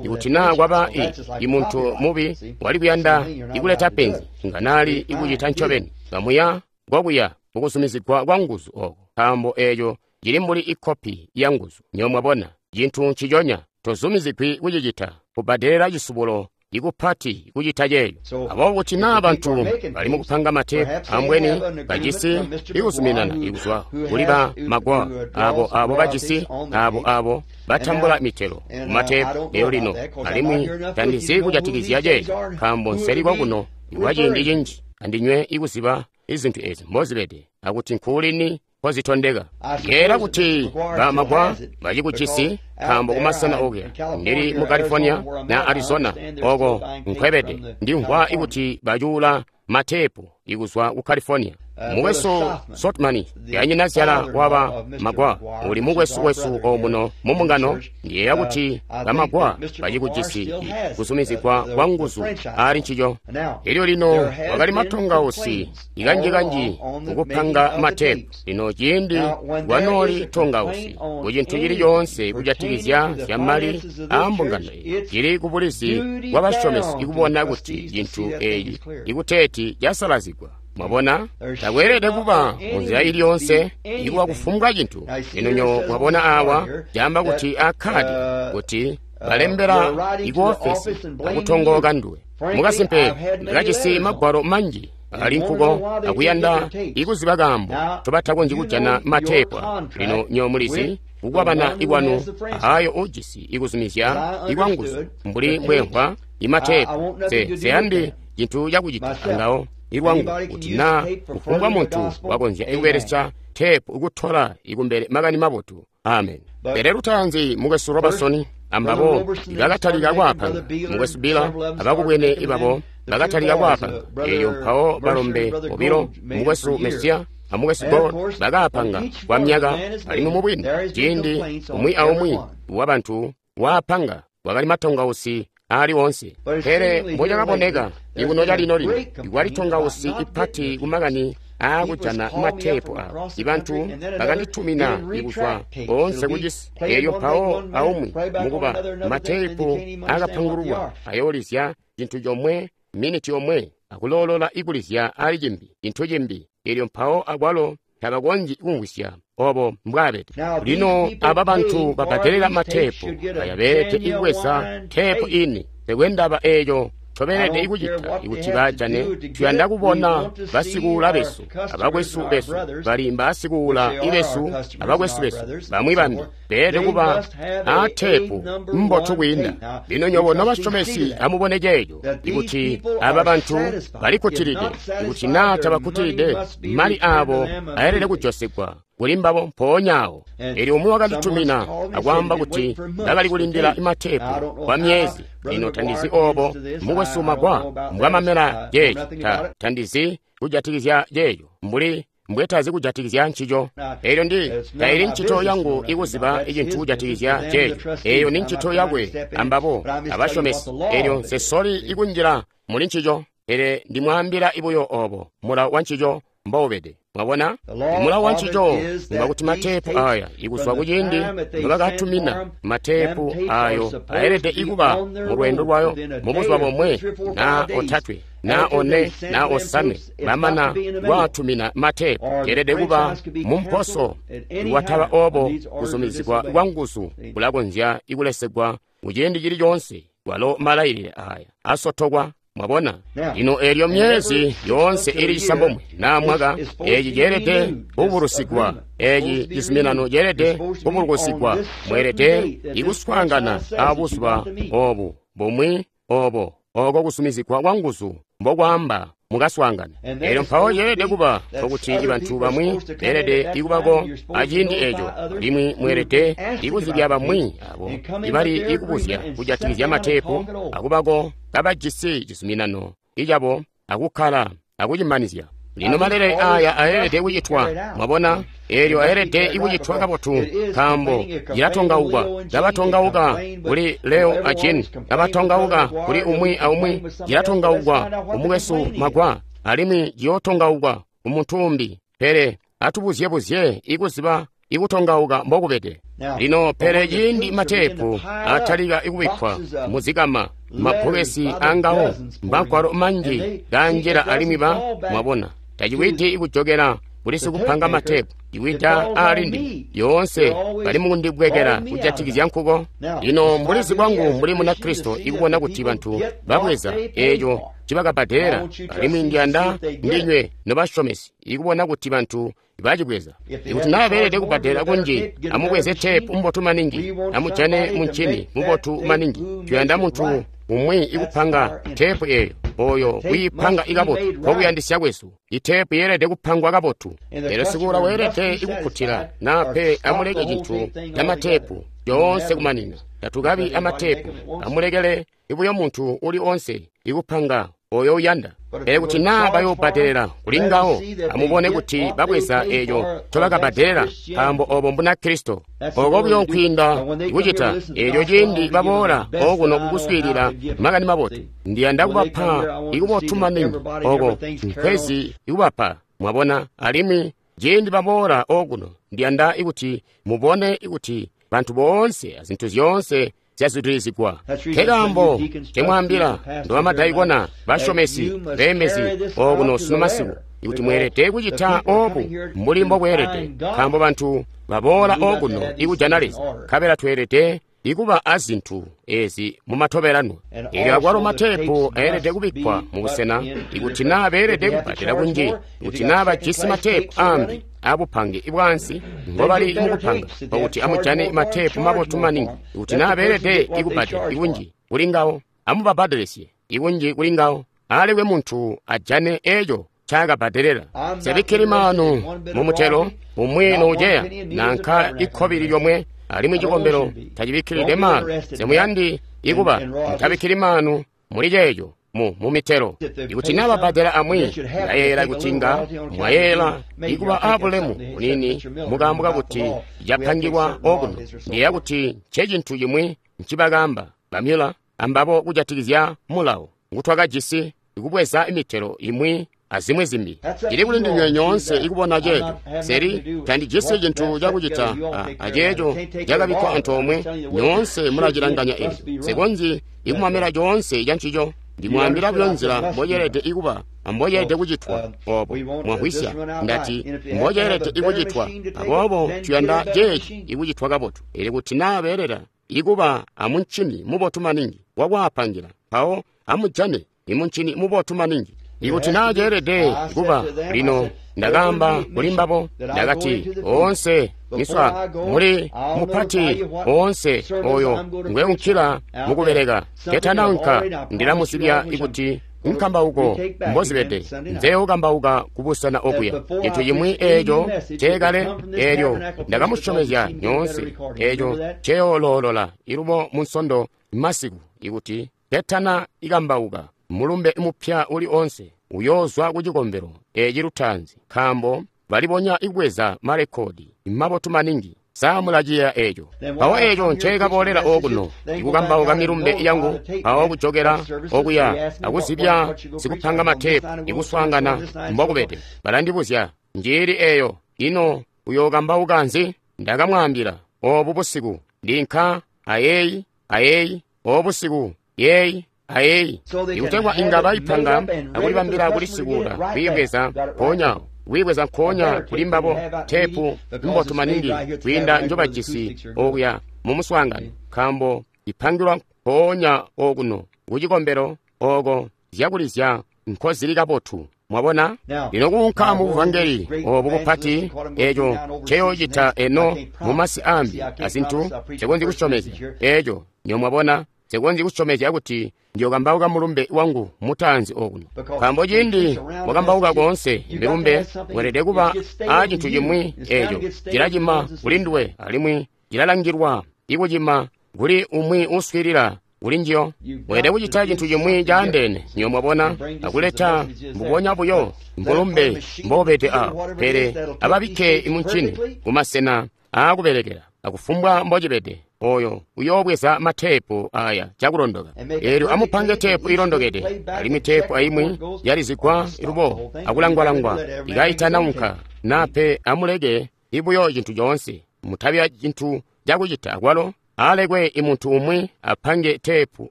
Ikuti naa kwaba i imuntu mubi wali kuyanda ikuleta penzi, nga nali ikucita ncobeni kamuya kwakuya mukuzumizigwa kwa nguzu oko, nkaambo eeco cili mbuli ikopi ya nguzu. Nyo mwabona, cintu nciconya tozumizigwi kucicita, kubbadelela cisubulo ikupati kucita ceeyo. Aboobo kuti naa bantu bali mukupanga mateepu, ambweni bajisi ikuzuminana ikuzwa kuli ba Magwar, abo abo bajisi abo abo batambula mitelo kumateepu eyo lino, alimwi tandizi kujatikizya ceeyo, nkaambo nseli kwakuno ikwa ciindi cinji. andinywe ikuziba izintu ezi mbozibede akuti nkuulini kozitondeka. Yeera kuti bamagwa bacikujisi nkaambo kumasena okuya ndili mu California na Arizona oko nkwebede ndimvwa ikuti bacuula matepu ikuzwa ku California. Mukwesu Sotman yanyinazyala waba magwa uli mukwesu wesu omuno mumbungano. Ndiyeeya kuti bamagwa bacikujisi kuzumizigwa kwa nguzu ali ncico. Elyo lino wakali matongausi ikanjikanji kukupanga matepu. Lino ciindi kwanooli tongausi ku cintu cili coonse kujatikizya zyamali aambungano eyi, cili kubulizi bwa basyomesi ikubona kuti cintu eeci ikuteeti casalazigwa. Mwabona, takweelede kuba munzila ili yonse ikuba kufumbwa cintu. Lino nyo mwabona awa caamba kuti akhadi kuti balembela ikuofesi akutongooka nduwe. Mukasimpe ndakajisi magwalo manji ali nkuko akuyanda ikuziba kaambo tobatakonzyi kujana matepu. Lino nyo mulizi kukwabana ikwanu ayo ujisi ikuzumizya ikwanguzu mbuli mbwemvwa imatepu seyandi cintu cakucita angawo ilwangu kuti na kufumbwa muntu wakonzya ikubelesya tepu ikutola ikumbele makani mabotu. Amen. Pele lutaanzi mukwesu Robertson ambabo bakatalika kwaapanga, mukwesu Bila abakubwene ibabo bakatalika kwaapanga. Eyo mpawo balombe bobilo mukwesu Mesiya amukwesu Gold bakaapanga kwa myaka. Alimwi mubwini ciindi umwi aumwi wabantu waapanga wakali matongausi ali wonse. Pele mbocakaboneka ikuno calino lino ikwali tongausi ipati kumakani aakujana matepu awo. Ibantu bakanditumina ikuzwa boonse kucisi. Elyo mpawo aumwi mukuba matepu akapangululwa ayoolizya cintu comwe miniti yomwe akuloolola ikulizya ali cimbi cintu cimbi. Elyo mpawo akwalo tabakonzyi kumvwisya obo mbwabede. Lino aba bantu babbadelela matepu aya beelede ikubweza tepu ini. Tekwendaba eeco tobeelede ikucita ikuti bajane. Tuyanda kubona basikuula besu abakwesu besu bali mbasikuula ibesu abakwesu besu bamwi bambi beelede kuba aatepu mbotu kwiinda. Lino nyobo nobasyomesi amubone ceeco ikuti aba bantu balikkutilide. Ikuti naa tabakkutilide, mali aabo ayelede kujosigwa kuli mbabo mpoonya awo. Elyo umwi wakanditumina akwaamba kuti ndakali kulindila matepu kwa myezi. Lino tandizi obo mukwesu Magwa mbwamamela ceeco. Ta tandizi kujatikizya ceeco mbuli mbwetazi kujatikizya ncico. Elyo ndi taili ncito yangu ikuziba icintu kujatikizya ceeco. Eyo ni ncito yakwe ambabo abasyomesi. Elyo nsesoli ikunjila muli ncico, pele ndimwaambila ibuyo obo mulawo wa ncico mboubede. Mwabona, mulawo wa ncico ngwakuti matepu aya ikuzwa kuciindi nobakatumina matepu ayo ayelede ikuba mu lwendo lwayo mubuzuba bomwe na otatwe na one na osanwe bamana lwatumina matepu yelede kuba mumposo. Iwataba obo kuzumizigwa kwa nguzu kulakonzya ikulesegwa muciindi cili coonse walo malayilile aya asotokwa. Mwabona, lino elyo myezi yoonse ili cisambomwe na mwaka eci ceelede kubulusigwa. Eci cizuminano ceelede kubulukusigwa. Mweelede ikuswaangana abuzuba obu bumwi obo oko kusumizigwa kwa nguzu mbokwaamba mukaswaangana. Elyo mpawo ceelede kuba nkokuti bantu bamwi beelede ikubako aciindi eco, alimwi mweelede ikuzibya bamwi abo ibali ikubuzya kujatikizya matepu akubako kabajisi cizuminano icabo akukkala akucimanizya. Lino malele aya ayelede kucitwa. Mwabona, elyo ayelede ikucitwa kabotu nkaambo cilatongauka. Kabatongauka kuli Leo a Jane, kabatongauka kuli umwi aumwi, cilatongauka kumukwesu Magwa, alimwi ciyootongauka kumuntu umbi. Pele atubuzyebuzye ikuziba ikutongauka mbokubede. Lino pele ciindi matepu atalika ikubikkwa muzikama mabbokesi angawo mbagwalo manji kanjila alimwi ba mwabona taciwidi ikujokela kuli sikupanga matepu iwida alindi yoonse bali mukundibwekela kujatikizya nkuko. Lino mbulizi bwangu mbuli Munakristo ikubona kuti bantu babweza eeco cibakabbadelela, alimwi ndiyanda ndinywe nobasyomesi ikubona kuti bantu bacibweza. Ikuti naa beelede kubbadela kunji, amubweze tepu mbotu maningi, amujane muncini mubotu maningi. Tuyanda muntu umwi ikupanga teepu eyo oyo wiipanga ikabotu nkokuyandisya kwesu. Iteepu yeelede kupangwa kabotu. Elyo sikuula weelede ikukkutila nape amuleke cintu camateepu yoonse kumanina. Tatukabi amateepu, amulekele ibuyo muntu uli onse ikupanga oyo uyanda. Pele kuti naa bayobbadelela kuli ngawo, amubone kuti babweza eeco ncobakabbadelela, nkaambo obo Mbunakristo. Oko buyo nkwiinda kucita eelyo ciindi baboola okuno kukuswiilila makani mabotu. Ndiyanda kubapa ikubotu maningi oko nkwezi ikubapa, mwabona. Alimwi ciindi baboola okuno, ndiyanda ikuti mubone ikuti bantu boonse azintu zyoonse zyazwidilizigwa. Nkekaambo ngemwaambila ndobamadaikona, basyomesi, beembezi okuno sunu masiku, ikuti mweelede kucita obu mbuli mbokweelede, nkaambo bantu baboola okuno ikujana Leza, nkabela tweelede ikuba azintu ezi mumatobelanwa. Elyo akwalo mateepu ayelede kubikkwa mubusena, ikuti naa beelede kubbadela kunji, ikuti naa bajisi mateepu ambi abupange bwaansi ngobali mukupanga, pakuti amujane mateepu mabotu maningi. Ikuti naa beelede ikubbadela ikunji kuli ngawo, amubabbadelesye ikunji kuli ngawo, alekwe muntu ajane eco ncaakabbadelela. Nsebikkili maanu mumutelo umwi nouceya nanka ikkobili lyomwe, alimwi cikombelo tacibikkilide maanu. Semuyandi ikuba mutabikkili maanu muli ceeco mu mumitelo. Ikuti naa babbadela amwi, ndayeeyela kuti nga mwayeeyela ikuba abulemu bunini mukaambo kakuti capangilwa okuno. Ndiyeeya kuti ncecintu cimwi ncibakaamba bamyula ambabo kujatikizya mulawo ngutwakajisi ikubweza imitelo imwi azimwi zimbi. Cili kuli ndinywe nyoonse ikubona ceeco. Seli tandijisi cintu cakucita aceeco cakabikkwa antoomwe. Nyoonse mulacilanganya eco. Nsikonzyi ikumamela coonse cancico. Ndimwaambila buyo nzila mboceelede ikuba amboceelede kucitwa obo. Mwamvwisya? Ndati mboceelede ikucitwa. Aboobo tuyanda ceeci ikucitwa kabotu. Elyo kuti naa beelela ikuba amuncini mubotu maningi wakwaapangila, mpawo amujane imuncini mubotu maningi. Ikuti naa ceelede kuba lino, ndakaamba kuli mbabo, ndakati oonse miswa muli mupati oonse oyo ngweunkila mukubeleka ketanaunka, ndilamusibya ikuti nkambauko mbozibede nzeokambauka kubusena okuya. Cintu cimwi eeco ceekale, eelyo ndakamusyomezya nyoonse, eeco ceyooloolola ilubo munsondo masiku, ikuti ketana ikambauka mulumbe mupya uli onse uyoozwa ku cikombelo eci lutaanzi, nkaambo balibonya ikubweza marekodi mabotu maningi. Sa mulaciyeeya eeco? Mpawo eeco nceekaboolela okuno ikukambauka milumbe yangu, mpawo kujokela okuya akuzibya sikupanga mateepu ikuswaangana mbokubede. Balandibuzya, njiili eeyo, ino uyookambauka nzi? Ndakamwaambila, obu busiku ndinka ayeeyi ayeeyi, obu busiku yeeyi ayeeyi, ikutegwa inga baipanga akulibambila kulisikuula kwiibweza mpoonya kwiibweza nkoonya kuli mbabo teepu mbotu maningi kwiinda njobajisi okuya mumuswaangano, nkaambo ipangilwa mpoonya okuno kucikombelo oko zyakulizya nkozili kabotu. Mwabona? Lino kuunka mu buvangeli obu bupati, eco nceyoocita eno mumasi ambi azintu nsekonzyi kusyomezya eco. Nyo mwabona, nsekonzyi kusyomezya kuti ndiyokambauka mulumbe wangu mutaanzi okuno, nkaambo ciindi wakambauka koonse milumbe weelede kuba a cintu cimwi eco cilacima kuli nduwe, alimwi cilalangilwa ikucima kuli umwi uswiilila kuli njiyo. Weelede kucita cintu cimwi caandeene, nyo mwabona, akuleta mbubonya buyo mbulumbe mbobede awo, pele ababikke imuncini kumasena aakubelekela akufumbwa mbocibede. Oyo uyoobweza mateepu aya cakulondoka. Eelyo amupange teepu ilondokede, alimwi teepu aimwi yalizigwa ilubo akulangwalangwa ikaitanaunka, nape amuleke ibuyo cintu coonse. Mutabi cintu cakucita akwalo, alekwe imuntu umwi apange teepu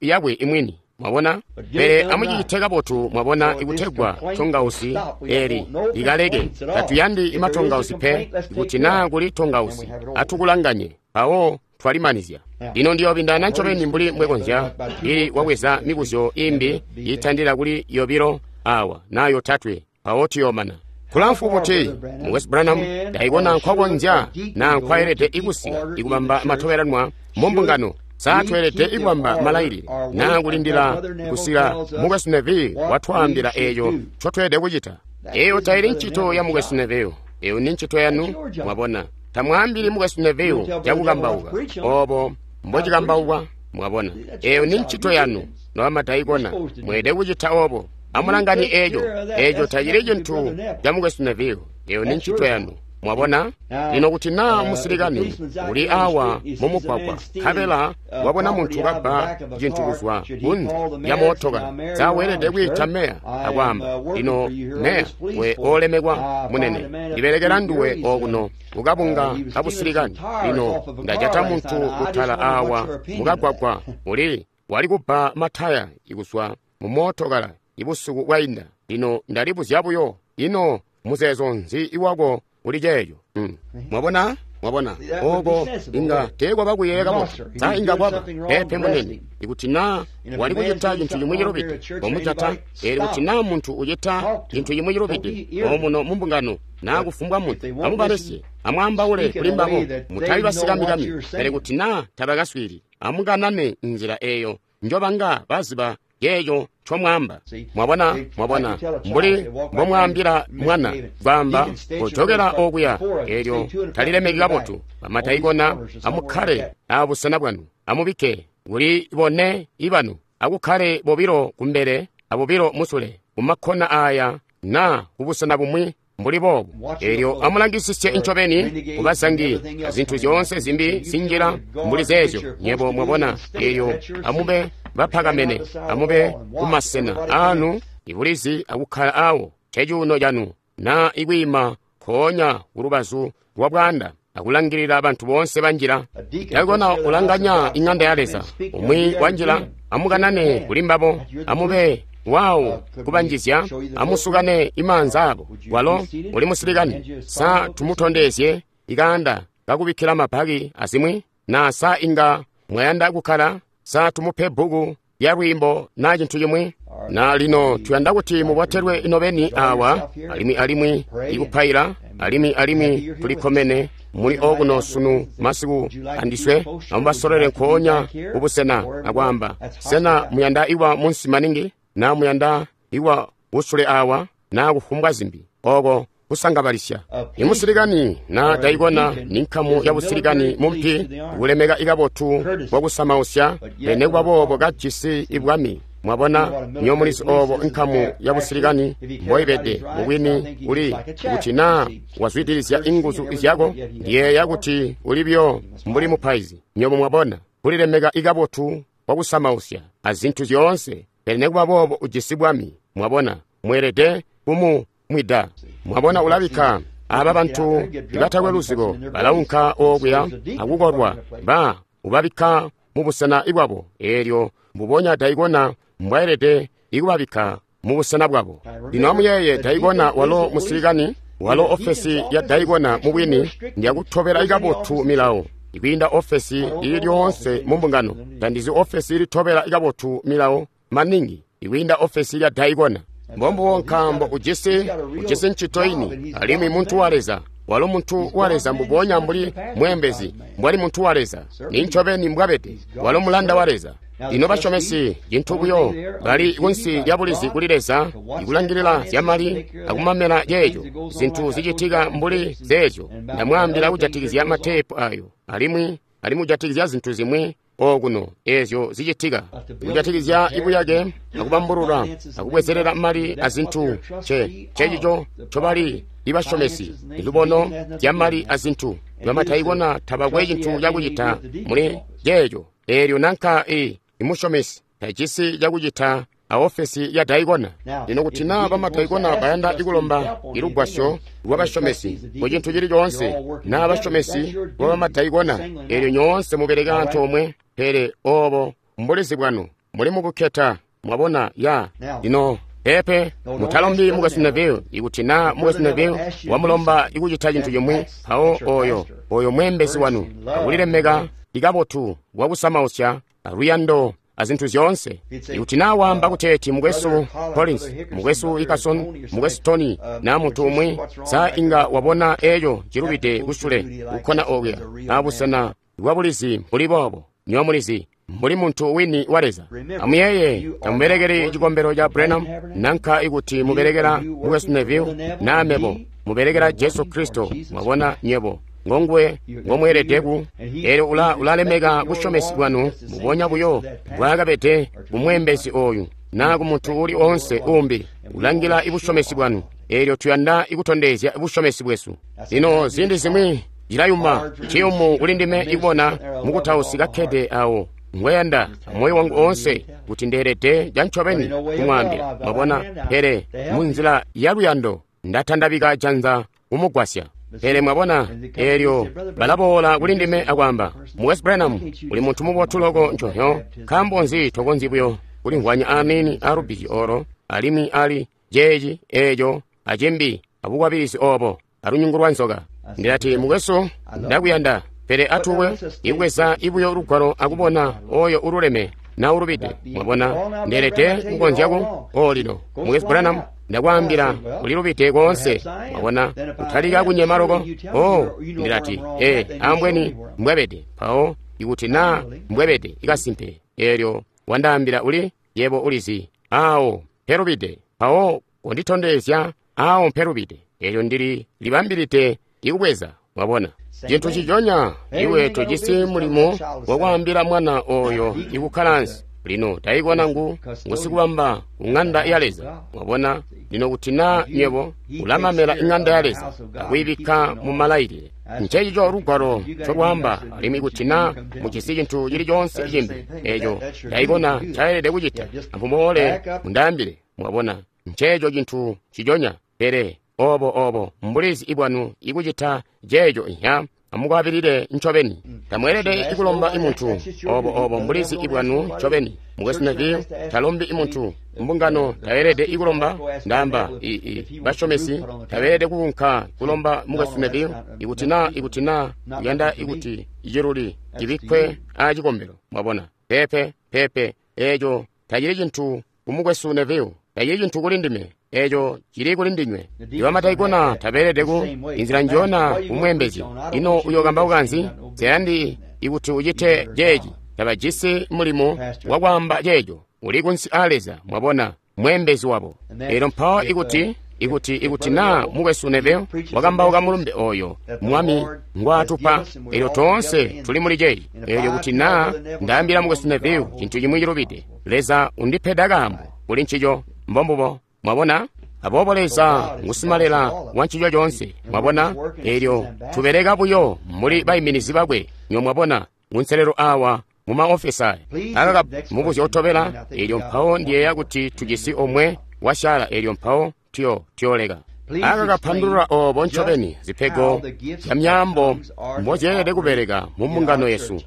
yakwe imwini. Mwabona? Pele amucicite kabotu, mwabona, ikutegwa tongausi eli likaleke. Tatuyandi imatongausi pe. Ikuti naa kuli tongausi, atukulanganye mpawo twalimanizya. Lino ndiyoobindana ncobeni mbuli mbwekonzya ili wabweza mibuzyo imbi iitandila kuli yobilo awa naa yotatwe, mpawo tuyoomana. Kulamfu buti, Mukwesu Branham, ndaibona nkwakonzya naa nkwayelede ikusika ikubamba matobelanwa mu mbungano Sa tweelede kubamba malailile naa kulindila kusika Mukwesu Neville watwaambila eeco ncotweelede kucita? Eyo taili ncito ya Mukwesu Neville. Eyo ni ncito yanu, mwabona. Tamwaambili Mukwesu Neville cakukambauka. Obo mbocikambaukwa, mwabona. Eyo ni ncito yanu, nobamadaikona. Mweelede kucita obo. Amulangani eeco. Eeco tacili cintu ca Mukwesu Neville. Eyo ni ncito yanu. Mwabona? Lino kuti naa musilikani uli awa mumugwagwa, nkabela wabona muntu kabba cintu kuzwa kunze lya mootokala, sa weelede kwiita meya akwaamba, lino meya we olemekwa munene, ndibelekela nduwe okuno kukabunga kabusilikani. Lino ndajata muntu kutala awa mukagwagwa uli wali kubba mataya ikuzwa mu mootokala ibusiku bwainda. Lino ndalibuzya buyo, ino muzeezo nzi iwako uli ceeco? Mm. Mwabona? Mwabona? Oko inga teekwaba kuyeeya kabotu. Sa inga kwaba pepe munene. Ikuti naa wali kucita cintu cimwi cilubide, komujata. Eelyo kuti naa muntu ucita cintu cimwi cilubide omuno mu mbungano naa kufumbwa muntu, amubalesye, amwaambaule kuli mbabo, mutabi basikamikami. Pele kuti naa tabakaswiili, amukanane nzila eeyo njobanga baziba ceeco ncomwaamba. Mwabona? Mwabona? Mbuli mbomwaambila mwana, kwaamba, kojokela okuya, eelyo talilemeki kabotu. Bamadaikona, amukkale abusena bwanu, amubikke kuli bone ibanu, akukkale bobilo kumbele abobilo musule, kumakkona aya naa kubusena bumwi mbuli boobu. Eelyo amulangisisye ncobeni kubazangi azintu zyoonse zimbi zinjila mbuli zeezyo. Nyebo mwabona? Eelyo amube bapakamene, amube kumasena anu ibulizi akukkala awo cecuuno canu, naa ikwiima nkoonya kulubazu lwa bwaanda akulangilila bantu boonse banjila. Daikona ulanganya iŋanda ya Leza, umwi wanjila, amukanane kuli mbabo, amube wawo kubanjizya, amusukane imaanza abo. Walo uli musilikani. Sa tumutondezye ikaanda kakubikkila mabaki azimwi? Na sa inga mwayanda kukkala? Sa tumupe bbuku lya lwiimbo naa cintu cimwi? Na lino tuyanda kuti mubotelwe inobeni awa, alimwi alimwi ikupaila, alimwi alimwi tulikkomene muli okuno sunu masiku andiswe. Amubasolole nkoonya kubusena akwaamba, sena muyanda iwa munsi maningi, na muyanda iwa usule awa, na kufumbwa zimbi. Oko kusangabalisya. Imusilikani na daikona ni nkamu ya busilikani mumpi, kulemeka ikabotu bwakusamausya, pele boobo kajisi ibwami. Mwabona, nyomulizi obo nkamu ya busilikani mboibede mubwini uli kuti naa wazwidilizya inguzu zyako, ndiyeeya kuti uli byo mbuli mupaizi. Nyobo mwabona, kulilemeka ikabotu bwakusamausya azintu zyoonse, pele nekuba boobo ujisi bwami. Mwabona, mweelede kumumwida. Mwabona, ulabikka aba bantu ibatakwe luzibo balaunka okuya akukolwa, ba ubabikka mubusena bwabo. Eelyo mbubonya daikona mbwaelede ikubabikka mubusena bwabo. Lino amuyeeye, daikona walo musilikani, walo ofesi ya daikona mubwini ndiyakutobela ikabotu milawo ikwiinda ofesi ili lyoonse mu mbungano. Tandizi ofesi ilitobela ikabotu milawo maningi ikwiinda ofesi lya daikona. Mbombubo, nkaambo ujisi ujisi ncito ini, alimwi muntu wa Leza. Walo muntu wa Leza mbubonya mbuli mweembezi mbwali muntu wa Leza. Ni ncobeni mbwabede. Walo mulanda wa Leza. Lino basyomesi cintu buyo bali kunsi lya bulizi kuli Leza, ikulangilila zyamali akumamela ceeco zintu zicitika mbuli zeezyo. Ndamwaambila kujatikizya mateepu ayo, alimwi alimwi kujatikizya zintu zimwi okuno eezyo zicitika, kujatikizya ibuyake akubambulula akubwezelela mali azintu. Ce cecico ncobali ibasyomesi, ilubono zyamali azintu. Bamadaikona tabakwe cintu cakucita muli ceeco. Eelyo nanka i imusyomesi tajisi cakucita aofesi ya daikona. Lino kuti naa bamadaikona bayanda ikulomba ilugwasyo lwabasyomesi mu cintu cili coonse, naa basyomesi lwa bamadaikona, eelyo nyoonse mubeleka antoomwe. Pele obo mbulizi bwanu, muli mukukketa. Mwabona? Ya lino pepe mutalombi Mukwesu Neville. Ikuti naa Mukwesu Neville wamulomba ikucita cintu cimwi, mpawo oyo oyo mweembezi wanu akulilemeka ikabotu bwakusamausya aluyando azintu zyoonse. Ikuti naa waamba kuteeti Mukwesu Collins, Mukwesu Ikason, Mukwesu Tony, naa muntu umwi, sa inga wabona eeco cilubide kusule kukkona okuya abusena bwabulizi mbuli boobo. Nywebo mulizi, mbuli muntu wini wa Leza. Amuyeeye, tamubelekeli cikombelo ca Branham, nanka ikuti mubelekela Mukwesu Neville, naa mebo, mubelekela Jesu Kristo. Mwabona, nywebo ngonguwe ngomweelede ku. Eelyo ula ulalemeka busyomesi bwanu mbubonya buyo mbwaakabede kumweembezi oyu naa ku muntu uli oonse uumbi. Ulangila ibusyomesi bwanu. Eelyo tuyanda ikutondezya busyomesi bwesu. Lino ziindi zimwi cilayuma, ciyumu kuli ndime ikubona mukutausi kakkede awo ngweyanda amoyo wangu oonse kuti ndeelede cancobeni kumwaambila. Mwabona, pele munzila ya luyando ndatandabika janza kumugwasya. Pele mwabona, eelyo balaboola kuli ndime akwaamba, Mukwesu Branham, uli muntu mubotu loko nconzyo, nkaambo nzi tokonzyi buyo kulimvwanya aniini a lubbizyo olo, alimwi ali ceeci, eeco, acimbi, abukwabilizi obo, alunyungu lwa nzoka. Ndilati, mukwesu, ndakuyanda, pele atuwe ibweza ibuyo lugwalo akubona oyo ululeme na ulubide. Mwabona, ndeelede kukonzyaku. O lino, Mukwesu Branham, ndakwaambila ulilubide koonse. Mwabona, utalika kunyema loko. O, ndilati, ee, ambweni mbwebede. Mpawo, ikuti naa mbwebede ikasimpe, eelyo wandaambila uli, yebo ulizi, awo mpelubide. Mpawo konditondezya awo mpelubide. Eelyo ndili libambilide ikubweza. Mwabona, cintu ciconya, iwe tojisi mulimo wakwaambila mwana oyo ikukkala ansi. Lino taikona ngu ngusikubamba ku ŋanda ya Leza. Mwabona, lino kuti naa nywebo ulamamela iŋanda ya Leza akuyibikka mu malailile, ncecico lugwalo ncolwaamba. Alimwi kuti naa mujisi cintu cili coonse cimbi eco taikona ncaelede kucita, amuboole mundaambile. Mwabona, nceeco cintu ciconya. Pele obo obo mbulizi ibwanu ikucita ceeco inya, amukwabilile ncobeni. Tamweelede ikulomba imuntu. Obo obo mbulizi ibwanu ncobeni. Mukwesu Neville talombi imuntu. Mbungano taelede ikulomba. Ndaamba i, i, basyomesi tabeelede kuunka kulomba Mukwesu Neville ikuti naa ikuti naa uyanda ikuti iciluli cibikkwe aacikombelo. Mwabona, pepe pepe, eeco tacili cintu ku Mukwesu Neville, tacili cintu kuli ndime. Eeco cili kuli ndinywe. Ibamataikona tabeelede ku inzila njona kumweembezi. Ino uyokambauka nzi? Nseyandi ikuti ucite ceeci. Tabajisi mulimo wakwaamba ceeco. Uli kunsi a Leza, mwabona, mweembezi wabo. Eelyo mpawo ikuti ikuti ikuti naa Mukwesu Neville wakambauka mulumbe oyo Mwami ngwaatupa, eelyo toonse tuli muli ceeci. Eelyo kuti naa ndaambila Mukwesu Neville cintu cimwi cilubide, Leza undipeda kaambo kuli ncico. Mbombubo. Mwabona? Aboobo Leza ngusimalela wa ncico coonse. Mwabona? Eelyo tubeleka buyo mbuli baiminizi bakwe. Nyo mwabona, kunselelo awa mu maofesi aya. Akaka mubuzyo utobela, eelyo mpawo ndiyeeya kuti tujisi omwe wasyaala, eelyo mpawo tuyo tuyoleka. Akakapandulula obo ncobeni zipego zya myaambo mbozyeelede kubeleka mu mbungano yesu.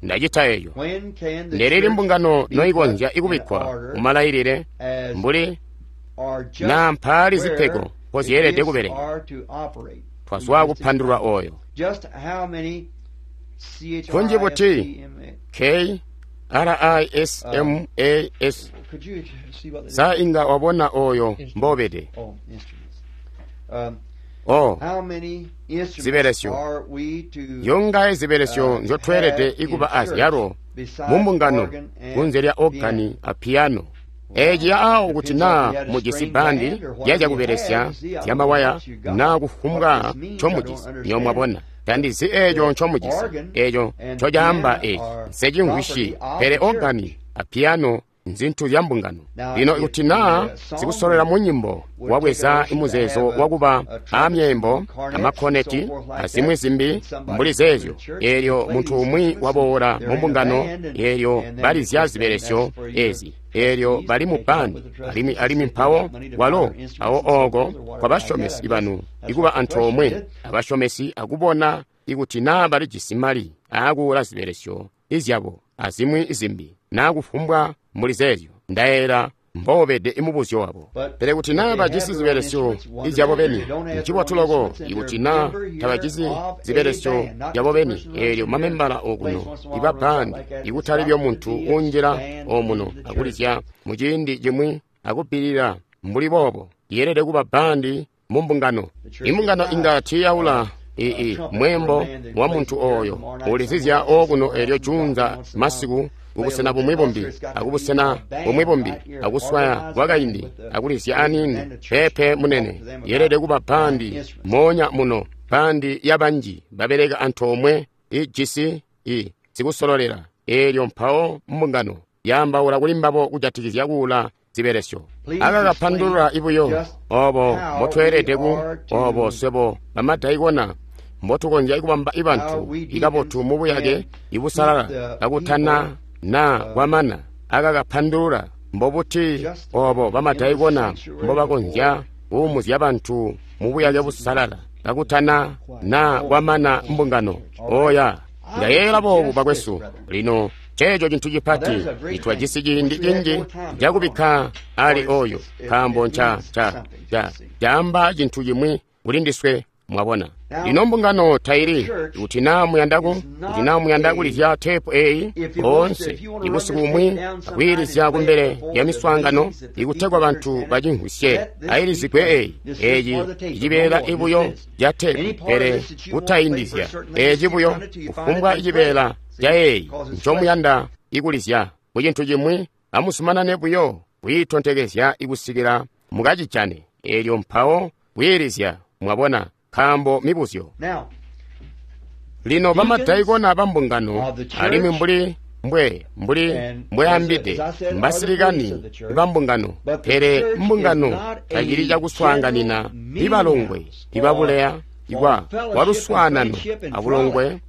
Ndacita eyo. Ndelili mbungano noikonzya ikubikkwa mu malailile mbuli naa mpaali zipego mpozyeelede kubeleka. Twazwa kupandulula oyo. Kunji buti K R I S M A S sa inga wabona oyo mbobede. O zibelesyo yongaye zibelesyo nzyotweelede ikuba azyalo mu mbungano kunze lya ogani a piyano. Eeci awo kuti naa mujisi bandi yazyakubelesya zyamawaya naa kufumbwa ncomujisi. Nyo mwabona, tandizi eeco ncomujisi, eeco ncocaamba eeci nsecimvwisyi. Pele ogani a piyano nzintu zya mbungano. Lino ikuti naa zikusolwela mu nyimbo wabweza imuzeezo wakuba aamyeembo amakkoneti azimwi zimbi mbuli zeezyo, eelyo muntu umwi waboola mu mbungano, eelyo balizya zibelesyo ezi, eelyo bali mu bandi, alimwi alimwi mpawo walo awo ooko kwa basyomesi banu ikuba antoomwe abasyomesi akubona ikuti naa balijisi mali aakuula zibelesyo izyabo azimwi zimbi naa kufumbwa mbuli zeezyo. Ndayeera mbobede imubuzyo wabo. Pele kuti naa bajisi zibelesyo izyabo beni, ncibotu loko. Ikuti naa tabajisi zibelesyo zyabo beni, eelyo mamembala okuno iba bandi, ikutali byo muntu uunjila omuno akulizya muciindi cimwi akubbilila mbuli boobo, yeelede kuba bandi mu mbungano. Imbungano inga tiiyaula i mweembo wa muntu oyo ulizizya okuno elyo juunza masiku kubusena bumwi bumbi akubusena bumwi bumbi akuswaya kwakaindi akulizya aniini. Peepe munene, yeelede kuba bandi moonya muno, bandi yabanji babeleka antoomwe ijisi i sikusololela. Eelyo mpawo mbungano yaambaula kuli mbabo kujatikizya kuula zibelesyo. Akakapandulula ibuyo obo mbotweelede ku obo swebo bamadaikona mbotukonzya kubamba ibantu ikabotu mubuyake ibusalala kakutana na kwamana. Akakapandulula mbobuti obo bamadaikona mbobakonzya kuumuzya bantu mubuyake busalala kakutana na kwamana mbungano. Oya, ndayeeyela boobu bakwesu. Lino ceeco cintu cipati nitwajisi ciindi cinji cakubikka ali oyo, nkaambo nca ca ca caamba cintu cimwi kuli ndiswe. Mwabona, lino mbungano taili kuti naa muyandaku kuti naa muyanda kulizya teepu eyi boonse ibusiku bumwi akwiilizya kumbele lya miswaangano ikutegwa bantu bacimvwisye ayilizigwe eyi. Eeci icibeela ibuyo ca teepu, pele kutaindizya eeci buyo kufumbwa icibeela ca eyi ncomuyanda ikulizya ku cintu cimwi. Amuzumanane buyo kwiitontekezya ikusikila mukacijane, eelyo mpawo kwiilizya. Mwabona, nkaambo mibuzyo. Lino bamadaikona bambungano alimwi mbuli mbwe mbuli mbweambide mbasilikani bambungano, pele mbungano tacili cakuswaanganina ibalongwe ibabuleya ikwa waluswaanano abulongwe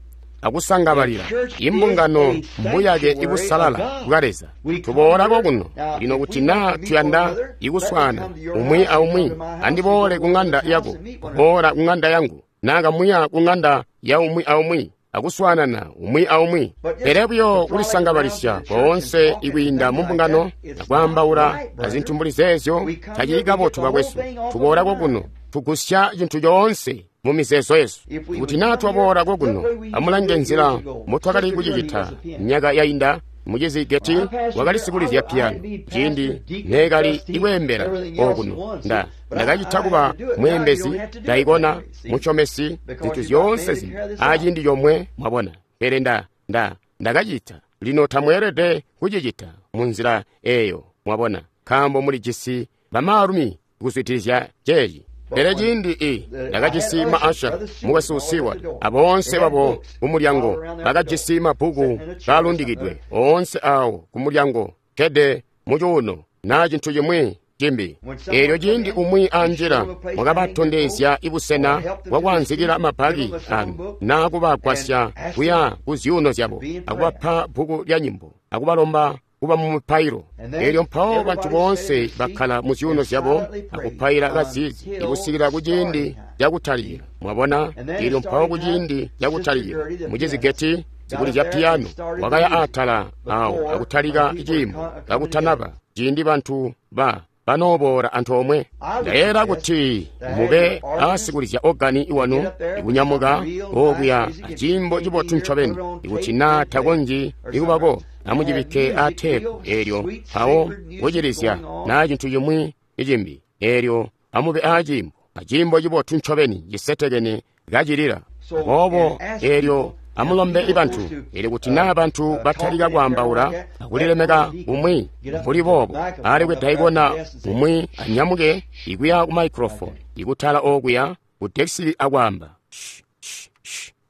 akusangabalila. Imbungano mbuyake ibusalala bwa Leza. Tuboolako kuno lino kuti naa tuyanda ikuswaana umwi aumwi, andiboole ku ŋanda yako, boola ku ŋanda yangu, naa kamuya ku ŋanda ya umwi aumwi akuswaanana umwi aumwi. Pele buyo kulisangabalisya koonse ikwiinda mumbungano akwaambaula azintu mbuli zeezyo tacili kabotu bakwesu. Tuboolako kuno tugusya cintu coonse mu mizeezo yesu. Kuti naa twaboola kokuno, amulange nzila mbotwakali kucicita myaka yainda. Mucizi Geti wakali sikulizya piyano ciindi neekali ikweembela okuno. Nda ndakacita kuba mweembezi, daikona, musyomesi, zintu zyoonse zimbi aciindi comwe, mwabona. Pele nda nda ndakacita. Lino tamweelede kucicita munzila eeyo, mwabona, nkaambo mulijisi bamaalumi kuzwidilizya ceeci. Pele ciindi i ndakajisi maasha mukwesu Seward aboonse babo kumulyango bakajisi mabbuku kaalundikidwe oonse awo kumulyango kede mucuuno naa cintu cimwi cimbi. Eelyo ciindi umwi anjila mwakabatondezya ibusena bwakwaanzikila mabaki anu naa kubagwasya kuya ku zyuuno zyabo akubapa bbuku lya nyimbo akubalomba kuba mu mupailo. Eelyo mpawo bantu boonse bakkala mu zyuuno zyabo akupaila kazizi ikusikila kuciindi cakutalikila. Mwabona, eelyo mpawo kuciindi cakutalikila mucizi Geti sikulizya piyano wakaya atala awo akutalika ciimbo kakutanaba ciindi bantu ba banooboola antoomwe. Ndayeeyela kuti mube aasikulizya ogani iwanu ikunyamuka okuya aciimbo cibotu ncobeni. Ikuti naa takonzyi ikubako, amucibikke aateepu eelyo mpawo kucilizya naa cintu cimwi icimbi. Eelyo amube aaciimbo, aciimbo cibotu ncobeni cisetekene kacilila. Aboobo eelyo amulombe ibantu. Eelyo kuti naa bantu batalika kwaambaula akulilemeka umwi mbuli boobo, alekwe daikona umwi anyamuke ikuya ku microphone ikutala okuya ku dekisi akwaamba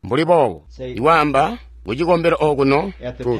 mbuli boobo, ikwaamba kucikombelo okuno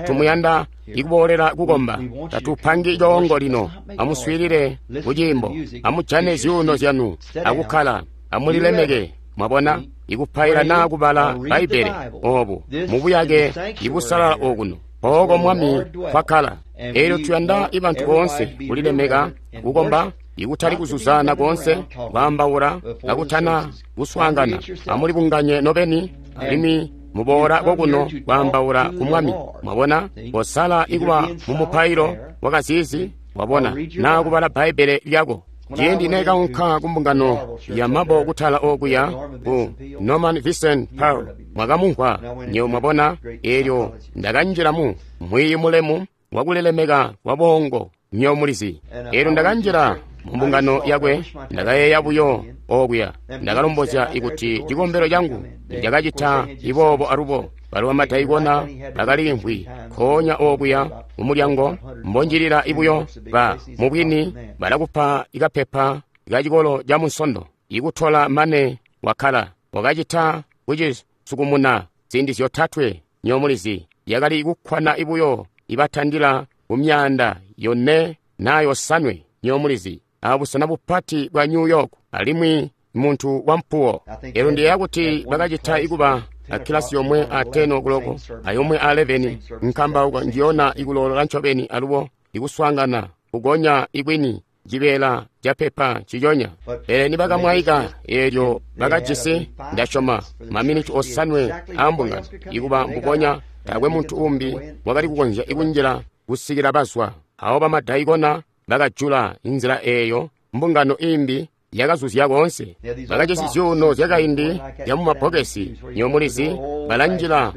tumuyanda ikuboolela kukomba. Tatupangi coongo lino. Amuswiilile kuciimbo, amujane zyuuno zyanu akukkala, amulilemeke. Mwabona, ikupaila naa kubala Bbaibbele obu mubuyake ibusalala okuno pooko Mwami kwakkala. Eelyo tuyanda ibantu boonse kulilemeka kukomba, ikutali kuzuzana koonse kwaambaula kakutana kuswaangana. Amulibunganye nobeni alimwi muboola kokuno kwaambaula ku Mwami. Mwabona, kosala ikuba mu mupailo wakazizi, wabona, naa kubala Bbaibbele lyako. Ciindi neekaunka kumbungano ya mabo kutala okuya ku Norman Vincent Peale, mwakamumvwa nyewe, mwabona. Eelyo ndakanjila mu mwiiyi mulemu wakulilemeka kwa bongo, nyewe mulizi. Eelyo ndakanjila Mu mbungano yakwe, ndakayeeya buyo okuya. Ndakalombozya ikuti cikombelo cangu nicakacita iboobo alubo. Balo bamadaikona bakaliimvwi nkoonya okuya mu mulyango mbonjilila ibuyo ba mubwini balakupa ikapepa ka cikolo ca Munsondo ikutola mane wakkala. Wakacita kucisukumuna ziindi zyotatwe nyomulizi yakali kukkwana ibuyo ibatandila ku myaanda yone na yosanwe nyomulizi abusena bupati bwa New York alimwi muntu wampuwo. Elo ndiyeeya kuti bakacita ikuba akilasi yomwe a ten o'clock ayomwe a eleven nkambauka njiyona ikuloolola ncobeni alubo ikuswaangana kugonya ikwini cibeela ca pepa ciconya. Pele nibakamwaika eelyo bakajisi ndasyoma maminiti osanwe aambungano ikuba mbubonya taakwe muntu umbi wakali kukonzya ikunjila kusikila bazwa. Awo bamadaikona bakajula inzila eeyo mbungano imbi yakazuzya koonse. Bakajisi zyuuno zyakaindi zyamumabbokesi nyomulizi balanjila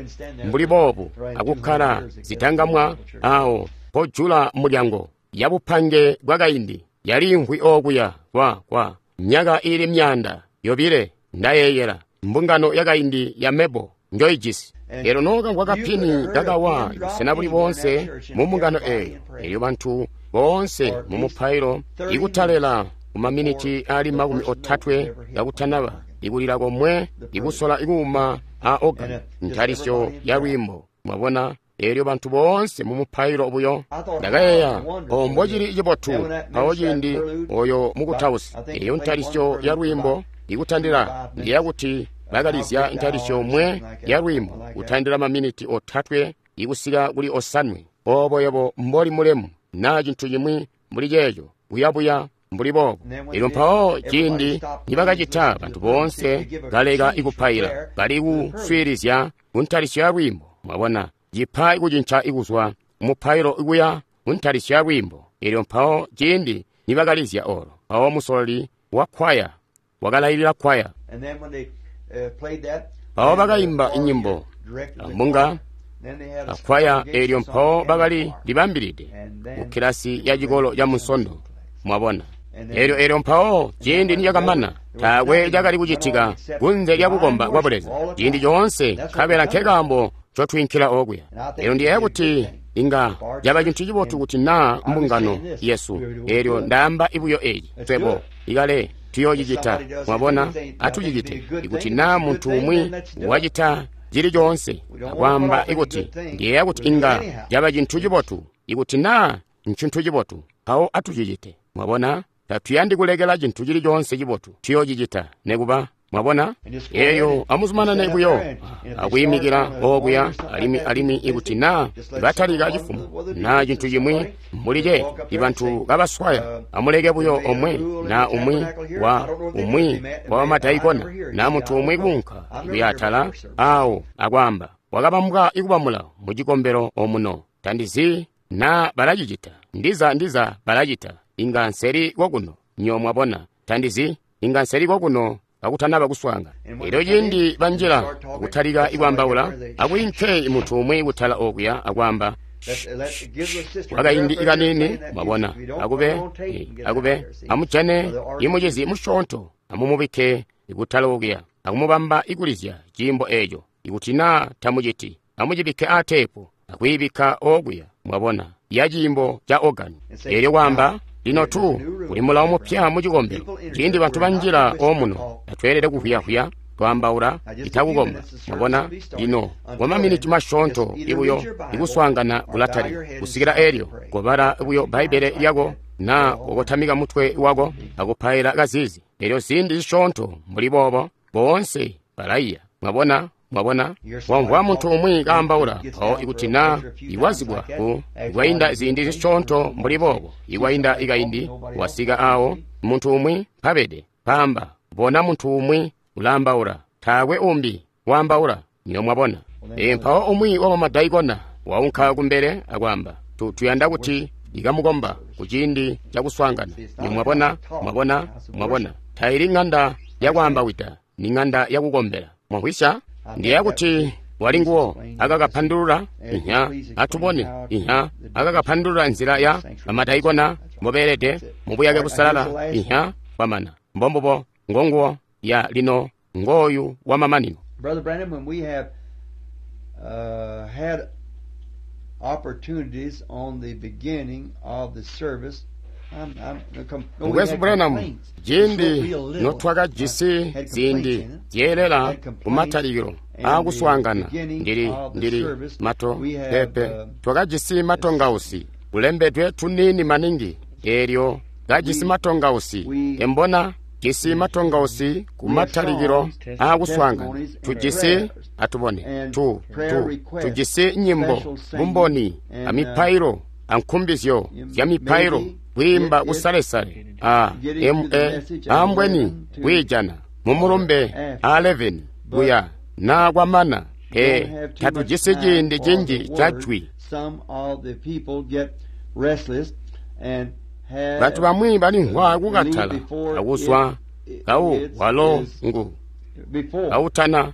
mbuli boobu akukkala zitangamwa awo pojula mulyango yabupange bwakaindi yaliimvwi okuya kwa kwa myaka ili myaanda yobile ndayeeyela mbungano yakaindi ya mebo njoijisi. Elo nokamvwa kapini kakawa busena buli boonse mu mbungano eeyo, elyo bantu boonse mu mupailo ikutalela kumaminiti ali makumi otatwe kakutanaba ikulila komwe ikusola ikuuma a organ ntalisyo ya lwiimbo. Mwabona, elyo bantu boonse mu mupailo buyo. Ndakayeeya ombo cili cibotu mpawo ciindi oyo mukutausi eyo ntalisyo ya lwiimbo ikutandila ndiya kuti bakalizya ntalisyo omwe ya lwiimbo kutandila maminiti otatwe ikusika kuli osanwe. Obo yebo mboli mulemu na cintu cimwi mbuli ceeco buyabuya mbuli boobo. Elyo mpawo ciindi nibakacita bantu boonse kaleka ikupaila bali kuswiilizya kuntalisyo ya lwiimbo. Mwabona, cipa ikucinca ikuzwa mupailo ikuya kuntalisyo ya lwiimbo. Elyo mpawo ciindi nibakalizya olo mpawo musololi wa kwaya wakalailila kwaya. Mpawo bakaimba inyimbo ambunga akwaya. Elyo mpawo bakali libambilide ku kilasi ya cikolo ca Munsondo. Mwabona, elyo elyo mpawo ciindi nicakamana taakwe cakali kucitika kunze lya kukomba kwa Buleza ciindi coonse, nkabela nkekaambo ncotwiinkila okuya. Elyo ndiyeeya kuti inga caba cintu cibotu kuti naa mbungano yesu, elyo ndaamba ibuyo eci twebo ikale tuyoocicita. Mwabona, atucicite. Ikuti naa muntu umwi wacita cili coonse akwaamba ikuti ndiyeeya kuti inga caba cintu cibotu, ikuti naa ncintu cibotu, mpawo atucicite. Mwabona, tatuyandi kulekela cintu cili coonse cibotu, tuyoocicita nekuba. Mwabona, eyo amuzumanane buyo akwiimikila okuya alimwi alimwi ikuti naa batalika cifumo naa cintu cimwi mbuli ceeco ibantu kabaswaya, amuleke buyo omwe naa umwi wa umwi wa bamadaikona naa muntu umwi kuunka kuya atala awo akwaamba wakabambwa ikuba mulawo mu cikombelo omuno. Tandizi naa balacicita, ndiza ndiza balacita, inga nseli kokuno nyo. Mwabona, tandizi inga nseli kokuno kakutanaba kuswaanga. Elyo ciindi banjila kutalika ikwaambaula, akwiinke muntu umwi kutala okuya akwaamba kwakaindi ikanini. Mwabona, akube akube amujane imucizi musyoonto amumubikke kutala okuya akumubamba ikulizya ciimbo eeco. Ikuti naa tamuciti, amucibikke aateepu akwiibikka okuya. Mwabona, ya ciimbo ca organ. Elyo kwaamba lino tu kuli mulawo mupya mu cikombelo. Ciindi bantu banjila omuno tatweelede kuvwiya-vwiya twaambaula itakukomba. Mwabona, lino kwa maminiti masyoonto ibuyo ikuswaangana kulatalika kusikila elyo kobala buyo Bbaibbele lyako naa kokotamika mutwe wako akupaila kazizi. Elyo ziindi zisyoonto mbuli boobo boonse balaiya. Mwabona, mwabona, wamvwa muntu umwi kaambaula mpawo ikuti naa iwazibwa ku ikwainda ziindi zisyoonto mbuli boobo ikwainda ikaindi wasika awo muntu umwi mpabede paamba bona muntu umwi ulaambaula taakwe umbi waambaula. Niyo mwabona. E, mpawo umwi wa bamadaikona waunka kumbele akwaamba tuyanda kuti ikamukomba kuciindi cakuswaangana. Niyo mwabona, mwabona, mwabona, taili ng'anda yakwaambawida, ni ng'anda yakukombela. Mwamvwisya? Ndiyeeya kuti Walinguwo akakapandulula inya atubone inya akakapandulula nzila ya bamadaikona mbobeelede mubuyake busalala inya kwamana mbombubo ngonguwo ya lino ngooyu wamamanino. Brother Branham, when we have uh, had opportunities on the beginning of the service, I'm, I'm, com- no, we Mukwesu had Branham, complaints. ciindi It's real little. notwakajisi Had ziindi complaints in it. zyeelela Had complaints kumatalikilo and aakuswaangana the beginning ndili of the ndili service, mato we have, pepe uh, twakajisi matongausi kulembedwe tuniini maningi eelyo kajisi We- matongausi we- embona jisi matongausi kumatalikilo songs, aakuswaangana testimonies, and tujisi prayers, atubone and tu prayer tu requests, tujisi nyimbo special singing, bumboni and, amipailo ankumbizyo zya mipailo maybe kwiimba it- it- kusalesale a getting m to the a message at ambweni eleven to kwiijana mumulumbe after. a eleven kuya na kwamana e Don't have too much tatujisi time ciindi for cinji the ca word. jwi. Some of the people get restless and have Bantu bamwi balimvwa kukatala leave before akuzwa it- it- kawu it's- walo is ngu before kautana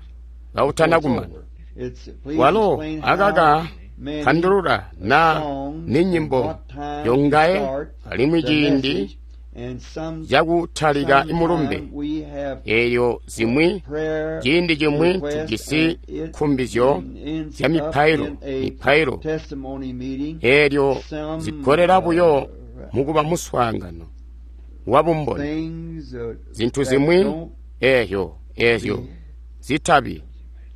kautana it's kumana over. It's, please walo explain how akaka many pandulula na songs ni and nyimbo what time to yongaye start alimwi the ciindi message, and some cakutalika imulumbe sometime we have eyo zimwi prayer ciindi cimwi requests tujisi and it nkumbizyo ends zya up mipailo in a mipailo testimony meeting. eelyo Some, zigolela buyo uh, mukuba muswaangano wa bumboni things, uh, zintu that zimwi don't eyo eyo zitabi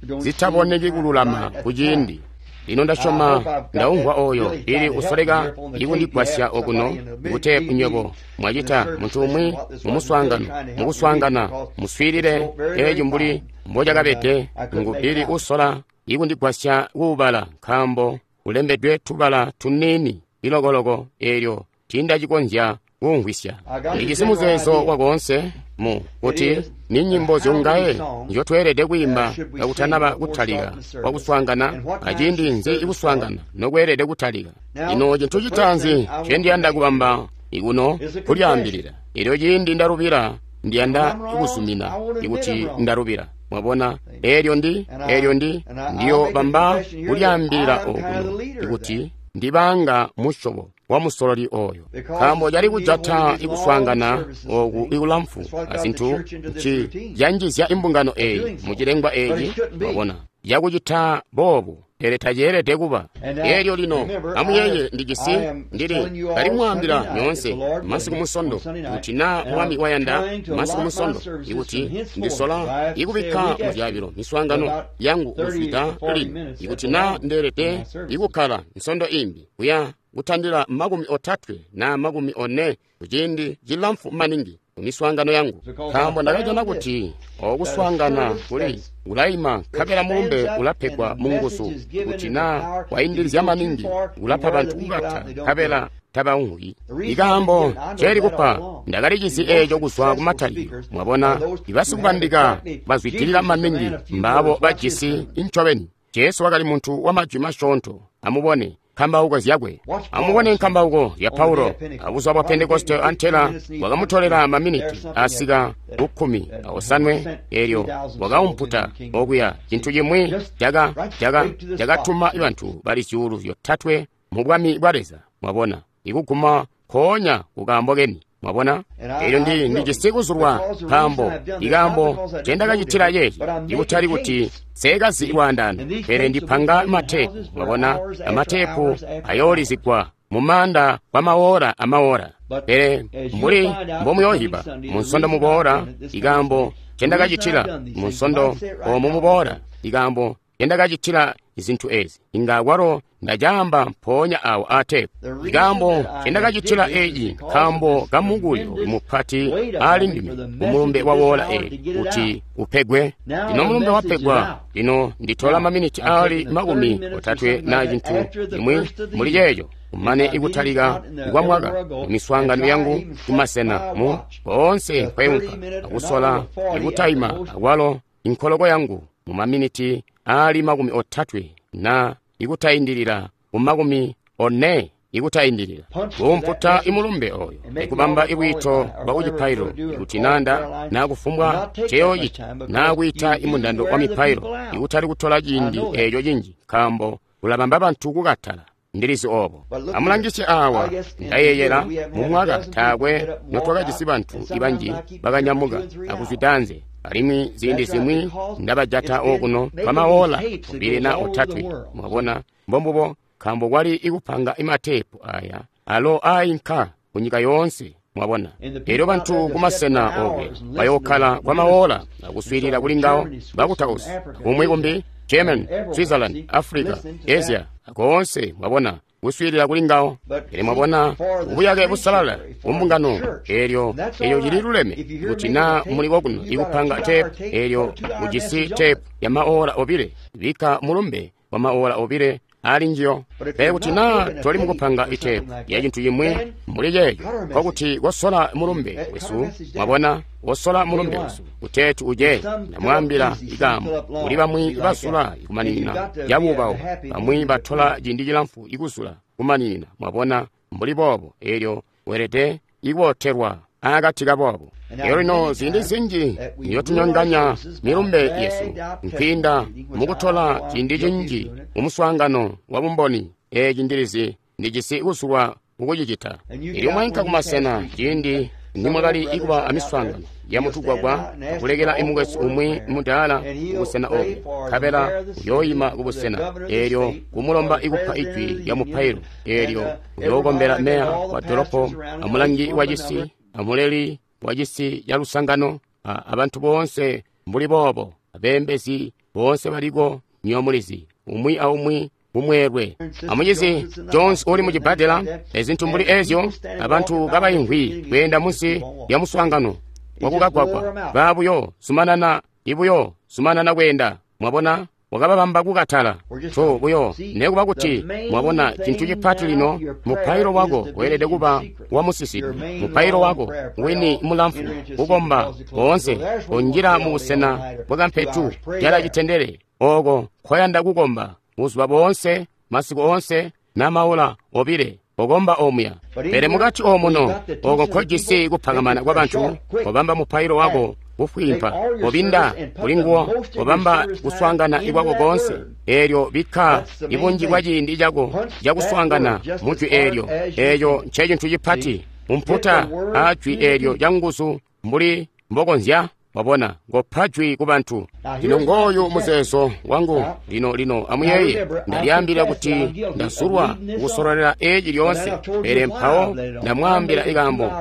don't zitaboneki seem kululama right at the kuciindi time. lino ndasyoma ndaumvwa oyo ili usoleka ikundigwasya okuno ikuteepu nywebo mwacita muntu umwi mumuswaangano mukuswaangana muswiilile eeci mbuli mbocakabede ngu ili usola ikundigwasya kuubala nkaambo kulembedwe tubala tuniini ilokoloko eelyo tiindacikonzya kumvwisya. Ndijisi muzeezo wakoonse mu kuti ni nyimbo zyongaye nzyotweelede kwiimba kakutanaba kutalika kwakuswaangana aciindi nzi ikuswaangana nokweelede kutalika. Lino cintu citaanzi ncendiyanda kubamba ikuno kulyaambilila elyo ciindi ndalubila ndiyanda kuzumina ikuti ndalubila. Mwabona eelyo ndi eelyo ndi ndiyo bamba kulyaambilila okuno ikuti ndibanga musyobo wa musololi oyo nkaambo cali kujata ikuswaangana oku ikulamfu azintu nci canjizya imbungano eyi mucilengwa eeci mwabona yakucita boobu pele taceelede kuba. Eelyo lino amuyeeye ndijisi ndili kalimwaambila nyoonse masiku musondo kuti naa mwami wayanda masiku musondo ikuti ndisola ikubikka muzyaabilo miswaangano yangu kuzwida lino ikuti naa ndeelede ikukkala nsondo imbi kuya kutandila makumi otatwe na makumi one kuciindi cilamfu maningi kumiswaangano yangu nkaambo ndakajana kuti okuswaangana kuli kulayima nkabela mulumbe ulapegwa munguzu kuti naa waindilizya maningi ulapa bantu kukata nkabela tabaumvwi. Ikaambo nceeli kupa ndakalicisi eeco kuzwa kumatalikilo. Mwabona ibasikubandika bazwidilila maningi mbaabo bajisi incobeni. Jesu wakali muntu wa majwi masyoonto. Amubone nkambauko zyakwe. Amubone nkambauko ya Paulo abuzuba bwa Pentekoste antela wakamutolela maminiti asika kukkumi aosanwe eelyo wakaumputa okuya cintu cimwi caka caka cakatuma bantu bali zyuulu zyotatwe mu bwami bwa Leza. Mwabona ikuguma nkoonya kukaambo keni. Mwabona eelyo ndi ndijisi kuzulwa nkaambo ikaambo ncendakacitila ceeci ikutali kuti seekazi lwaandaano pele ndipanga mateepu. Mwabona amateepu ayoolizigwa mumaanda kwa maora amaora pele mbuli mbomuyoohiba munsondo muboola ikaambo ncendakacitila munsondo oomu muboola ikaambo ncendakacitila zintu ezi inga kwalo ndacaamba mpoonya awo aateepu. Ikaambo ncendakacitila eeci nkaambo kamukuli mupati aali ndime kumulumbe wa woola eeli kuti upegwe. Lino mulumbe wapegwa. Lino nditola maminiti aali makumi otatwe na cintu cimwi muli ceeco kumane ikutalika kwa mwaka mumiswaangano yangu kumasena mu koonse nkweunka akusola ikutaima akwalo inkoloko yangu mu maminiti aali makumi otatwe na ikutayindilila ku makumi one ikutaindilila kuumputa imulumbe oyo ikubamba ibwiito bwa kucipailo ikuti nanda na kufumbwa ceyoocita na kwiita imundando wa mipailo ikutali kutola ciindi eeco cinji nkaambo kulabamba bantu kukatala. Ndilizi obo. Amulangisye awa, ndayeeyela mumwaka taakwe notwakajisi bantu ibanji bakanyamuka akuzwida anze, alimwi ziindi zimwi ndabajata okuno kwamaola obile na otatwe. Mwabona, mbombubo, nkaambo kwali ikupanga imatepu aya alo ainka kunyika yoonse. Mwabona, elyo bantu kumasena okwe bayokkala kwamaola akuswiilila kuli ngawo bakutausi kumwi kumbi German, Switzerland, Africa, Asia, koonse, mwabona, kuswiilila kuli ngawo. Pele mwabona, ubuyake busalala kumbungano elyo elyo cili luleme kuti na muli kokuno ikupanga tepu elyo ujisi tepu ya maola obile, bikka mulumbe wa maola obile ali njiyo. Pele kuti na toli mukupanga itepu ya cintu cimwi mbuli ceeco, nkokuti kosola mulumbe wesu. Mwabona, wosola mulumbe wesu kuteeti uje. Ndamwaambila ikaambo kuli bamwi basula ikumaninina yabuubawo, bamwi batola ciindi cilamfu ikusula kumaninina. Mwabona, mbuli boobo elyo weelede ikubotelwa akati kaboobo. Elyo lino ziindi zinji niyotunyonganya milumbe yesu nkwiinda mukutola ciindi cinji mumuswaangano wa bumboni. Eeci ndilizi ndijisi kusulwa kukucicita. Elyo mwainka kumasena ciindi nimwakali ikuba amiswaangano ya mutugwagwa akulekela imukwesu umwi mudaala kubusena obo, nkabela uyooyima kubusena eelyo kumulomba ikupa ijwi lya mupailo, eelyo uyookombela meya wa dolopo, amulangi wa cisi, amuleli wa cisi ca lusangano, abantu boonse mbuli boobo, abeembezi boonse baliko nyomulizi, umwi aumwi mumweelwe. Amucizi Jones uli mucibbadela, ezintu mbuli ezyo, abantu kabaimvwi kweenda munsi lya muswaangano wakukagwagwa, babuyo zumanana ibuyo zumanana kweenda. Mwabona, wakababamba kukatala to buyo nekuba kuti mwabona cintu cipati lino. Mupailo wako weelede kuba wamusisidi, mupailo wako wini mulamfu, kukomba koonse kunjila mu busena bwakampetu jala citendele oko nkoyanda kukomba buzuba boonse, masiku oonse, namaola obile okomba omuya. Pele mukati omuno oko nkojisi kupakamana kwa bantu, kobamba mupailo wako kufwimpa, kobinda kuli nguwo, kobamba kuswaangana ikwako konse. Eelyo bikka ibunji bwa ciindi cako cakuswaangana mujwi eelyo. Eeco ncecintu cipati, umputa ajwi eelyo canguzu mbuli mbokonzya. Mwabona, ngopa jwi ku bantu. Lino ngooyu muzeezo wangu lino lino amuyeeye, ndalyaambila kuti ndasulwa kukusololela eeci lyoonse, pele mpawo ndamwaambila ikaambo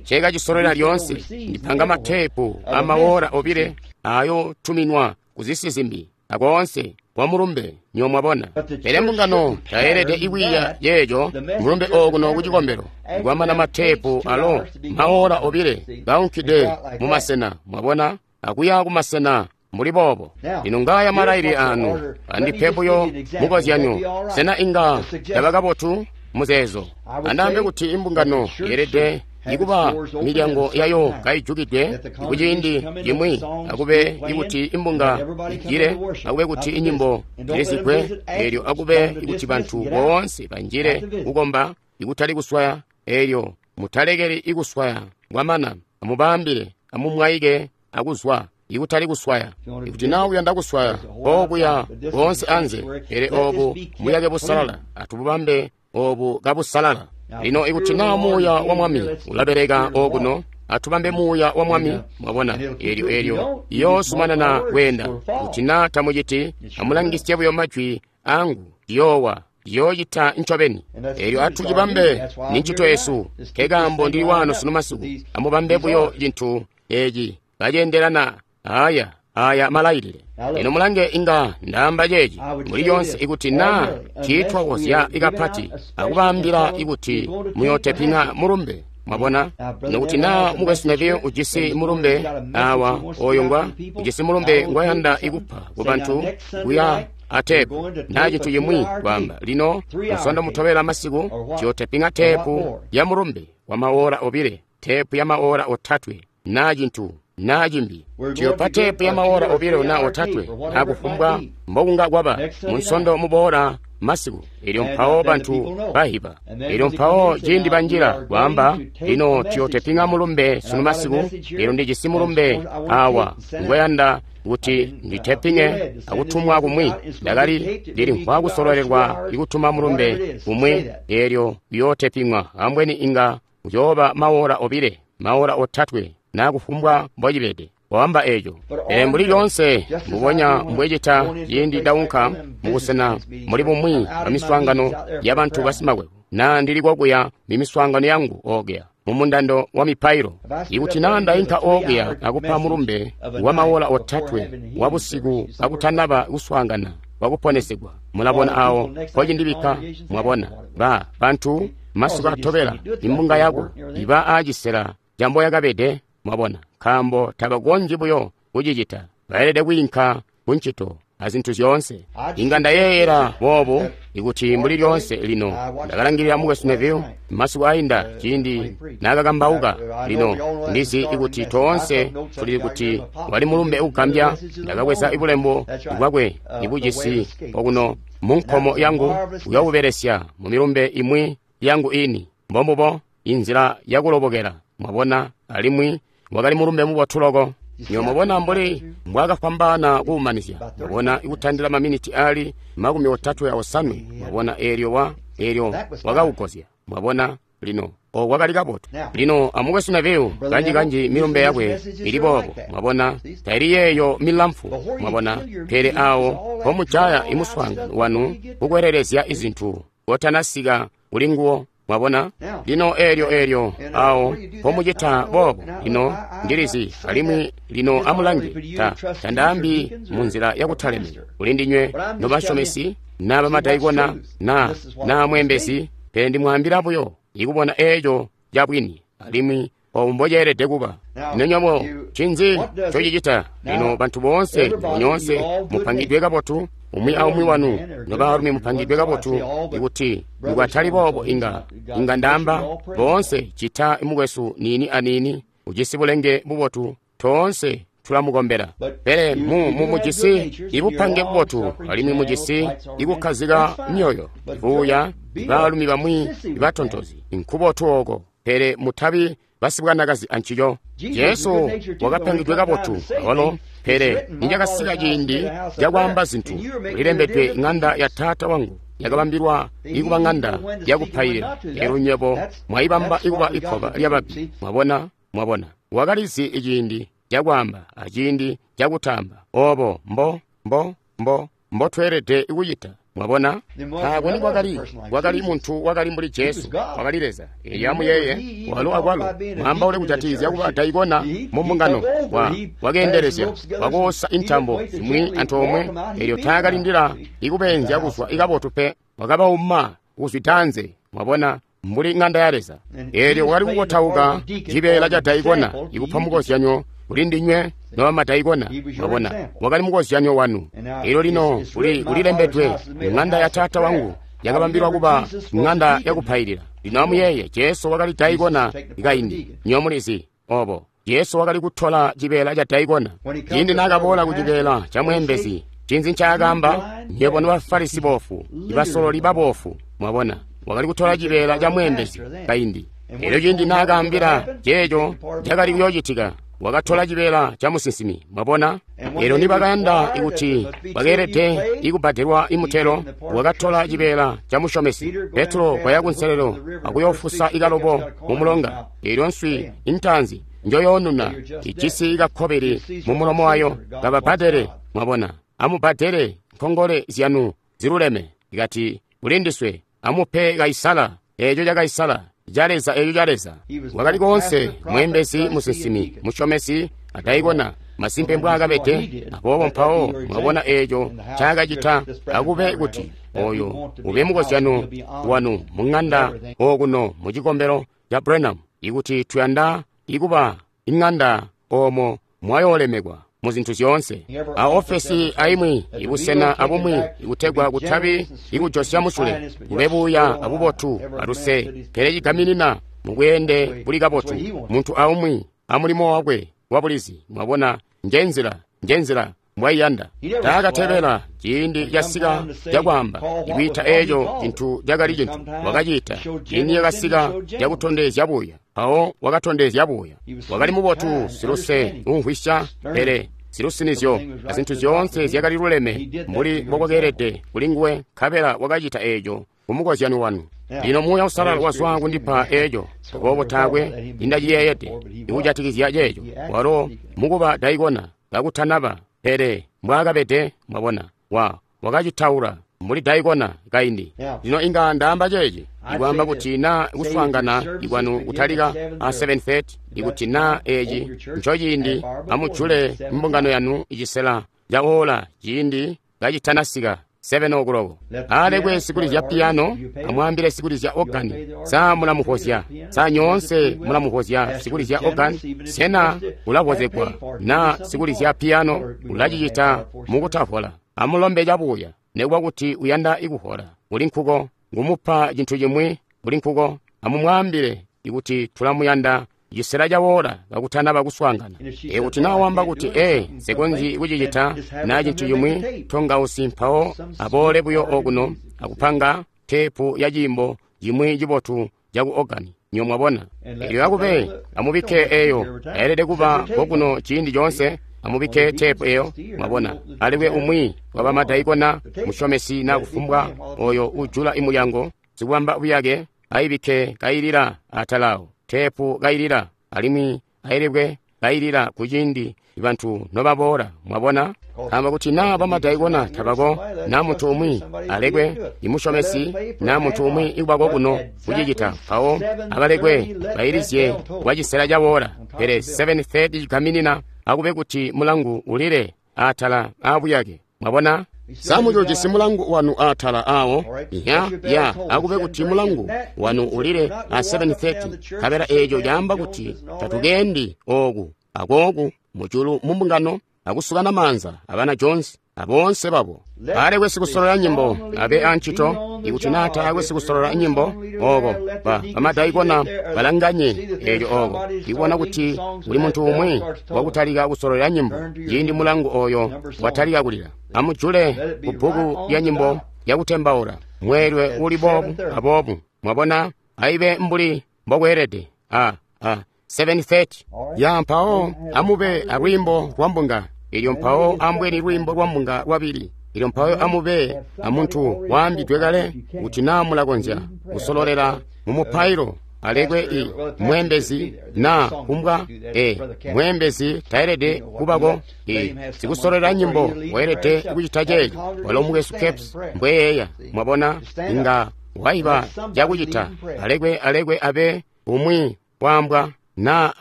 cekacisololela lyoonse. Ndipanga mateepu amawola obile ayo tuminwa kuzisi zimbi akoonse kwa mulumbe nyo mwabona. Pele mbungano tayeelede ikwiiya yeeco mulumbe okuno kucikombelo kwamana mateepu alo maola obile kaunkide mumasena, mwabona, akuya kumasena mbuli boobo. Lino ngaya malailile anu, andipe buyo mukozyanyo. Sena inga yaba kabotu muzeezo? Andaambe kuti imbungano yeelede ikuba milyango yayo kaijukidwe kuciindi cimwi, akube ikuti imbunga ijile, akube kuti inyimbo zilizigwe, eelyo akube ikuti bantu boonse banjile kukomba ikutali kuswaya. Eelyo mutalekeli ikuswaya kwamana, amubambile, amumwaike akuzwa ikutali kuswaya. Ikuti naa uyanda kuswaya, okuya boonse anze, pele obu muyake busalala, atububambe obu kabusalala. Lino ikuti naa muuya wa Mwami ulabeleka okuno, atubambe muuya wa Mwami. Mwabona, eelyo eelyo iyoozumanana kweenda. Kuti naa tamuciti, amulangisye buyo majwi angu, yoowa yoocita ncobeni. Eelyo atucibambe ni ncito yesu, nkekaambo ndili waano sunu masiku. Amubambe buyo cintu eeci kaceendelana aya aya malailile. Lino mulange, inga ndaamba ceeci muli lyonse ikuti naa ciitwakozya ikapati akubaambila ikuti muyootepinga mulumbe. Mwabona, nokuti naa mukwesu Neville ujisi mulumbe awa oyo ngwa ujisi mulumbe ngwayanda ikupa ku bantu kuya atepu naa cintu cimwi, kwaamba lino musondo mutobela masiku ciyootepinga tepu ya mulumbe wa maola obile, tepu ya maola otatwe naa cintu naa cimbi. Tuyopa tepu ya maola obilo naa otatwe naa kufumbwa mbokunga kwaba munsondo muboola masiku. Elyo mpawo bantu bahiba. Elyo mpawo ciindi banjila kwaamba, lino tuyotepinga mulumbe sunu masiku. Elyo ndijisi mulumbe awa ngweyanda kuti nditepinge akutumwa kumwi. Ndakali ndilimvwa kusololelwa ikutuma mulumbe kumwi, elyo uyootepingwa ambweni inga uyooba maora obile, maora otatwe, na kufumbwa mbocibede. Wamba eco. Pele mbuli lyoonse mbubonya mbwecita ciindi ndaunka mubusena muli bumwi bwa miswaangano ya bantu basimakwebo, na ndili kokuya mimiswaangano yangu okuya mu mundando wa mipailo. Ikuti na ndainka okuya akupa mulumbe wa maola otatwe wa busiku kakutanaba kuswaangana kwakuponesegwa, mulabona awo mpocindibikka. Mwabona ba bantu masiku atobela imbunga yako iba aacisela cambo yakabede. Mwabona, nkaambo tabakonzyi buyo kucicita, baelede kwiinka kuncito azintu zyoonse. Inga ndayeeyela boobu ikuti mbuli lyoonse lino ndakalangilila mukwesu Neville masiku ainda ciindi naakakambauka. Lino ndizi ikuti toonse tuli kuti wali mulumbe ugambya. Ndakabweza ibulembo bwakwe ibujisi okuno mu nkomo yangu, uyoobubelesya mu milumbe imwi yangu ini. Mbombubo inzila yakulobokela. Mwabona, alimwi wakali mulumbe mubotu loko. Mwabona mbuli mbwaakafwambaana kuumanizya. Mwabona, ikutandila maminiti ali makumi otatwe aosanwe. Mwabona, eelyo wa eelyo wakaukozya. Mwabona, lino o wakali kabotu. Lino amukwesu Neville kanji-kanji milumbe yakwe ili boobo. Mwabona, taili yeeyo milamfu. Mwabona, pele awo pomujaya imuswaangano wanu kukwelelezya izintu kotanasika kuli nguwo. Mwabona, lino eelyo eelyo awo pomucita boobo. Lino ndilizi, alimwi lino amulange, ta tandaambi munzila yakutalemeka kuli ndinywe nobasyomesi na bamadaikona na na mwembezi, pele ndimwaambila buyo ikubona eeco cabwini alimwi obu mboceelede kuba. Lino nywebo ncinzi ncocicita? Lino bantu boonse nyoonse mupangidwe kabotu, umwi aumwi wanu nobaalumi mupangidwe kabotu. Ikuti nikwatali boobo inga inga ndaamba boonse cita mukwesu niini aniini ujisi bulenge bubotu, toonse tulamukombela. Pele mu mu mujisi ibupange bubotu, alimwi mujisi ikukkazika myoyo, ibuuya, baalumi bamwi batontozi, nkubotu oko. Pele mutabi basibwanakazi ancico. Jesu wakapangidwe kabotu awalo, pele nicakasika ciindi cakwaamba zintu, kulilembedwe ŋanda ya Taata wangu yakabambilwa ikuba ŋanda yakupailila, elyo nywebo mwaibamba ikuba ikkoba lyababi. Mwabona, mwabona, wakalizi iciindi cakwaamba aciindi cakutaamba. Obo mbo mbo mbo mbotweelede kucita. Mwabona, taakwe nikwakali kwakali muntu wakali mbuli Jesu, wakali Leza. Elyo amuyeeye, walo akwalo mwaambaule kujatikizya kuba daikona mu mbungano, wa wakeendelezya, wakoosa intambo zimwi antoomwe. Elyo taakalindila ikubenzya kuzwa ikabotu pe, wakabauma kuzwitanze. Mwabona, mbuli ŋanda ya Leza. Elyo wakali kukotauka cibeela ca daikona, ikupa mukozyanyo kuli ndinywe nobamadaikona. Mwabona, wakali mukozyanyo wanu. Elyo lino kuli kulilembedwe, ŋanda ya Taata wangu yakabambilwa kuba ŋanda yakupailila. Lino amuyeeye, Jesu wakali daikona kaindi. Nywebo mulizi obo. Jesu wakali kutola cibeela ca daikona. Ciindi naakaboola ku cibeela ca mweembezi, ncinzi ncaakaamba? Nywebo nobafarisi boofu, ibasololi baboofu. Mwabona, wakali kutola cibeela ca mweembezi kaindi. Elyo ciindi naakaambila ceeco cakali kuyoocitika, wakatola cibeela ca musinsimi. Mwabona, elyo nibakayanda kuti bakeelede ikubbadelwa imutelo, wakatola cibeela ca musyomesi. Petro waya kunselelo akuyofusa ikalobo mu mulonga. Elyo nswi intaanzi njoyoonuna ijisi kakkobili mu mulomo wayo, kababbadele. Mwabona, amubbadele nkongole zyanu ziluleme. Ikati kulindiswe amupe Kaisala eeco ca Kaisala, ca Leza eeco ca Leza. Wakali koonse mweembezi, musinsimi, musyomesi, adaikona. Masimpe mbwaakabede. Aboobo mpawo mwabona eeco ncaakacita. Akube kuti oyo ube mukozyano wanu mu ŋanda okuno mu cikombelo ca Branham, ikuti tuyanda ikuba iŋanda oomo mwayoolemekwa mu zintu zyoonse. A ofesi aimwi ibusena abumwi ikutegwa kutabi ikujosya musule, kube buuya abubotu aluse, pele cigaminina mubweende buli kabotu, muntu aumwi amulimo wakwe wabulizi. Mwabona, njenzila njenzila mbwaiyanda. Taakatebela ciindi casika cakwaamba ikwiita eeco cintu cakali cintu wakacita. Ciindi cakasika cakutondezya buya, mpawo wakatondezya buya. Wakali mubotu, siluse, umvwisya, pele silusinizyo azintu zyoonse zyakali luleme mbuli mbokwakeelede kulinguwe, nkabela wakacita eeco kumukozyano wanu. Lino Muuya Uusalala wazwa kundipa eeco, aboobo taakwe nindaciyeeyede ikujatikizya ceeco. Walo mukuba daikona kakutanaba, pele mbwaakabede, mwabona, wa wakacitaula mbuli daikona kaindi. Lino inga ndaamba ceeci, ikwaamba kuti naa kuswaangana ikwanu kutalika a seven thirty, ikuti naa eeci ncociindi, amujule mbungano yanu icisela ca ola ciindi kacitanasika seven o'clock. Alekwe sikulizya piyano amwaambile sikulizya ogani, sa mulamuvozya? Sa nyoonse mulamuvozya sikulizya ogani? Sena ulavozegwa na sikulizya piyano ulacicita mukutavola? Amulombe cabuya, nekuba kuti uyanda ikuhola kuli nkuko, ngumupa cintu cimwi kuli nkuko. Amumwaambile ikuti tulamuyanda cisela cawola kakutanaba kuswaangana. Ikuti naa wamba kuti ee, nsikonzyi kucicita naa cintu cimwi, tongausi, mpawo aboole buyo okuno akupanga teepu ya ciimbo cimwi cibotu caku ogani. Nyo mwabona, elyo akube amubikke eyo, ayelede kuba kokuno ciindi coonse. Amubikke teepu eyo, mwabona. Alekwe umwi wabamadaikona, musyomesi na kufumbwa oyo ujula imulyango, sikubamba buyake, ayibikke kayilila atalawo, teepu kayilila, alimwi ayilebwe kayilila kuciindi bantu nobaboola, mwabona. Amba kuti naa bamadaikona tabako, na muntu umwi alekwe imusyomesi, na muntu umwi ikubako kuno kucicita, mpawo abalekwe bayilizye kwa cisela cawola. Pele seven thirty cigaminina akube kuti mulangu ulile atala aabuyake, mwabona. Samucujisi mulangu wanu atala awo ya ya akube kuti mulangu wanu ulile a seven thirty, kabela eeco caamba kuti tatukendi ooku akooku mujulu mumbungano akusukana maanza abana Jones aboonse babo. Alekwe sikusolola nyimbo abe ancito, ikuti naa taakwe sikusolola nyimbo ooko, ba bamadaikona balanganye eeco ooko, ikubona kuti kuli muntu umwi wakutalika kusolola nyimbo ciindi mulangu oyo watalika kulila. Amujule kubbuku lya nyimbo yakutembaula mweelwe uli boobu aboobu, mwabona, aibe mbuli mbokweelede a a seven thirty ya. Mpawo amube alwiimbo lwa mbunga ilyo, mpawo ambweni lwiimbo lwa mbunga lwabili ilyo, mpawo amube amuntu waambidwe kale kuti naa mulakonzya kusololela mu mupailo. Alekwe i mwembezi na kumbwa e mwembezi taelede kubako e sikusololela nyimbo weelede kucita ceeco. Walo mukwesu Caps mbweyeeya, mwabona, inga waiba cakucita. Alekwe alekwe abe umwi waambwa na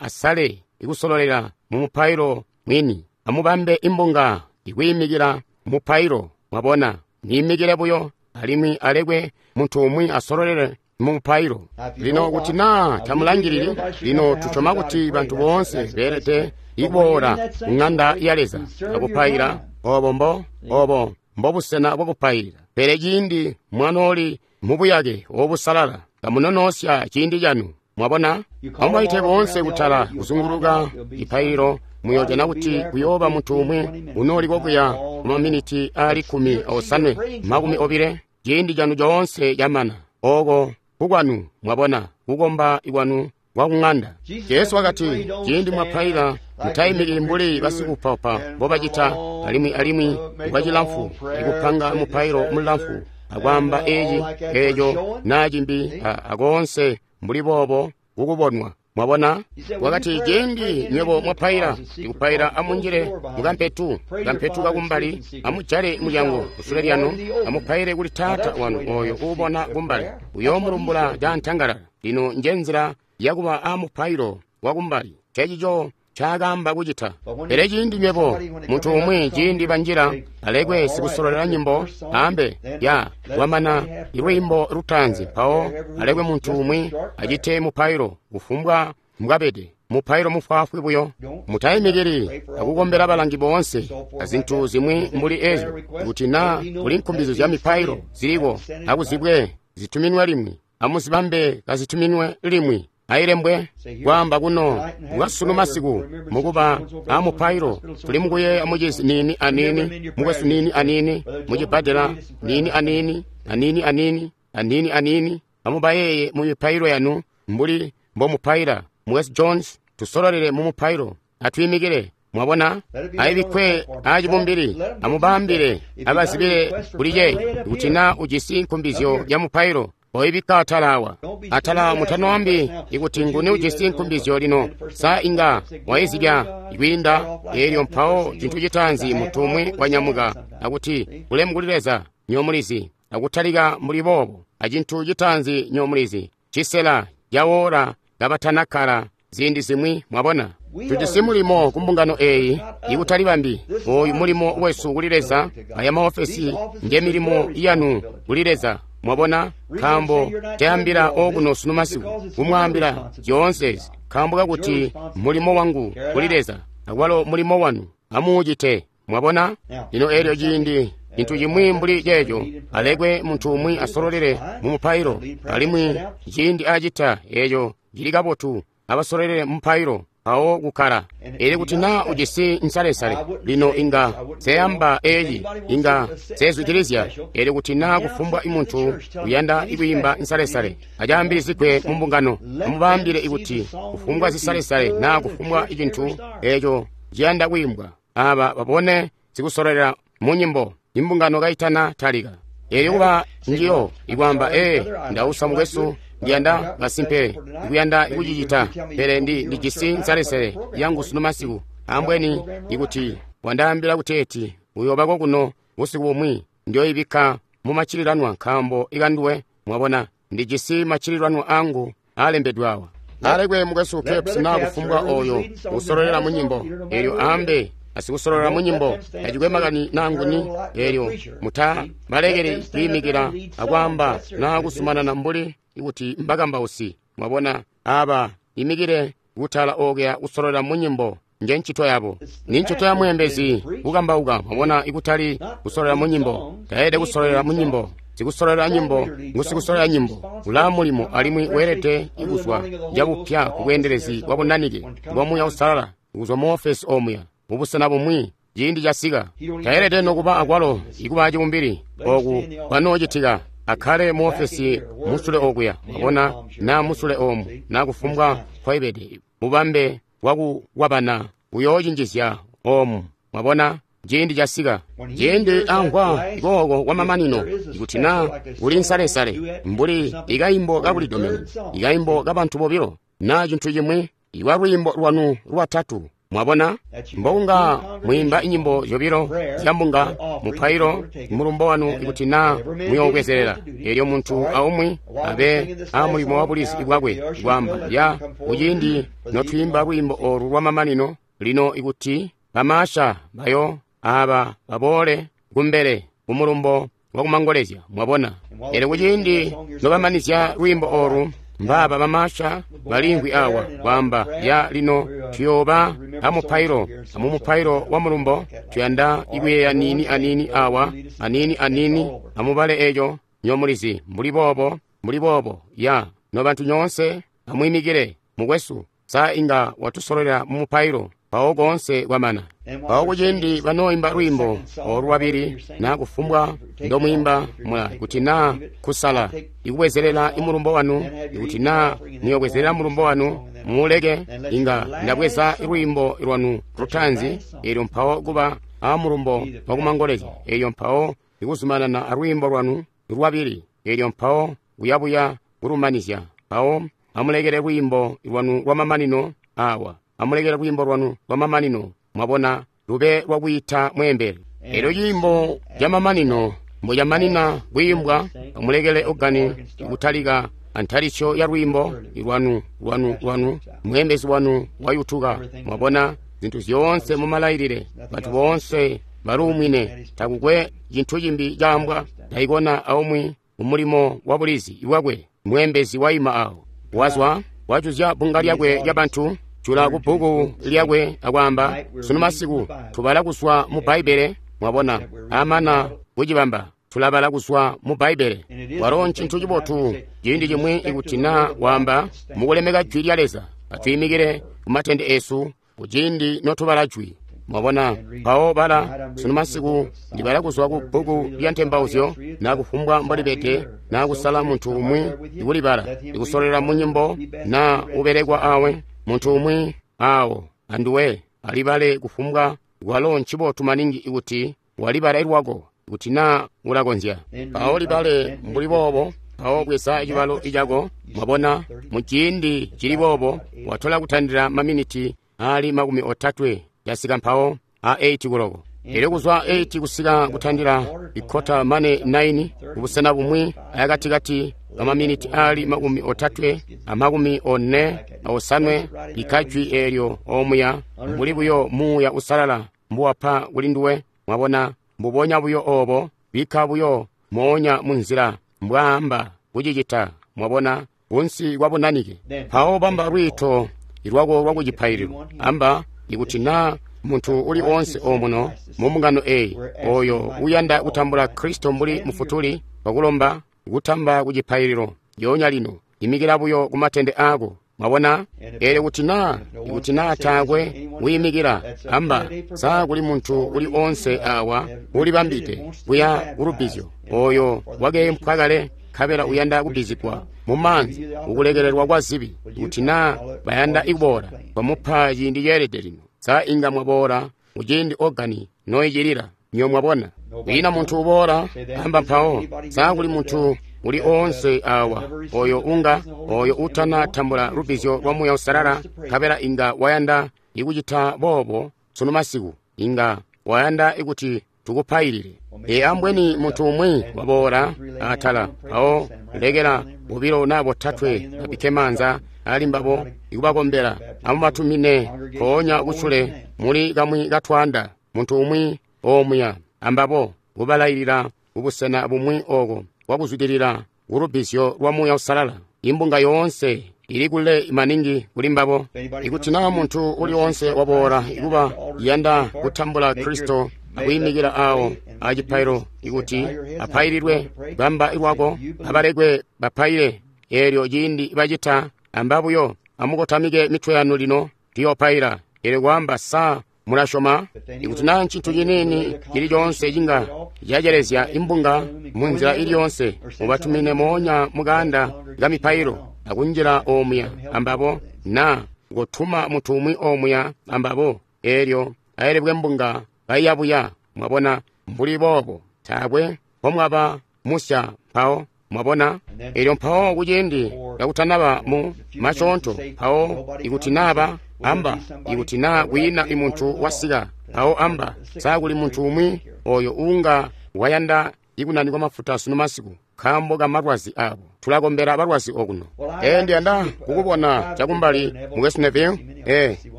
asale ikusololela mu mupailo mwini. Amubambe imbunga ikwiimikila mupailo, mwabona, niimikile buyo, alimwi alekwe muntu umwi asololele mu mupailo. Lino kuti naa tamulangilili, lino tusyoma kuti bantu boonse beelede ikuboola ng'anda ya Leza akupaila. Obo mbo obo mbobusena bwakupailila. Pele ciindi mwanooli mubuyake obusalala, kamunonosya ciindi canu, mwabona. Amubaite boonse kutala kuzunguluka ipaililo, muyojana kuti kuyooba muntu umwi unooli kokuya kumaminiti aali kkumi osanwe makumi obile. Ciindi canu coonse camana, oko kukwanu, mwabona, kukomba ikwanu kwa kung'anda. Jesu wakati, ciindi mwapaila mutaimikili mbuli basikupapa mbobacita, alimwi alimwi kwacilamfu ikupanga mupailo mulamfu akwaamba eeci eeco naa cimbi akoonse mbuli boobo kukubonwa. Mwabona, wakati ciindi nywebo mwapaila, ikupaila amunjile mukampetu kampetu kakumbali, amujale mulyango kusule lyanu, amupaile kuli Taata wanu oyo uubona kumbali, uyoomulumbula cantangalala. Lino njenzila yakuba amupailo wakumbali, cecico ncaakaamba kucita. Pele ciindi nywebo muntu umwi ciindi banjila, alekwe sikusololela nyimbo ambe ya wamana ilwiimbo lutaanzi, mpawo alekwe muntu umwi acite mupailo kufumbwa mbwabede, mupailo mufwaafwi buyo. Mutaimikili akukombela balangi boonse azintu zimwi mbuli ezyo. Kuti naa kuli nkumbizo zya mipailo ziliko, akuzibwe zituminwe limwi, amuzibambe kazituminwe limwi. Ailembwe kwaamba kuno kwasunu masiku mukuba a mupailo tuli mukuyeeya mucizi niini aniini mukwesu niini aniini mucibbadela niini aniini aniini aniini aniini aniini. Amubayeeye mu mipailo yanu mbuli mbomupaila. Mukwesu Jones, tusololele mu mupailo. Atwiimikile. Mwabona, ayibikkwe aacibumbili. Amubambile abazibile kuli ceeci kuti na ujisi nkumbizyo ya mupailo oibikka atala awa. Atala mutanoambi ikuti nguni ujisi nkumbizyo lino. Sa inga waizibya kwiinda eelyo mpawo cintu citaanzi muntu umwi wanyamuka akuti bulemu kuli Leza nyomulizi, akutalika mbuli boobo. Acintu citaanzi nyomulizi cisela cawola kabatanakkala ziindi zimwi. Mwabona, tujisi mulimo ku mbungano eyi ikutali bambi. Oyu mulimo wesu kuli Leza. Aya maofesi nge milimo yanu kuli Leza. Mwabona, nkaambo tayambila okuno sunu masiku kumwaambila zyoonse ezi, nkaambo kakuti mulimo wangu kuli Leza akwalo mulimo wanu amuucite. Mwabona, lino eelyo ciindi cintu cimwi mbuli ceeco, alekwe muntu umwi asololele mu mupailo, alimwi ciindi acita eeco cili kabotu, abasololele mu mupailo mpawo kukkala. Elyo kuti na ujisi nsalesale lino inga seyamba eeci inga sezwidilizya. Elyo kuti na kufumbwa muntu uyanda kwiimba nsalesale acaambilizigwe mu mbungano, amubambile ikuti kufumbwa zisalesale na kufumbwa cintu eeco ciyanda kwiimbwa, aba babone zikusololera mu nyimbo imbungano kaitana talika. Elyo kuba njiyo ikwaamba, ee, ndausa mukwesu, ndiyanda kasimpe ikuyanda ikucicita, pele ndi ndijisi nsalesale yangu sunu masiku. Ambweni ikuti wandaambila kuteeti uyoobako kuno busiku bumwi, ndiyoibikka mu maccililanwa nkaambo ikanduwe. Mwabona, ndijisi maccililanwa angu alembedwe awa. Alekwe mukwesu Caps na kufumbwa oyo usololera mu nyimbo, elyo ambe asikusololera mu nyimbo tacikwe makani nanguni. Elyo muta balekele kwiimikila akwaamba na kusumanana mbuli ikuti mbakambausi. Mwabona, aba imikile kutala okuya kusololera mu nyimbo nje ncito yabo. Ni ncito ya mweembezi kukambauka. Mwabona, ikutali kusololera mu nyimbo. Taelede kusololera mu nyimbo. Sikusololera nyimbo ngusikusololera nyimbo ulaa mulimo, alimwi weelede ikuzwa cabupya ku bweendelezi bwa bunanike bwa Muuya Uusalala, kuzwa mu ofesi omuya mubusena bumwi ciindi casika. Taelede nokuba akwalo ikuba acibumbili oku kwanoocitika, akhale mu ofesi musule okuya. Mwabona, na musule omu na kufumbwa kwaibede bubambe bwakukwabana uyoocinjizya omu. Mwabona, ciindi casika, ciindi amvwa kooko kwamamanino, ikuti na kuli nsalesale mbuli ikaimbo kakulidomena, ikaimbo kabantu bobilo na cintu cimwi, iwa lwiimbo lwanu lwatatu. Mwabona, mbokunga mwiimba inyimbo zyobilo zya mbunga, mupailo mulumbo wanu ikuti na muyoobwezelela. Elyo muntu aumwi abe amulimo wa bulizi bwakwe kwaamba ya kuciindi notwiimba lwiimbo olu lwamamanino lino, ikuti bamaasha bayo aba baboole kumbele kumulumbo wakumangolezya. Mwabona, elyo kuciindi nobamanizya lwiimbo olu, mbaaba bamaasha balimvwi awa kwaamba ya lino tuyooba amupailo, amumupailo wa mulumbo tuyanda ikuyeeya niini aniini awa aniini aniini. Amubale eco nyomulizi mbuli boobo mbuli boobo ya nobantu nyoonse amwiimikile. Mukwesu, sa inga watusololera mu mupailo mpawo koonse kwamana. Mpawo kuciindi banooimba lwiimbo olu lwabili na kufumbwa ndomwiimba mula, kuti na kusala ikubwezelela imulumbo wanu, ikuti na muyobwezelela mulumbo wanu muuleke, inga ndabweza lwiimbo lwanu lutaanzi, elyo mpawo kuba amulumbo wakumangolezya, elyo mpawo ikuzumanana alwiimbo lwanu lwabili, elyo mpawo kuyabuya kulumanizya. Mpawo amulekele lwiimbo lwanu lwamamanino awa, amulekele lwiimbo lwanu lwamamanino, mwabona, lube lwakwiita mweembeli. Elyo ciimbo camamanino mbucamanina kwiimbwa, amulekele ogani kutalika antalisyo ya lwiimbo lwanu lwanu lwanu, mweembezi wanu wayutuka. Mwabona, zintu zyoonse mumalailile, bantu boonse baluumwine, takukwe cintu cimbi caambwa, taikona aumwi umulimo wa bulizi bwakwe. Mweembezi waima awo, wazwa wajuzya bbunga lyakwe lya bantu, jula ku bbuku lyakwe akwaamba, sunu masiku tubala kuzwa mu Bbaibbele. Mwabona, amana kucibamba tulabala kuzwa mu Bbaibbele. Walo ncintu cibotu ciindi cimwi ikuti na waamba mukulemeka jwi lya Leza, atwiimikile kumatende esu kuciindi notubala jwi. Mwabona, mpawo bala sunu masiku ndibala kuzwa ku bbuku lya ntembauzyo na kufumbwa mbolibede, na kusala muntu umwi ikulibala, ikusolela mu nyimbo na ubelekwa awe muntu umwi awo anduwe alibale kufumbwa. Walo ncibotu maningi ikuti walibala ilwako kuti na ulakonzya. Mpawo libale mbuli boobo, mpawo bweza cibalo icako. Mwabona, muciindi cili boobo watola kutandila maminiti ali makumi otatwe yasika mpawo a eight kuloko. Elyo kuzwa eight kusika kutandila ikota mane nine kubusena bumwi ayakatikati kamaminiti ali makumi otatwe amakumi one aosanwe likajwi eelyo omuya mbuli buyo Muuya Usalala mbuwapa kuli nduwe. Mwabona, mbubonya buyo obo, bikka buyo moonya munzila mbwaamba kucicita. Mwabona, kunsi kwa bunanike. Mpawo bamba lwiito ilwako lwa kucipaililo. Amba ikuti na muntu uli onse omuno mu mbungano eyi oyo uyanda kutambula Kristo mbuli mufutuli, wakulomba kutamba kucipaililo yonya lino, imikila buyo kumatende ako. Mwabona, elyo kuti na ikuti na taakwe wiimikila, amba sa kuli muntu uli onse awa ulibambide kuya kulubbizyo oyo wakeempwa kale nkabela uyanda kubbizigwa mu maanzi ukulekelelwa kwa zibi, kuti na bayanda ikuboola bamupa ciindi ceelede lino. Sa inga mwaboola muciindi organi noicilila nyo? Mwabona, kwiina muntu uboola amba mpawo sa kuli muntu uli onse awa oyo unga oyo utana tambula lubbizyo lwa Muuya Usalala nkabela inga wayanda ikucita boobo sunu masiku, inga wayanda ikuti tukupailile. E ambweni muntu umwi waboola atala, mpawo lekela bobilo na botatwe babikke maanza ali mbabo ikubakombela, amubatumine mpoonya kusule muli kamwi katwanda muntu umwi omuya ambabo kubalailila kubusena bumwi oko kwakuzwidilila kulubbizyo lwa Muuya Usalala. Imbunga yoonse ili kule maningi kuli mbabo. Ikuti na muntu uli onse waboola ikuba yanda kutambula Kristo akuyimikila awo acipailo ikuti apaililwe, bamba ilwako abalekwe bapaile. Eelyo ciindi bacita, amba buyo amukotamike mitwe yanu lino tuyopaila. Eelyo kwaamba sa mulasyoma ikuti na ncintu ciniini cili coonse cinga cacelezya imbunga munzila ili yonse, mubatumine moonya mukanda kamipailo akunjila omuya ambabo, na kutuma muntu umwi omuya ambabo. Eelyo aelebwe mbunga baiyabuya. Mwabona, mbuli boobo taakwe mpomwaba musya mpawo. Mwabona, elyo mpawo kuciindi kakutanaba mu masyoonto mpawo ikuti naba amba ikuti na kwiina imuntu wasika mpawo amba sa kuli muntu umwi oyo unga wayanda ikunanikwa mafuta sunu masiku nkaambo ka malwazi abo. Tulakombela balwazi okuno. E ndiyanda kukubona chakumbali mukwesu Neville. E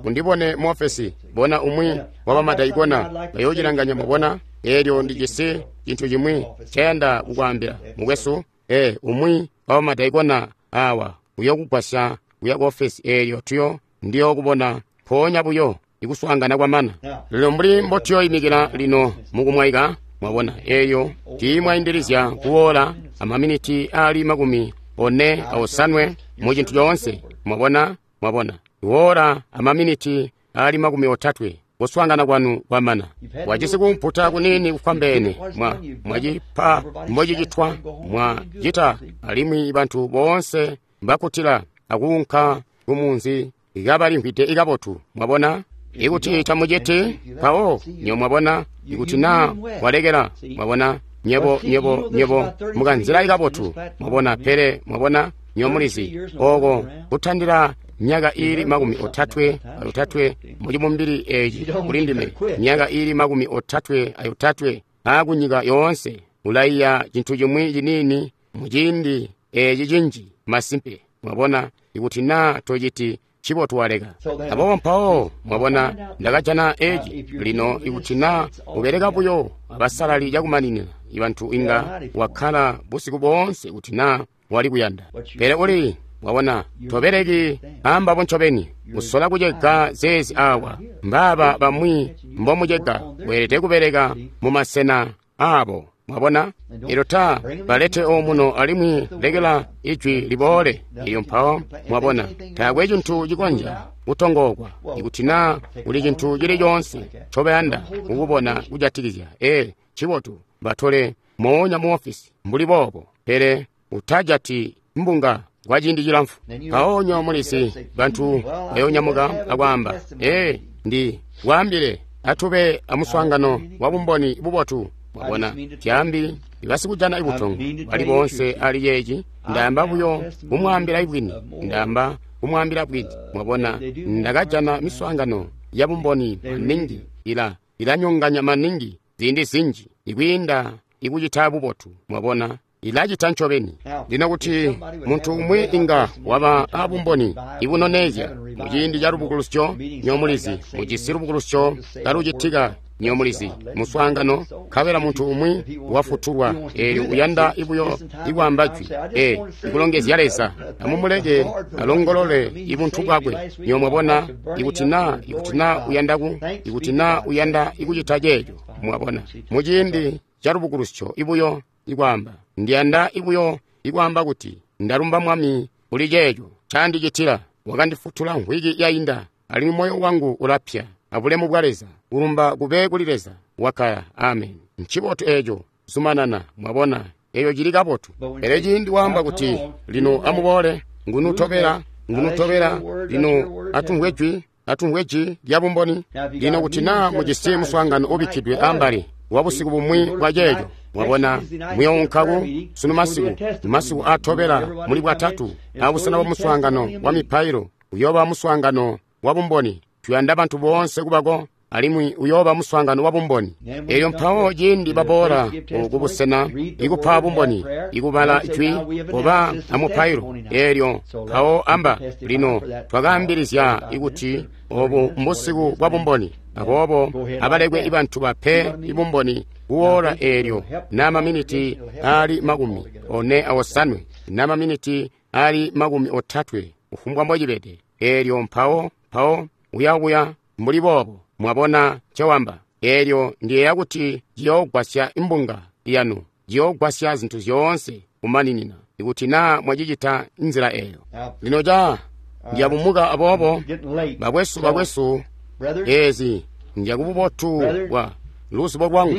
undibone mu ofesi, bona umwi wa bamadaikona bayoocilanganya. Mwabona, eelyo ndijisi cintu cimwi cayanda kukwaambila mukwesu. E umwi wa bamadaikona awa uyokugwasya kuya ku ofesi eelyo tuyo ndiyo kubona mpoonya buyo ikuswaangana kwamana. Lino mbuli mbotuyoyimikila lino mukumwaika. Mwabona, eyo tiimwaindilizya kuwola amaminiti ali makumi one aosanwe mu cintu coonse. Mwabona, mwabona, kuwola amaminiti ali makumi otatwe kuswaangana kwanu kwamana. Wajisi kumputa kunini kufwambeene, mwa mwacipa mbocicitwa, mwacita, alimwi bantu boonse mbakutila akuunka kumunzi kabalimvwide ikabotu. Mwabona, ikuti tamuciti mpawo nyo. Mwabona, ikuti na walekela. Mwabona, nyebo nyebo nyebo mukanzila ikabotu. Mwabona, pele mwabona nyo mulizi oko kutandila myaka ili makumi otatwe ayotatwe mucibumbili eci kuli ndime, myaka ili makumi otatwe ayotatwe akunyika yoonse ulaiya cintu cimwi ciniini muciindi eci cinji masimpe. Mwabona, ikuti na tociti cibotu waleka. Aboobo mpawo mwabona ndakajana eci lino ikuti na ubeleka buyo abasalali cakumaninina ibantu inga wakkala busiku boonse kuti na wali kuyanda. Pele uli mwabona tobeleki ambabo ncobeni usola kucega zeezi awa mbaaba bamwi mbomucega weelede kubeleka mumasena abo. Mwabona? Elyo ta balete omuno alimwi lekela ijwi liboole. Elyo mpawo, mwabona, taakwe cintu cikonzya kutongookwa. Ikuti na kuli cintu cili coonse ncobayanda kukubona kujatikizya, ee, ncibotu batole moonya mu ofisi mbuli boobo, pele utajati mbunga kwa ciindi cilamfu. Mpawo nyo mulisi bantu bayonyamuka akwaamba, ee, ndi kwaambile atube amuswaangano wa bumboni bubotu. Mwabona, tyambi ibasikujana ibutongo bali boonse ali yeeci. Ndaamba buyo kumwaambila ibwini, ndaamba kumwaambila bwini. Mwabona, ndakajana miswaangano ya bumboni maningi ila ilanyonganya maningi ziindi zinji ikwiinda ikucita bubotu. Mwabona, ilacita ncobeni. Lino kuti muntu umwi inga waba abumboni ibunoneezya muciindi ca lubukulusyo, nyomulizi mujisi lubukulusyo kalucitika, nyomulizi muswaangano, nkabela muntu umwi wafutulwa, eelyo uyanda ibuyo ikwaamba jwi, e ikulongezya Leza, amumuleke alongolole ibuntu bwakwe. Nyo mwabona, ikuti na ikuti na uyanda ku ikuti na uyanda ikucita ceeco, mwabona, muciindi ca lubukulusyo ibuyo ikwaamba, ndiyanda ibuyo ikwaamba kuti ndalumba Mwami kuli ceeco candicitila, wakandifutula mvwiki yainda, alimwi moyo wangu ulapya abulemu bwa Leza. Kulumba kube kuli Leza. Wakaya. Amen. Ncibotu eeco. Zumanana. Mwabona, eyo cili kabotu. Pele ciindi waamba kuti lino amuboole, ngunutobela ngunutobela, lino atumvwe jwi atumvwe jwi lya bumboni. Lino kuti naa mujisi muswaangano ubikkidwe ambali wa busiku bumwi bwa ceeco, mwabona, muyounkaku sunu masiku, masiku atobela muli bwatatu, abusena bwa muswaangano wa mipailo uyooba muswaangano wa bumboni. Tuyanda bantu boonse kubako, alimwi uyooba muswaangano wa bumboni. Elyo mpawo ciindi baboola kubusena ikupa bumboni, ikubala jwi, kuba amupailo, eelyo mpawo amba, lino twakaambilizya ikuti obu mbusiku bwa bumboni. Aboobo abalekwe ibantu bape ibumboni kuwoola eelyo na maminiti ali makumi one awosanwe na maminiti ali makumi otatwe, kufumbwa mbocibede. Eelyo mpawo mpawo uyakuya mbuli boobo. Mwabona ncewamba? Eelyo ndiyeeya kuti ciyoogwasya imbunga yanu, ciyoogwasya zintu zyoonse kumaninina, ikuti naa mwacicita nzila eyo. Lino ca ndiyabumuka aboobo, bakwesu bakwesu, ezi njakububotu bwa luzibo lwangu.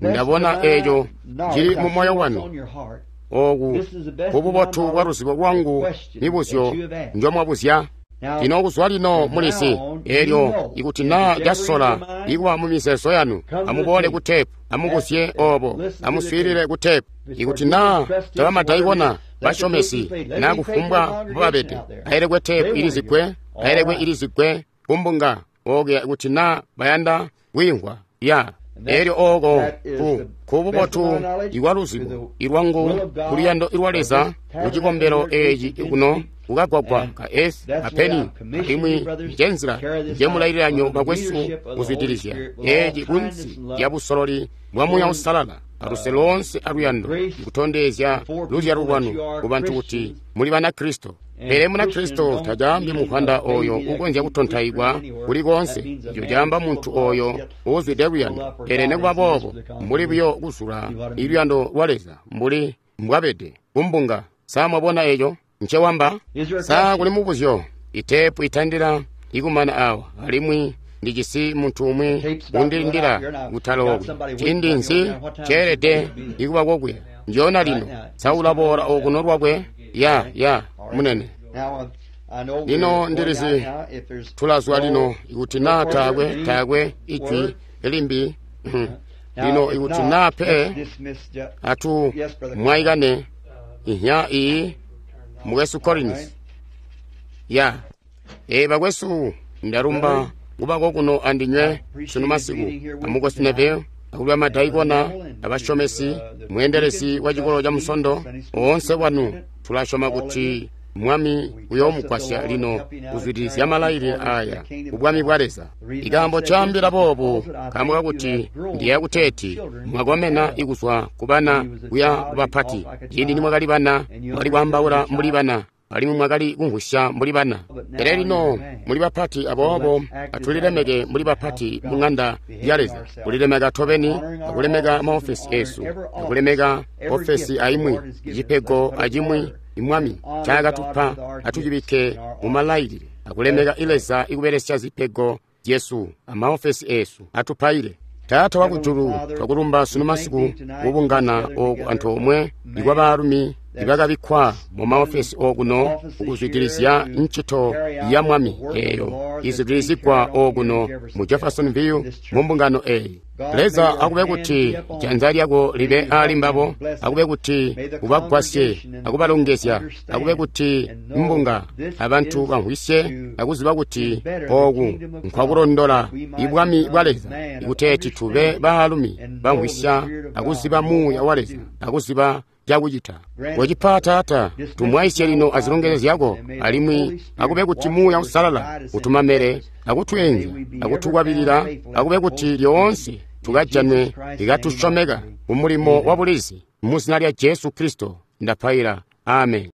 Ndabona eeco cili mu moyo wanu. Oku kububotu bwa luzibo lwangu mibuzyo njomwabuzya. Lino kuzwa lino mulisi, eelyo ikuti naa casola ikuba mu mizeezo yanu, amuboole ku teepu, amubuzye obo, amuswiilile ku teepu. Ikuti naa tabamadaikona basyomesi naa kufumbwa mbobabede, ailekwe teepu ilizigwe, ailekwe ilizigwe kumbunga okuya ikuti naa bayanda kwiimvwa ya. Eelyo ooko ku kububotu ikwa luzibo ilwangu kuluyando ilwa Leza kucikombelo eeci kuno kukagwagwa ka S apeni, alimwi njenzila njemulaililanyo bakwesu kuzwidilizya eeci kunsi lya busololi bwa Muuya Uusalala aluse loonse aluyando, kutondezya luzyalo lwanu kubantu kuti muli Banakristo. Pele Munakristo tacaambi muvwanda oyo ukonzya kutontaikwa kuli koonse, ico caamba muntu oyo uuzwide luyando. Pele nikuba boobo, mbuli buyo kuzula iluyando lwa Leza mbuli mbwabede kumbunga. Sa mwabona eco ncewamba? Sa kuli mubuzyo? Iteepu itandila ikumana awa, alimwi ndijisi muntu umwi undilindila kutalookwe. Ciindi nzi ceelede ikuba kokuya? Njoona lino. Sa ulaboola okuno lwakwe? Ya, ya, munene. Lino ndilizi tulazwa lino ikuti naa taakwe taakwe ijwi limbi. Lino ikuti naa pe atu mwaikane ihya iyi mukwesu Collins. Ya, ee bakwesu, ndalumba kubako kuno andinywe sunu masiku, amukwesu Neville, akuli amadaikona, abasyomesi, mweendelezi wa cikolo ca Musondo, oonse wanu. Tulasyoma kuti Mwami uyoomugwasya lino kuzwidilizya malailile aya kubwami bwa Leza. Ikaambo caambila boobu nkaambo kakuti ndiyeeya kuteeti mwakomena ikuzwa kubana kuya kubapati. Ciindi nimwakali bana, mwakali kwaambaula mbuli bana, alimwi mwakali kumvwisya mbuli bana. Pele lino muli bapati, aboobo atulilemeke mbuli bapati mu ŋanda ya Leza, kulilemeka tobeni, akulemeka maofesi eesu, akulemeka ofesi aimwi, cipego acimwi Mwami ncaakatupa atucibikke mumalailile, akulemeka Leza ikubelesya zipego zyesu amaofesi eesu. Atupaile. Taata wakujulu, twakulumba sunu masiku kubungana ooku antoomwe ikwa baalumi ibakabikkwa mu maofesi okuno kukuzwidilizya ncito ya Mwami eeyo izwidilizigwa okuno mu Jeffersonville mu mbungano eeyi. Leza akube kuti janza lyako libe aali mbabo, akube kuti ubagwasye akubalongezya, akube kuti mbunga abantu bamvwisye akuziba kuti ooku nkwakulondola ibwami bwa Leza, ikuteeti tube baalumi bamvwisya akuziba muuya wa Leza akuziba cakucita. Kocipa Taata, tumwaisye lino azilongezyo zyako, alimwi akube kuti Muuya Uusalala utumamele akutweenzya akutukwabilila, akube kuti lyoonse tukajanwe ikatusyomeka kumulimo wa bulizi. Mu zina lya Jesu Kristo ndapaila. Amen.